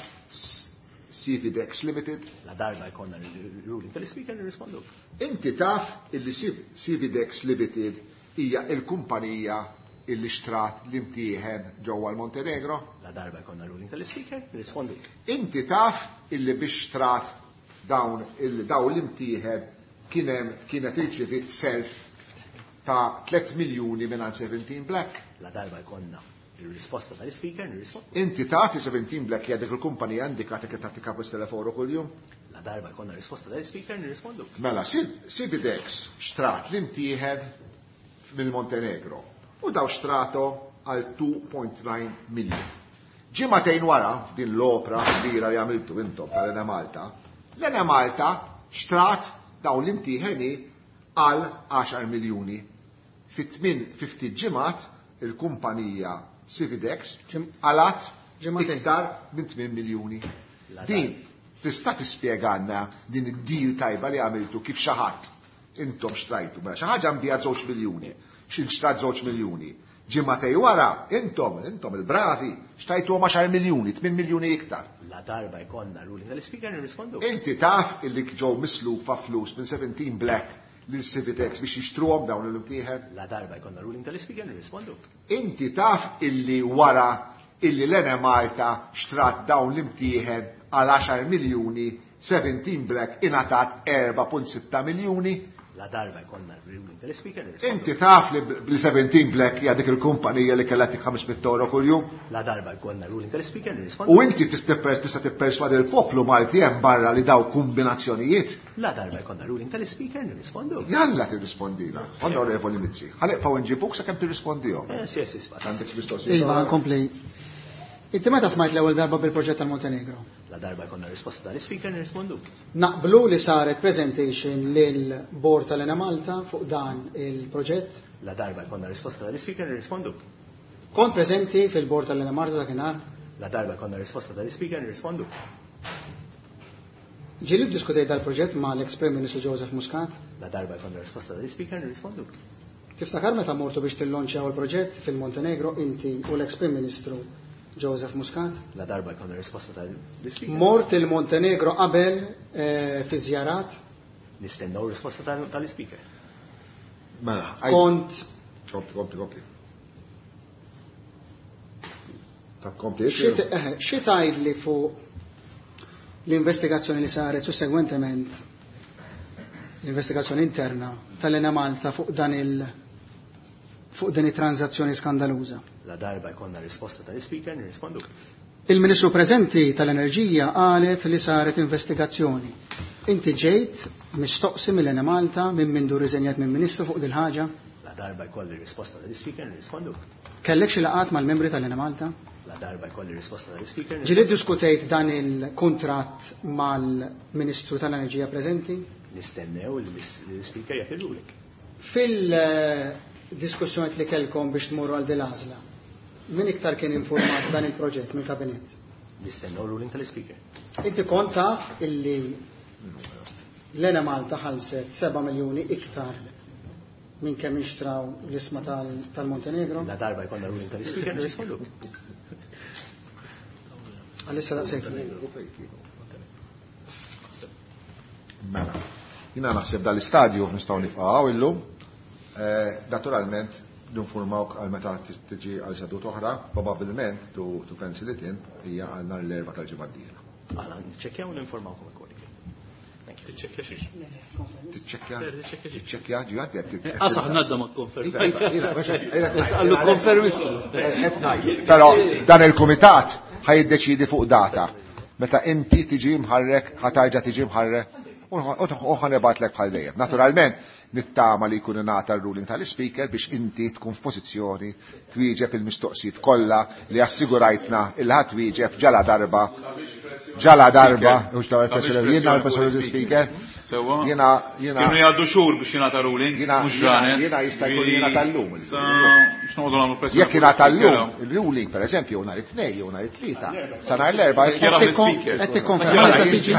Cividex Limited. La darba jkollna il-ruling tal-Speaker nirrispondu. Inti taf illi Cividex Limited hija il-kumpanija illi xtrat l-imtieħen ġewwa l-Montenegro? La darba jkollna ruling tal-Speaker nirrispondik. Inti taf illi biex xtrat dawn il dawn l-imtieħen kien hemm kienet irċivit self ta' tliet miljuni minn seventeen Black. La darba jkollna il-risposta tal-Speaker nirrispondu. Inti taf li seventeen Black hija dik il-kumpanija indikata kif tagħti kapus teleforu kuljum? La darba jkollna risposta tal-Speaker nirrispondu. Mela, Cividex xtrat l-imtieħen mill-Montenegro u daw xtrato għal two point nine million. Ġimagħtejn wara f'din l-opra kbira li għamiltu intom tal-Enemalta, l-Enemalta xtrat dawn l-imtieħeni għal għaxar miljuni. Fit-tmien fifty ġimgħat il-kumpanija Cividex għalat iktar minn tmien miljuni. Din tista' tispjegana din id-deal tajba li għamiltu kif xi ħadd intom xtrajtu. Mela xi ħaġa nbija żewġ miljuni, xi xtrat żewġ miljuni. Ġimagħtej wara intom, intom il-bravi xtrajtu għaxar miljuni, tmien miljuni iktar. La darba jkollna ruling tal-Speaker nirrispondu. Inti taf illi ġew mislufa flus minn seventeen Black lil Cividex biex jixtruhom dawn l-imtieħen? La darba jkollna ruling tal-Speaker nirrispondu. Inti taf illi wara illi l-Enemalta xtrat dawn l-imtieħen għal għaxar miljuni, seventeen Black ingħatat erba' punt sitta miljuni? La darba jkollna ruling tal-Speaker nirrispondu. Inti taf li bl seventeen Black hija dik il-kumpanija li kellha tik ħames mitt euro kuljum? La darba jkollna ruling tal-Speaker nirrispondu. U inti tista' tista' tipperswadi l-poplu Malti hemm barra li daw kombinazzjonijiet? La darba jkollna ruling tal-Speaker nirrispondu. Jalla tirrispondina, Onorevoli Mizzi. Ħalibqgħu nġibuk sakemm tirrispondihom. Eh, sì, sì, sì. Għandek mistoqsija? Iva, nkompli. Inti meta smajt l-ewwel darba bil-proġett tal-Montenegro? La darba jkollna risposta tal-Speaker nirrispondu. Naqblu li saret presentation lil Bord tal-Enemalta fuq dan il-proġett? La darba jkollna risposta tal-Speaker nirrispondu. Kont preżenti fil-Bord tal-Enemalta dakinhar? La darba jkollna risposta tal-Speaker nirrispondu. Ġieli ddiskutejt dal-proġett ma' l-ex-Prim Ministru Joseph Muscat? La darba jkollna risposta tal-Speaker nirrispondu. Tiftakar meta mortu biex tillonċjaw il-proġett fil-Montenegro inti u l-ex-Prim Ministru Joseph Muscat? La darba jkollna risposta tal-Speaker. Mort il-Montenegro qabel, eh, fi żjarat? Nistennew risposta tal-, tal-Speaker. Mela, għaj- Kont Kompli, kompli, kompli. Ta' kompli, Xi t-, eh, xi tgħidli fuq l-investigazzjoni li saret sussegwentement l-investigazzjoni interna tal-Enemalta fuq dan il fuq din it-transazzjoni skandaluża? La darba jkollna risposta tal-Speaker nirrispondu. Il-Ministru preżenti tal-Enerġija qalet li saret investigazzjoni. Inti ġejt mistoqsi mill-Enemalta minn mindu riżenjat minn Ministru fuq dil ħaġa? La darba jkolli risposta tal-Speaker nirrispondu. Kellek xi laqgħat mal-membri tal-Enemalta? La darba jkolli risposta tal-Speaker. Ġieli ddiskutejt dan il-kuntratt mal-Ministru tal-Enerġija preżenti? Nistennew li l-Speaker jagħti ruling. Fil-diskussjoni li kellkom biex tmorru għal dil għażla, min iktar kien informat dan il-proġett minn kabinett? Nistennew ruling tal-Speaker. Inti kont taf illi l-Enemalta ħallset seba' miljuni iktar minn kemm inxtraw l-isma tal-, tal-Montenegro? La darba jkollna ruling tal-Speaker nirrispondu. Għalissa daqshekk. Mela, jiena naħseb dal-istadju nistgħu nifqgħu illum. Eh, naturalment, ninformawk għal meta tiġi għal seduta oħra, probabbilment to, to pencil it in hija għal nhar l-erba' tal-ġimgħa d-dieħla. Aħna niċċekkjaw u ninformawkom ukoll. Tiċċekkja xiex? Tiċċekkja? Tiċċekkja xiex? Tiċċekkja, ġi għaddi għaddi. Qasaħ nadda ma konfermi. Iva, iva, iva, iva, Għallu konfermi. Però dan il-kumitat ħajiddeċidi fuq data. Meta inti tiġi mħarrek, ħatarġa tiġi mħarrek, u ħanebatlek bħal dejjem. Naturalment, nittama li jkun ingħata r-ruling tal-Speaker biex inti tkun f'pożizzjoni twieġeb il-mistoqsijiet kollha li assigurajtna il ħadd twieġeb ġala darba. Ġala darba, u x'daw il-pressjoni, jiena l-pressjoni l-speaker. Sewwa. Jiena jiena Kienu jgħaddu xhur biex jingħata ruling, jiena mhux ġranet. jiena jista' jkun jiena tal-lum. X'noqogħdu nagħmlu pressjoni. Jekk jingħata llum, il-ruling pereżempju jew nhar it-tnejn jew nhar it-tlieta, sa nhar l-erba' Qed tikkonferma li se tiġi.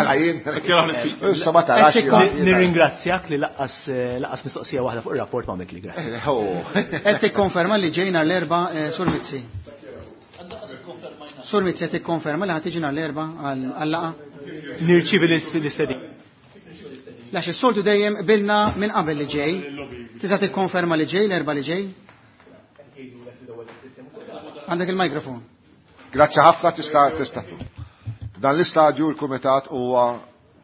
Issa ma tarax. Nirringrazzjak li laqqas laqqas mistoqsija waħda fuq ir-rapport ma għamilt li grazzi. Qed tikkonferma li ġej nhar l-erba' Sur Mizzi. Sur Mizzi qed tikkonferma li ħa tiġi nhar l-erba' għal-laqgħa? Nirċievi l-istedina. Għax is-soltu dejjem qbilna minn qabel li ġej. Tista' tikkonferma li ġej l-erba' li ġej? Għandek il-mikrofon. Grazzi ħafna tista' tista' Dan l-istadju l-kumitat huwa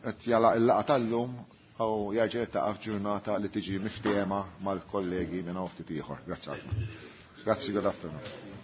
qed jagħlaq il-laqgħa tal-lum u jerġa' jiltaqa' f'ġurnata li tiġi miftiehma mal-kollegi minn hawn ftit ieħor. Grazzi ħafna. Grazzi, good afternoon.